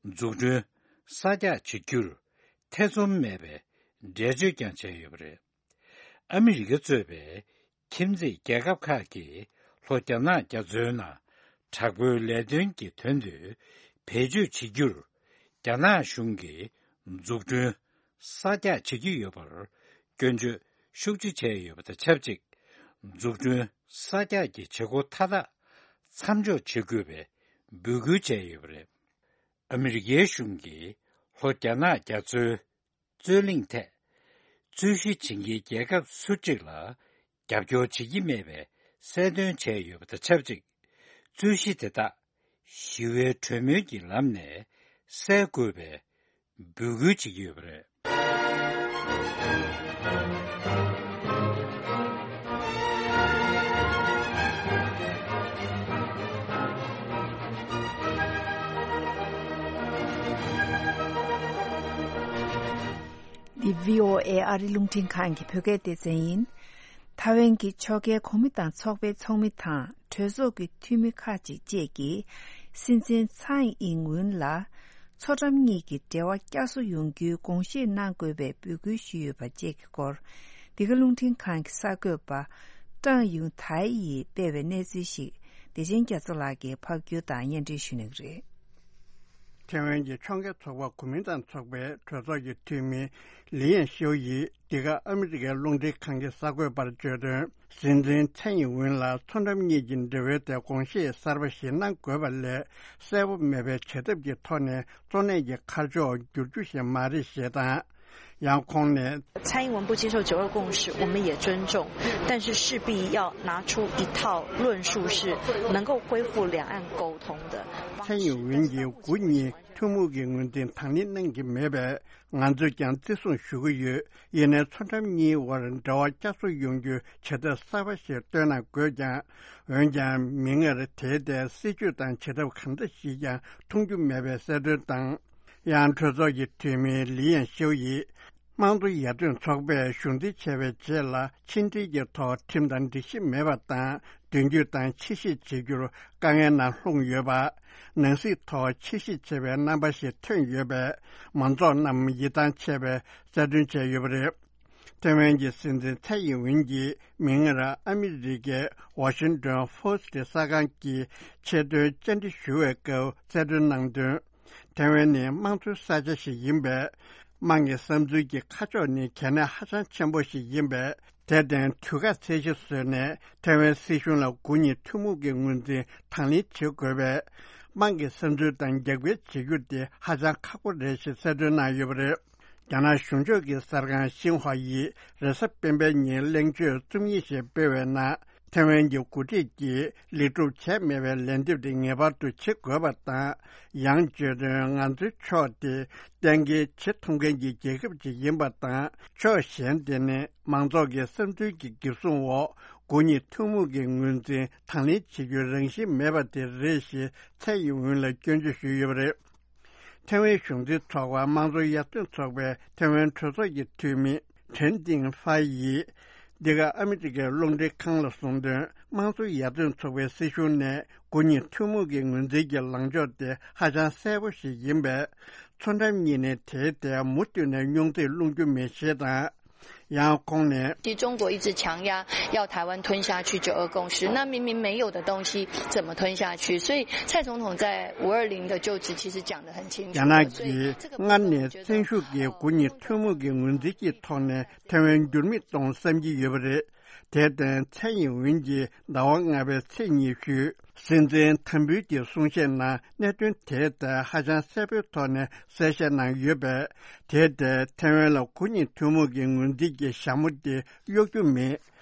འཛུགས་སྐྲུན་གསར་རྒྱག་བྱེད་རྒྱུར་ཐེ་ཚོམ་མེད་པའི་འགྲེལ་བརྗོད་ཀྱང་བྱས་ཡོད་པ་རེད། ཨ་མི་རི་ཀ་གཙོས་པའི་ཁྱིམ་མཚེས་རྒྱལ་ཁབ་ཁག་གིས་ལྷོ་རྒྱ་ནག་རྒྱ་མཚོའི་ནང་དྲག་པོའི་ལས་དོན་གྱི་དོན་དུ་བེད་སྤྱོད་བྱེད་རྒྱུར། རྒྱ་ནག་གཞུང་གིས་འཛུགས་སྐྲུན་གསར་རྒྱག་བྱེད་ཀྱི་ཡོད་པར་སྐྱོན་བརྗོད་ཤུགས་ཆེ་བྱས་ཡོད་པ་དང་ཆབས་ཅིག་འཛུགས་སྐྲུན་གསར་རྒྱག་གི་བྱེད་སྒོ་མཐའ་དག་མཚམས་འཇོག་བྱེད་དགོས་པའི་འབོད་སྐུལ་བྱས་ཡོད་པ་རེད། ཨ་མི་རི་ཀའི་གཞུང་གིས་ལྷོ་རྒྱ་ནག་རྒྱ་མཚོའི་རྩོད་གླེང་ཐད། རྩོད་གཞི་བྱེད་མཁན་རྒྱལ་ཁབ་སུ་གཅིག་ལ་རྒྱབ་སྐྱོར་བྱེད་ཀྱི་མེད་པའི་གསལ་སྟོན་བྱས་ཡོད་པ་དང་ཆབས་ཅིག་རྩོད་གཞི་དེ་དག་ཞི་བའི་གྲོས་མོལ་གྱི་ལམ་ནས་སེལ་དགོས་པའི་འབོད་སྐུལ་བྱེད་ཀྱི་ཡོད་པ་རེད། འདི་བྷི་ཨོ་ཨེ་ཨ་རི་རླུང་འཕྲིན་ཁང་གི་བོད་སྐད་སྡེ་ཚན་ཡིན། ཐའེ་ཝན་གྱི་ཕྱོགས་འགལ་གོང་མ་དང་ཚོགས་པའི་ཚོགས་མི་དང་གྲོས་ཚོགས་ཀྱི་འཐུས་མི་ཁག་ཅིག་བཅས་ཀྱིས་སྲིད་འཛིན་ཚའེ་ཨིང་ཝུན་ལ་མཚོ་འགྲམ་གཉིས་ཀྱི་འབྲེལ་བ་བསྐྱར་གསོ་ཡོང་རྒྱུའི་དགོངས་བཞེས་གནང་དགོས་པའི་འབོད་སྐུལ་ཞུས་ཡོད་པ་བཅས་ཀྱི་སྐོར། འདི་ག་རླུང་འཕྲིན་ཁང་གི་གསར་འགོད་པ་ཀྲང་ཡུང་ཐའེ་ཡིས་སྤེལ་བའི་གནས་ཚུལ་ཞིག་བདེ་ཆེན་རྒྱ་མཚོ་ལགས་ཀྱིས་ཕབ་སྒྱུར་དང་སྙན་སྒྲོན་ཞུ་གནང་གི་རེད། ཐེ་ཝན་གྱི་ཕྱོགས་འགལ་ཚོགས་པ་གོ་མིན་ཏང་ཚོགས་པའི་གྲོས་ཚོགས་ཀྱི་འཐུས་མི་ལི་ཡན་ཤོ་ཡིས་འདི་ག་ཨ་མི་རི་ཀའི་རླུང་འཕྲིན་ཁང་གི་གསར་འགོད་པར་བརྗོད་དོན། སྲིད་འཛིན་ཚའེ་ཡིན་ཝུན་ལ་མཚོ་འགྲམ་གཉིས་ཀྱི་འབྲེལ་བའི་ཐད་དགོངས་བཞེས་གསར་པ་ཞིག་གནང་དགོས་པ་ལས། གསལ་པོ་མེད་པའི་བྱ་ཐབས་ཀྱི་ཐོག་ནས་གཙོ་གནད་ཀྱི་ཁ་ཕྱོགས་བསྒྱུར་རྒྱུ་ཞིག་མ་རེད་ཞེས་དང་། ཡང་ཁོང་ནས།蔡英文不接受九二共识，我们也尊重，但是势必要拿出一套论述，是能够恢复两岸沟通的方式。蔡英文གྱིས་དགུ་གཉིས་ཐུན་མོང་གི་ངོས་འཛིན་དང་ལེན་གནང་གི་མེད་པས། ང་ཚོས་ཀྱང་བརྩི་སྲུང་ཞུ་གི་ཡོད། ཡིན་ནའི་མཚོ་འགྲམ་གཉིས་དབར་འབྲེལ་བ་བསྐྱར་གསོ་ཡོང་རྒྱུའི་བྱ་ཐབས་གསར་པ་ཞིག་བཏོན་གནང་དགོས་ཀྱང་། འོན་ཀྱང་མིག་སྔར་དེའི་ཐད་སྲིད་ཇུས་དང་བྱ་ཐབས་གང་འདྲ་ཞིག་ཀྱང་མཐོང་རྒྱུ་མེད་པའི་གསལ་སྟོན་དང་། ཡང་གྲོས་ཚོགས་ཀྱི་འཐུས་མི་ལི་ཡན་ཤིའུ་ཡིས། དམངས་གཙོ་ཡར་ཐོན་ཚོགས་པས་གཞུང་འཛིན་བྱས་པའི་རྗེས་ལ་ཕྱི་འབྲེལ་གྱི་ཐོག་ཁྲིམས་དང་སྒྲིག་གཞི་མེད་པ་དང་། མདུན་སྐྱོད་དང་ཕྱིར་བཤིག་བྱེད་རྒྱུར་དཀའ་ངལ་ནང་ལྷུང་ཡོད་པ། ནང་སྲིད་ཐོག་ཕྱིར་བཤིག་བྱེད་པའི་རྣམ་པ་ཞིག་ཐོན་ཡོད་པས། མང་ཚོགས་རྣམས་ཡིད་ཐང་ཆད་པའི་གསལ་སྟོན་བྱས་ཡོད་པ་རེད། ཐེ་ཝན་གྱི་སྲིད་འཛིན་ཚའེ་ཡིན་ཝིན་གྱིས་མིག་སྔར་ཨ་མི་རི་ཀའི་ཝ་ཤིང་ཏོན་ཕོ་སི་ཊི་གསར་ཁང་གི་ཆེད་དོན་བཅར་འདྲི་ཞུ་བའི་སྐབས་གསལ་སྟོན་གནང་དོན། ཐེ་ཝན་ནི་དམངས་གཙོའི་ས་ཆ་ཞིག་ཡིན་པས། དམངས་ཀྱི་བསམ་ཚུལ་གྱི་ཁ་ཕྱོགས་ནི་གལ་གནད་ཧ་ཅང་ཆེན་པོ་ཞིག་ཡིན་པས། དེར་བརྟེན་དུས་བཀག་ཚད་གཞི་བཟོས་ནས་ཐེ་ཝན་སྲིད་གཞུང་ལ་དགུ་གཉིས་ཐུན་མོང་གི་ངོས་འཛིན་དང་ལེན་བྱེད་དགོས་པས། དམངས་ཀྱི་བསམ་ཚུལ་དང་རྒྱབ་འགལ་བྱེད་རྒྱུ་དེ་ཧ་ཅང་ཁག་པོ་རེད་ཞེས་གསལ་སྟོན་གནང་ཡོད་པ་རེད། རྒྱ་ནག་གཞུང་ཕྱོགས་ཀྱི་གསར་ཁང་ཤིན་ཧྭ་ཡིས་རེས་གཟའ་སྤེན་པའི་ཉིན་གླེང་བརྗོད་རྩོམ་ཡིག་ཞིག་སྤེལ་བའི་ནང་། ཐེ་ཝན་གྱི་འགོ་ཁྲིད་ཀྱིས་ལེགས་གྲུབ་བྱས་མེད་པའི་ལན་འདེབས་དེ་ངེས་པར་དུ་བྱེད་དགོས་པ་དང་། ཡང་བརྗོད་དོན། ང་ཚོའི་ཕྱོགས་དེ་གཏན་འཁེལ་བྱེད་ཐུབ་མཁན་གྱི་རྒྱལ་ཁབ་ཅིག་ཡིན་པ་དང་། ཕྱོགས་གཞན་དེ་ནི་མང་ཚོགས་ཀྱི་བསམ་ཚུལ་གྱི་འགེབས་སྲུང་འོག་དགུ་གཉིས་ཐུན་མོང་གི་ངོས་འཛིན་དང་ལེན་བྱེད་རྒྱུའི་རང་བཞིན་མེད་པ་དེ་རེད་ཞེས་ཚའེ་ཡིན་ཝུན་ལ་སྐྱོན་བརྗོད་ཞུས་ཡོད་པ་རེད། ཐེ་ཝན་གཞུང་འཛིན་ཚོགས་པ་དམངས་གཙོ་ཡར་ཐོན་ཚོགས་པའི་ཐེ་ཝན་གྲོས་ཚོགས་ཀྱི་འཐུས་མི་ཁྲེན་ཏིང་ཧྥ་ཡིས། འདི་ག་ཨ་མི་རི་ཀའི་རླུང་འཕྲིན་ཁང་ལ་གསུངས་དོན། དམངས་གཙོ་ཡར་ཐོན་ཚོགས་པའི་སྲིད་གཞུང་ནས་དགུ་གཉིས་ཐུན་མོང་གི་ངོས་འཛིན་གྱི་ལངས་ཕྱོགས་དེ་ཧ་ཅང་གསལ་པོ་ཞིག་ཡིན་པས། མཚོ་འགྲམ་གཉིས་ནས་དེའི་ཐད་མུ་མཐུད་ནས་རྙོག་འཛིང་སློང་རྒྱུ་མེད་ཞེས་དང་། ཡང་ཁོང་ནས།其实中国一直强压要台湾吞下去九二共识，那明明没有的东西怎么吞下去？所以蔡总统在五二零的就职其实讲得很清楚了。 རྒྱ་ནག་གིས་སྔར་ནས་བཙན་ཤུགས་ཀྱིས་དགུ་གཉིས་ཐུན་མོང་གི་ངོས་འཛིན་གྱི་ཐོག་ནས་ཐེ་ཝན་འགྱུར་མེད་གཏོང་བསམ་གྱི་ཡོད་པ་རེད། དེར་བརྟེན་ཚའེ་ཡིན་ཝིན་གྱིས་ཟླ་བ་ལྔ་པའི་ཚེས་ཉི་ཤུ། སྲིད་འཛིན་ཐམ་འབུའི་གྱི་གསུང་བཤད་ནང་གནད་དོན་དེའི་ཐད་ཧ་ཅང་གསལ་པོའི་ཐོག་ནས་གསལ་བཤད་གནང་ཡོད་པས། དེའི་ཐད་ཐེ་ཝན་ལ་དགུ་གཉིས་ཐུན་མོང་གི་ངོས་འཛིན་གྱི་ཞྭ་མོ་དེ་གཡོག་རྒྱུ་མེད།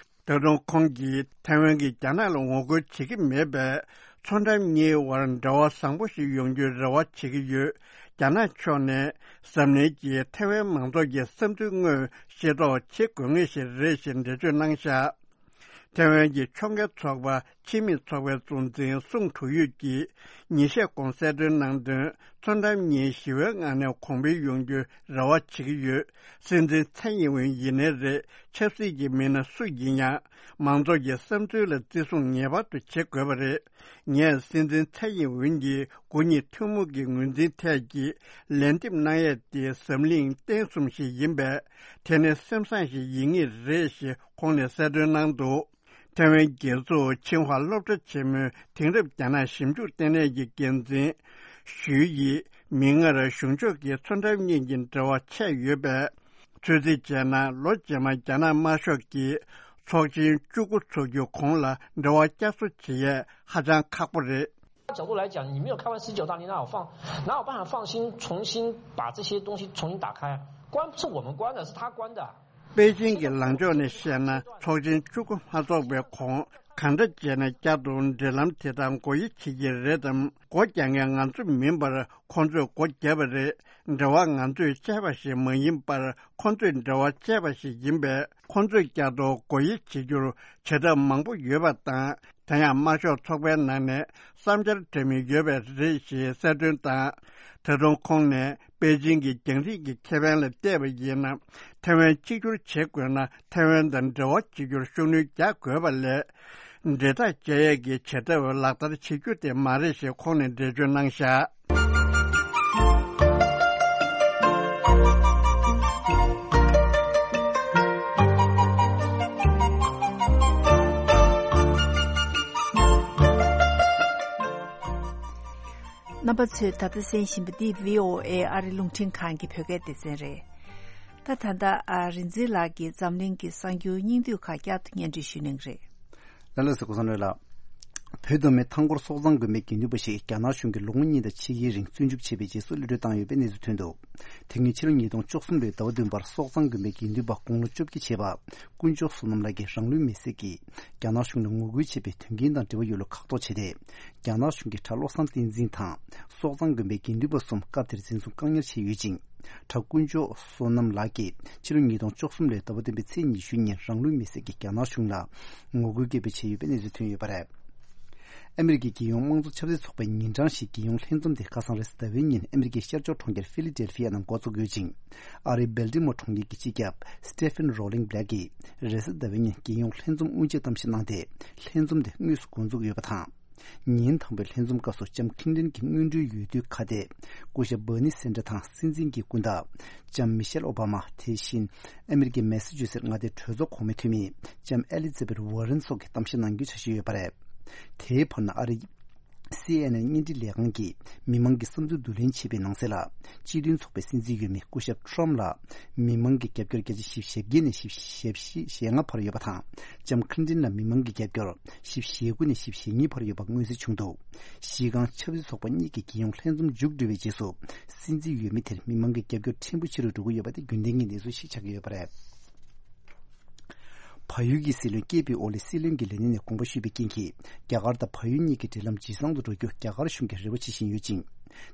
ད་དུང་ཁོང་གིས་ཐེ་ཝན་གྱིས་རྒྱ་ནག་ལ་ངོ་རྒོལ་བྱེད་ཀྱི་མེད་པས། མཚོ་འགྲམ་གཉིས་དབར་འབྲེལ་བ་བཟང་པོ་ཞིག་ཡོང་རྒྱུའི་རེ་བ་བྱེད་ཀྱི་ཡོད། རྒྱ་ནག་ཕྱོགས་ནས་འཛམ་གླིང་གིས་ཐའེ་ཝན་མང་ཚོགས་ཀྱི་བསམ་ཚུལ་དངོས་ཤེས་རྟོགས་བྱེད་དགོས་ངེས་ཤིག་རེད་ཞེས་འགྲེལ་བརྗོད་གནང་བཞག། ཐའེ་ཝན་གྱི་ཕྱོགས་འགལ་ཚོགས་པ་ཕྱི་མི་ཚོགས་པའི་གཙོ་འཛིན་སུང་ཁྲུའུ་ཡུས་ཀྱིས་ཉིན་ཤས་གོང་གསལ་སྟོན་གནང་དོན། མཚོ་འགྲམ་གཉིས་ཞི་བའི་ངང་ནས་གོང་འཕེལ་ཡོང་རྒྱུའི་རེ་བ་བྱེད་ཀྱི་ཡོད། སྲིད་འཛིན་ཚའེ་ཡིན་ཝེན་ཡིན་ནའི་རེད། ཆབ་སྲིད་ཀྱི་མི་སྣ་སུ་ཡིན་ཡང་མང་ཚོགས་ཀྱི་བསམ་ཚུལ་ལ་བརྩི་སྲུང་ངེས་པར་དུ་བྱེད་དགོས་པ་རེད། ངས་སྲིད་འཛིན་ཚའེ་ཡིན་ཝེན་གྱིས་དགུ་གཉིས་ཐུན་མོང་གི་ངོས་འཛིན་ཐད་ཀྱི་ལན་འདེབས་གནང་ཡས་དེ་འཛམ་གླིང་བསྟན་གསུམ་ཞིག་ཡིན་པས། དེ་ནི་སེམས་བཟང་ཞིག་ཡིན་ངེས་རེད་ཞེས་ཁོང་ནས་གསལ་སྟོན་གནང་འདུག། ཐའེ་ཝན་རྒྱལ་ཚོགས་ཆིང་ཧྭ་སློབ་གྲྭ་ཆེན་མོའི་དེང་རབས་རྒྱ་ནག་ཞིབ་འཇུག་ལྟེ་གནས་ཀྱི་འགན་འཛིན་ཞུའེ་ཡིས་མིག་སྔར་གཞུང་ཕྱོགས་ཀྱི་མཚོ་འགྲམ་གཉིས་ཀྱི་འབྲེལ་བ་ཆད་ཡོད་པས། ཚོད་རྩིས་བྱས་ན་ལོ་རྗེས་མ་རྒྱ་ནག་དམར་ཤོག་གིས་ཚོགས་ཆེན་བཅུ་དགུ་འཚོགས་རྒྱུ་གོང་ལ་འབྲེལ་བ་བསྐྱར་གསོ་བྱེད་ཡས་ཧ་ཅང་ཁག་པོ་རེད། 角度来讲，你没有开完十九大，你哪有放，哪有办法放心重新把这些东西重新打开？关不是我们关的，是他关的。 པེ་ཅིང་གི་ལངས་ཕྱོགས་ནས་བཤད་ན་ཚོགས་ཆེན་བཅུ་དགུ་མ་འཚོགས་པའི་གོང་གང་འདྲ་བྱས་ན་བསྐྱར་དུ་འབྲེལ་ལམ་དེ་དག་སྒོ་དབྱེ་བྱེད་ཀྱི་རེད་དམ། སྒོ་རྒྱག་མཁན་ང་ཚོ་མིན་པར་ཁོང་ཚོས་སྒོ་བརྒྱབ་པ་རེད། འབྲེལ་བ་ང་ཚོས་བཅད་པ་ཞིག་མ་ཡིན་པར་ཁོང་ཚོས་འབྲེལ་བ་བཅད་པ་ཞིག་ཡིན་པས། ཁོང་ཚོས་བསྐྱར་དུ་སྒོ་དབྱེ་བྱེད་རྒྱུར་བྱ་ཐབས་མང་པོ་ཡོད་པ་དང་། དེ་ཡང་དམར་ཤོག་ཚོགས་པའི་ནང་ནས་བསམ་འཆར་འདྲ་མིན་ཡོད་པ་རེད་ཞེས་གསལ་སྟོན་དང་། ད་དུང་ཁོང་ནས་པེ་ཅིང་གི་རྒྱང་རིང་གི་ཁེ་ཕན་ལ་བལྟས་པ་ཡིན་ན། ཐའེ་ཝན་གཅིག་གྱུར་བྱེད་དགོས་ན་ཐའེ་ཝན་དང་འབྲེལ་བ་བྱེད་རྒྱུར་ཤུགས་སྣོན་རྒྱག་དགོས་པ་ལས། འབྲེལ་ཐག་བཅད་ཡས་ཀྱི་བྱ་ཐབས་ལག་བསྟར་བྱེད་རྒྱུ་དེ་མ་རེད་ཞེས་ཁོང་ནས་འགྲེལ་བརྗོད་གནང་བཞག། རྣམ་པ་ཚོས་ད་ལྟ་གསན་བཞིན་པ་འདི་བྷི་ཨོ་ཨེ་ཨ་རི་རླུང་འཕྲིན་ཁང་གི་བོད་སྐད་སྡེ་ཚན་རེད། ད་ད་ལྟ་ཨ་རིག་འཛིན་ལགས་ཀྱིས་འཛམ་གླིང་གི་གསར་འགྱུར་སྙིང་བསྡུས་ཁག་བསྐྱར་དུ་སྙན་སྒྲོན་ཞུ་གནང་གི་རེད། ལགས་ལགས་སོ། གོང་ས་ལགས། བོད་མདོ་སྨད་ཐང་སྐོར་སོག་ཙང་དགོན་པའི་དགེ་འདུན་པ་ཞིག་རྒྱ་ནག་གཞུང་གིས་ལོ་ངོ་གཉིས་དང་ཕྱེད་ཀའི་རིང་བཙོན་འཇུག་བྱས་པའི་རྗེས་སུ་གློད་གྲོལ་བཏང་ཡོད་པའི་གནས་ཚུལ་ཐོན་འདུག། དེ་སྔོན་ཕྱི་ལོ་ཉིས་སྟོང་བཅུ་གསུམ་ལོའི་ཟླ་བ་བདུན་པར་སོག་ཙང་དགོན་པའི་དགེ་འདུན་པ་དགུང་ལོ་བཅོ་བརྒྱད་བྱས་པ་དཀོན་མཆོག་བསོད་ནམས་ལགས་ཀྱིས་རང་ལུས་མེར་སྲེག་གིས་རྒྱ་ནག་གཞུང་ལ་ངོ་རྒོལ་བྱས་པའི་དོན་རྐྱེན་དང་འབྲེལ་བ་ཡོད་ལུགས་ཁག་ཐོག་བྱས་ཏེ། རྒྱ་ནག་གཞུང་གིས་གྲྭ་བློ་བཟང་བསྟན་འཛིན་དང་སོག་ཙང་དགོན་པའི་དགེ་འདུན་པ་གསུམ་སྐབས་དེར་འཛིན་བཟུང་བཀག་ཉར་བྱས་ཡོད་ཅིང་། གྲྭ་དཀོན་མཆོག་བསོད་ནམས་ལགས་ཀྱིས་ཕྱི་ལོ་ཉིས་སྟོང་བཅུ་གསུམ་ལོའི་ཟླ་བ་བདུན་པའི་ཚེས་ཉི་ཤུ་ཉིན་རང་ལུས་མེར་སྲེག་གིས་རྒྱ་ནག་གཞུང་ལ་ངོ་རྒོལ་སྐད་འབོད་བྱས་ཡོད་པའི་གནས་ཚུལ་ཐོན་ཡོད་པ་རེད། ཨ་མི་རི་ཀའི་རྒྱལ་ཡོངས་དམངས་གཙོ་ཆབ་སྲིད་ཚོགས་པའི་ཉིན་གྲངས་ཤིག་རྒྱལ་ཡོངས་ལྷན་འཛོམས་དེ་ཁ་སང་རེས་གཟའ་ཟླ་བའི་ཉིན་ཨ་མི་རི་ཀའི་ཤར་ཕྱོགས་གྲོང་ཁྱེར་ཕི་ལི་ཌེལ་ཕི་ཡ་ནང་འགོ་བཙུགས་ཡོད་ཅིང་། ཨ་རིའི་སྦལ་ཏི་མོར་གྲོང་ཁྱེར་གྱི་སྤྱི་ཁྱབ་སི་ཏེ་ཕན་རོ་ལིང་བྷ་ལེག་གིས་རེས་གཟའ་ཟླ་བའི་ཉིན་རྒྱལ་ཡོངས་ལྷན་འཛོམས་དབུ་འབྱེད་གཏམ་བཤད་གནང་སྟེ། ལྷན་འཛོམས་དེ་དངོས་སུ་འགོ་འཛུགས་ཡོད་པ་དང་། ཉིན་དང་པོའི་ལྷན་འཛོམས་སྐབས་སུ་ལྕམ་ཁིན་ཏན་གྱི་སྔོན་འགྲོའི་འོས་བསྡུའི་ཁ་གཏད་སྐུ་ཞབས་བྷར་ནི་སན་ཌར་དང་སྲིད་འཛིན་གྱི་སྐུ་ཟླ་ལྕམ་མི་ཤེལ་ཨོ་བྷ་མ། དེ་བཞིན་ཨ་མི་རི་ཀའི་མེ་སི་ཅུ་སེ་མངའ་སྡེའི་གྲོས་ཚོགས་གོང་མའི་འཐུས་མི་ལྕམ་ཨེ་ལི་ཛ་བེད་ཝར་རན་སོགས་ཀྱིས་གཏམ་བཤད་གནང་རྒྱུའི་འཆར་གཞི་ཡོད་པ་རེད། དེའི་བར་ན་ཨ་རིའི་སི་ཨེན་ཨེན་བརྙན་འཕྲིན་ལས་ཁང་གིས་མི་མང་གི་བསམ་ཚུལ་བསྡུ་ལེན་བྱས་པའི་ནང་གསལ་ལ། སྤྱི་མཐུན་ཚོགས་པའི་སྲིད་འཛིན་འོས་མི་སྐུ་ཞབས་ཊྲམ་ལ་མི་མང་གི་རྒྱབ་སྐྱོར་བརྒྱ་ཆ་བཞི་བཅུ་ཞེ་བརྒྱད་ནས་བཞི་བཅུ་ཞེ་ལྔ་བར་ཡོད་པ་དང་། ལྕམ་ཁིན་ཏིན་ལ་མི་མང་གི་རྒྱབ་སྐྱོར་བཞི་བཅུ་ཞེ་དགུ་ནས་བཞི་བཅུ་ཞེ་གཉིས་བར་ཡོད་པ་མངོན་གསལ་བྱུང་འདུག། གཞི་རྐང་ཆབ་སྲིད་ཚོགས་པ་གཉིས་ཀྱི་རྒྱལ་ཡོངས་ལྷན་འཛོམས་མཇུག་བསྒྲིལ་བའི་རྗེས་སུ། སྲིད་འཛིན་འོས་མི་དེར་མི་མང་གི་རྒྱབ་སྐྱོར་ཕྲན་བུ་ཆེ་རུ་འགྲོ་གི་ཡོད་པ་དེ་རྒྱུན་ལྡན་གྱི་གནས་ཚུལ་ཞིག་ཆགས་ཀྱི་ཡོད་པ་རེད། བལ་ཡུལ་གྱི་སྲིད་བློན་ཀེ་པི་ཨོ་ལི་སྲིད་བློན་གྱི་ལས་གནས་ནས་དགོངས་པ་ཞུས་པའི་རྐྱེན་གྱིས། རྒྱ་གར་དང་བལ་ཡུལ་གཉིས་ཀྱི་འབྲེལ་ལམ་ཇེ་བཟང་དུ་འགྲོ་རྒྱུ་རྒྱ་གར་གཞུང་གིས་རེ་བ་བྱེད་བཞིན་ཡོད་ཅིང་།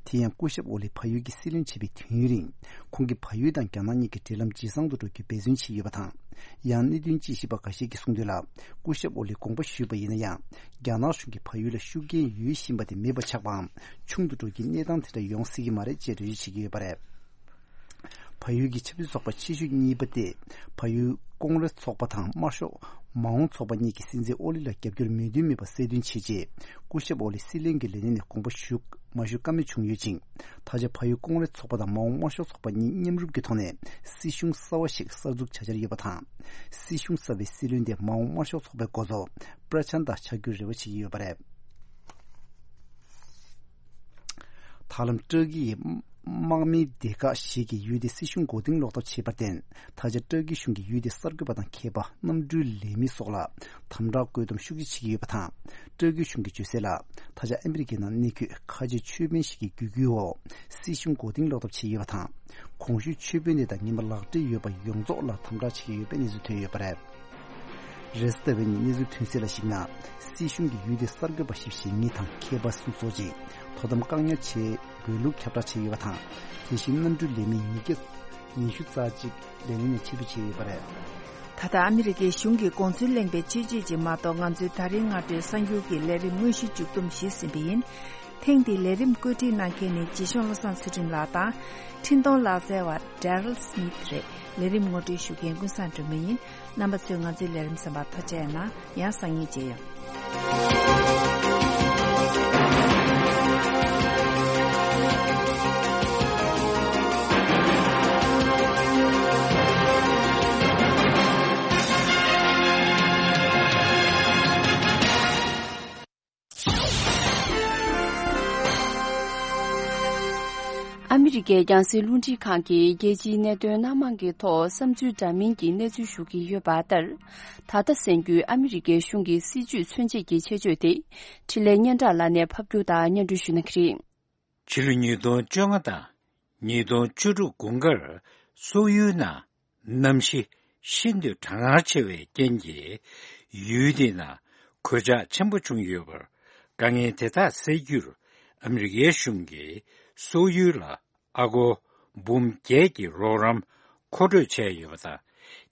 དེ་ཡང་སྐུ་ཞབས་ཨོ་ལི་བལ་ཡུལ་གྱི་སྲིད་བློན་བྱས་པའི་དུས་ཡུན་རིང་། ཁོང་གིས་བལ་ཡུལ་དང་རྒྱ་ནག་གཉིས་ཀྱི་འབྲེལ་ལམ་ཇེ་བཟང་དུ་འགྲོ་རྒྱུའི་འབད་བརྩོན་བྱས་ཡོད་པ་དང་། ཡང་གནད་དོན་དཔྱད་ཞིབ་པ་འགའ་ཤས་ཀྱིས་གསུངས་དོན་ལ། སྐུ་ཞབས་ཨོ་ལི་དགོངས་པ་ཞུས་པ་ཡིན་ན་ཡང་། རྒྱ་ནག་གཞུང་གིས་བལ་ཡུལ་ལ་ཤུགས་རྐྱེན་ཡོད་བཞིན་པ་དེ་མེད་པ་ཆགས་པའམ། ཆུང་དུ་འགྲོ་རྒྱུའི་གནས་སྟངས་དེ་འདྲ་ཡོང་སྲིད་ཀྱི་མ་རེད་ཅེས་འགྲེལ་བརྗོད་བྱེད་ཀྱི་ཡོད་པ་རེད། བལ་ཡུལ་གྱི་ཆབ་སྲིད་ཚོགས་པ་ཆེ་ཤོས་གཉིས་པ་སྟེ། བལ་ཡུལ་ཀོང་རེས་ཚོགས་པ་དང་དམར་ཤོག་མ་འོངས་ཚོགས་པ་གཉིས་ཀྱིས་སྲིད་འཛིན་ཨོ་ལི་ལ་རྒྱབ་སྐྱོར་མོས་མཐུན་མེད་པ་གསལ་སྟོན་བྱས་རྗེས། སྐུ་ཞབས་ཨོ་ལི་སྲིད་བློན་གྱི་ལས་གནས་ནས་དགོངས་པ་ཞུ་མ་ཞུ་ཀ་མེད་བྱུང་ཡོད་ཅིང་། ད་ཆ་བལ་ཡུལ་ཀོང་རེས་ཚོགས་པ་དང་མ་འོངས་དམར་ཤོག་ཚོགས་པ་གཉིས་མཉམ་རུབ་ཀྱི་ཐོག་ནས་སྲིད་གཞུང་གསར་བ་ཞིག་གསར་འཛུགས་བྱ་འཆར་ཡོད་པ་དང་། སྲིད་གཞུང་གསར་བའི་སྲིད་བློན་དེ་མ་འོངས་དམར་ཤོག་ཚོགས་པའི་འགོ་གཙོ་པྲ་ཆན་ཏ་ཆགས་རྒྱུའི་རེ་བ་བྱེད་ཀྱི་ཡོད་པ་རེད། ད་ལམ་ཏྲ་ཀི་ཡི་དམག་མིའི་སྡེ་ཁག་ཞིག་གིས་ཡུལ་དེའི་སྲིད་གཞུང་མགོ་རྟིང་སློག་ཐབས་བྱས་པར་བརྟེན། ད་ཆ་ཏྲ་ཀི་གཞུང་གིས་ཡུལ་དེའི་གསར་འགོད་པ་དང་མཁས་པ་གནམ་གྲུའི་ལས་མི་སོགས་ལ་དམ་དྲག་བཀོད་འདོམས་ཤུགས་ཆེ་བྱེད་ཀྱི་ཡོད་པ་དང་། ཏྲ་ཀི་གཞུང་གིས་བརྗོད་གསལ་ལ། ད་ཆ་ཨ་མི་རི་ཀའི་ནང་གནས་འཁོད་ཁ་ཆེ་ཆོས་དཔོན་ཞིག་གི་བརྒྱུད་སྐུལ་འོག་སྲིད་གཞུང་མགོ་རྟིང་སློག་ཐབས་བྱས་ཡོད་པ་དང་། གོང་ཞུས་ཆོས་དཔོན་དེ་དང་ངན་པ་ལག་འབྲེལ་ཡོད་པ་ཡོངས་རྫོགས་ལ་དམ་དྲག་བྱེད་ཀྱི་ཡོད་པའི་གནས་ཚུལ་ཐོན་ཡོད་པ་རེད། རེས་གཟའ་ཟླ་བའི་ཉིན་གནས་ཚུལ་ཐོན་གསལ་ལ་གཞིགས་ན། སྲིད་གཞུང་གིས་ཡུལ་དེའི་གསར་འགོད་པ་བཞི་བཅུ་ཞེ་གཉིས་དང་མཁས་པ་གསུམ་སོགས་ཀྱིས་དོ་དམ་བཀག་ཉར་བྱས་དགོས་ལུགས་ཁྱབ་བསྒྲགས་བྱས་ཡོད་པ་དང་། དེ་བཞིན་གནམ་གྲུའི་ལས་མི་ཉིས་བརྒྱ་ཉི་ཤུ་རྩ་གཅིག་ལས་གནས་ནས་ཕྱིར་འབུད་བྱས་ཡོད་པ་རེད། ད་ལྟ་ཨ་མི་རི་ཀའི་གཞུང་གིས་དགོངས་ཚུལ་གླེང་པའི་སྤྱོད་ཇུས་ཅིག་མ་གཏོགས། ང་ཚོའི་ད་རིང་སྔ་དྲོའི་གསར་འགྱུར་གྱི་ལས་རིམ་དངོས་གཞི་མཇུག་བསྡོམས་ཤིག་ཟིན་པ་ཡིན། ཐེངས་འདིའི་ལས་རིམ་བཀོད་སྒྲིག་གནང་མཁན་ནི་རྗེ་གཞུང་བློ་བཟང་ཚུལ་ཁྲིམས་ལགས་དང་། འཕྲིན་གཏོང་ལག་རྩལ་བ་Daryl Smith་རེད། ལས་རིམ་ངོ་སྤྲོད་ཞུ་མཁན་ཀུན་བཟང་སྒྲོལ་མ་ཡིན། རྣམ་པ་ཚོས་ང་ཚོའི་ལས་རིམ་གསན་པར་ཐུགས་རྗེ་གནང་། ཡང་སང་ཉིན་མཇལ་ཡོང་། ཨ་མི་རི་ཀའི་རྒྱང་སྲིང་རླུང་འཕྲིན་ཁང་གིས་རྒྱལ་སྤྱིའི་གནད་དོན་སྣ་མང་གི་ཐོག་བསམ་ཚུལ་འདྲ་མིན་གྱི་གནས་ཚུལ་ཞུ་གི་ཡོད་པ་ལྟར། ད་ལྟ་གསན་རྒྱུའི་ཨ་མི་རི་ཀའི་གཞུང་གི་སྲིད་ཇུས་མཚོན་བྱེད་ཀྱི་ཆེད་བརྗོད་དེ། འཕྲིན་ལས་སྙན་གྲགས་ལགས་ནས་ཕབ་སྒྱུར་དང་སྙན་སྒྲོན་ཞུ་གནང་གི་རེད། ཕྱི་ལོ་ཉིས་སྟོང་བཅོ་ལྔ་དང་ཉིས་སྟོང་བཅུ་དྲུག་དགུན་ཁར་སོག་ཡུལ་ནང་གནམ་གཤིས་ཤིན་ཏུ་གྲང་ངར་ཆེ་བའི་རྐྱེན་གྱིས། ཡུལ་དེའི་ནང་གོད་ཆག་ཆེན་པོ་བྱུང་ཡོད་པར། དཀའ་ངལ་དེ་དག་སེལ་རྒྱུར་ཨ་མི་རི་ཀའི་གཞུང་གིས་སོག་ཡུལ་ལ་ཨ་སྒོར་འབུམ་བརྒྱད་ཀྱི་རོགས་རམ་མཁོ་སྤྲོད་བྱས་ཡོད་པ་དང་།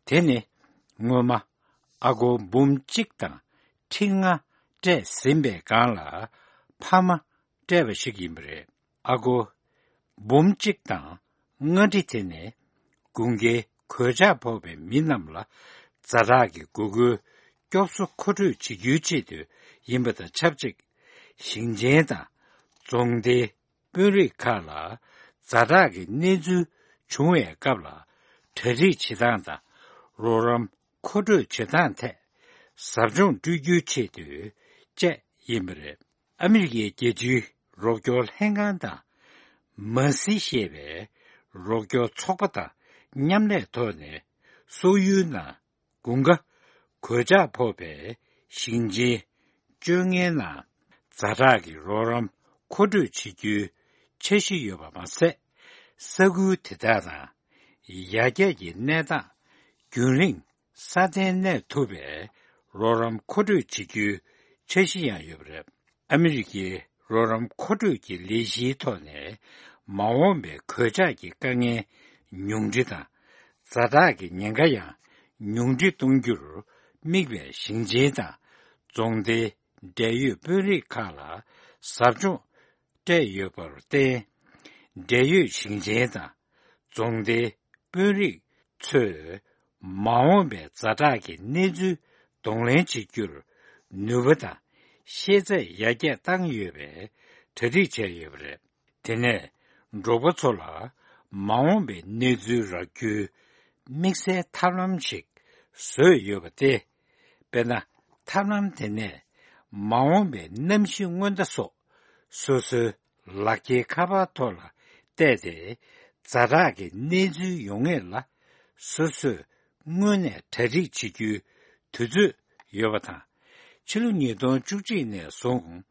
དེ་ནི་སྔོན་མ་ཨ་སྒོར་འབུམ་གཅིག་དང་ཁྲི་ལྔ་སྤྲད་ཟིན་པའི་སྒང་ལ་འཕར་མ་སྤྲད་པ་ཞིག་ཡིན་པ་རེད། ཨ་སྒོར་འབུམ་གཅིག་དང་ལྔ་ཁྲི་དེ་ནི་དགུན་ཁའི་གོད་ཆག་ཕོག་པའི་མི་རྣམས་ལ་ཛ་དྲག་གི་དགོས་མཁོའི་སྐྱོབ་གསོ་མཁོ་སྤྲོད་བྱེད་རྒྱུའི་ཆེད་དུ་ཡིན་པ་དང་ཆབས་ཅིག་ཞིང་ཆེན་དང་རྫོང་སྡེའི་དཔོན་རིགས་ཁག་ལ་ཛ་དྲག་གི་གནས་ཚུལ་བྱུང་བའི་སྐབས་ལ་གྲ་སྒྲིག་བྱེད་སྟངས་དང་རོགས་རམ་མཁོ་སྤྲོད་བྱེད་སྟངས་ཐད་ཟབ་སྦྱོང་སྤྲོད་རྒྱུའི་ཆེད་དུ་བཅས་ཡིན་པ་རེད། ཨ་མི་རི་ཀའི་རྒྱལ་སྤྱིའི་རོགས་སྐྱོར་ལྷན་ཁང་དང་མ་སི་ཞེས་པའི་རོགས་སྐྱོར་ཚོགས་པ་དང་མཉམ་ལས་ཐོག་ནས་སོག་ཡུལ་ནང་དགུན་ཁ་གོད་ཆག་ཕོག་པའི་ཞིང་ཆེན་བཅོ་ལྔའི་ནང་ཛ་དྲག་གི་རོགས་རམ་མཁོ་སྤྲོད་བྱེད་རྒྱུའི་འཆར་གཞི་ཡོད་པ་མ་ཟད། ས་ཁུལ་དེ་དག་ནང་ཡར་རྒྱས་ཀྱི་གནས་སྟངས་རྒྱུན་རིང་སྲ་བརྟན་གནས་ཐུབ་པའི་རོགས་རམ་མཁོ་སྤྲོད་བྱེད་རྒྱུའི་འཆར་གཞི་ཡང་ཡོད་པ་རེད། ཨ་མི་རི་ཀའི་རོགས་རམ་མཁོ་སྤྲོད་ཀྱི་ལས་གཞིའི་ཐོག་ནས་མ་འོངས་པའི་གོད་ཆག་གི་དཀའ་ངལ་ཉུང་འཕྲི་དང་། ཛ་དྲག་གི་ཉེན་ཁ་ཡང་ཉུང་འཕྲི་གཏོང་རྒྱུར་དམིགས་པའི་ཞིང་ཆེན་དང་རྫོང་སྡེའི་འབྲེལ་ཡོད་དཔོན་རིགས་ཁག་ལ་ཟབ་སྦྱོང་སྤྲད་ཡོད་པར་བརྟེན། འབྲེལ་ཡོད་ཞིང་ཆེན་དང་རྫོང་སྡེའི་དཔོན་རིགས་ཚོས་མ་འོངས་པའི་ཛ་དྲག་གི་གནས་ཚུལ་གདོང་ལེན་བྱེད་རྒྱུར་ནུས་པ་དང་ཤེས་ཚད་ཡར་རྒྱས་བཏང་ཡོད་པའི་གྲ་སྒྲིག་བྱས་ཡོད་པ་རེད། དེ་ནས་འབྲོག་པ་ཚོ་ལ་མ་འོངས་པའི་གནས་ཚུལ་རག་རྒྱུའི་དམིགས་བསལ་ཐབས་ལམ་ཞིག་བཟོས་ཡོད་པ་སྟེ། དཔེར་ན། ཐབས་ལམ་དེ་ནས་མ་འོངས་པའི་གནམ་གཤིས་སྔོན་བརྡ་སོགས་སོ་སོའི་ལག་འཁྱེར་ཁ་པར་ཐོག་ལ་བལྟས་ཏེ། ཛ་དྲག་གི་གནས་ཚུལ་ཡོང་ངེས་ལ་སོ་སོས་སྔོན་ནས་གྲ་སྒྲིག་བྱེད་རྒྱུའི་དུས་ཚོད་ཡོད་པ་དང་། ཕྱི་ལོ་ཉིས་སྟོང་བཅུ་གཅིག་ནས་བཟུང་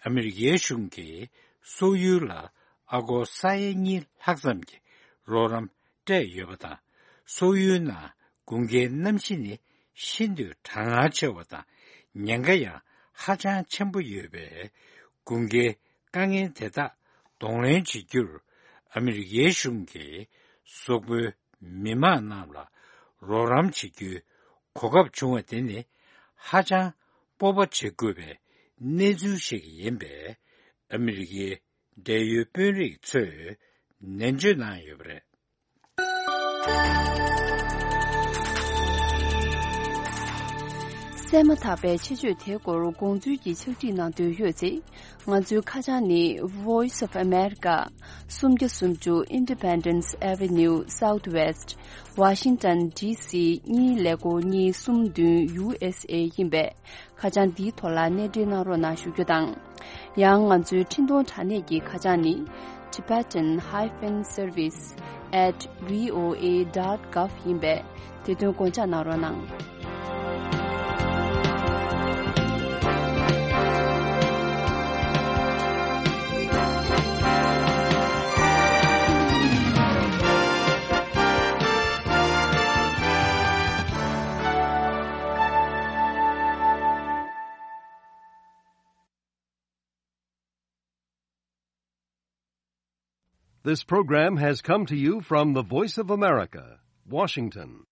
ཨ་མི་རི་ཀའི་གཞུང་གིས་སོག་ཡུལ་ལ་ཨ་སྒོར་ས་ཡ་གཉིས་ལྷག་ཙམ་གྱི་རོགས་རམ་སྤྲད་ཡོད་པ་དང་། སོག་ཡུལ་ནང་དགུན་ཁའི་གནམ་གཤིས་ནི་ཤིན་ཏུ་གྲང་ངར་ཆེ་བ་དང་ཉེན་ཁ་ཡང་ཧ་ཅང་ཆེན་པོ་ཡོད་པས། དགུན་ཁའི་དཀའ་ངལ་དེ་དག་གདོང་ལེན་བྱེད་རྒྱུར་ཨ་མི་རི་ཀའི་གཞུང་གིས་སོག་པོའི་མི་མང་རྣམས་ལ་རོགས་རམ་བྱེད་རྒྱུའི་གོ་སྐབས་བྱུང་བ་དེ་ནི་ཧ་ཅང་སྤོབས་པ་བྱེད་དགོས་པའི་གནས་ཚུལ་ཞིག་ཡིན་པས། ཨ་མི་རི་ཀའི་འབྲེལ་ཡོད་དཔོན་རིགས་ཚོས་ནན་བརྗོད་གནང་ཡོད་པ་རེད། གསན་མ་ཐག་པའི་ཆེད་བརྗོད་དེའི་སྐོར་དགོངས་ཚུལ་གྱི་ཕྱག་བྲིས་གནང་འདོད་ཡོད་ཚེ། ང་ཚོའི་ཁ་བྱང་ནི། Voice of America། སུམ་བརྒྱ་སུམ་ཅུ་Independence Avenue Southwest། Washington D C གཉིས་ཀླད་ཀོར་གཉིས་གསུམ་བདུན། U S A ཡིན་པས། ཁ་བྱང་འདིའི་ཐོག་ལ་གནས་འབྲེལ་གནང་རོགས་གནང་ཞུ་རྒྱུ་དང་། ཡང་ང་ཚོའི་འཕྲིན་གཏོང་དྲ་གནས་ཀྱི་ཁ་བྱང་ནི། Tibetan hyphen service at V O A dot gov ཡིན་པས། དེ་དོན་དགོངས་འཇགས་གནང་རོགས་གནང་། This program has come to you from the Voice of America, Washington.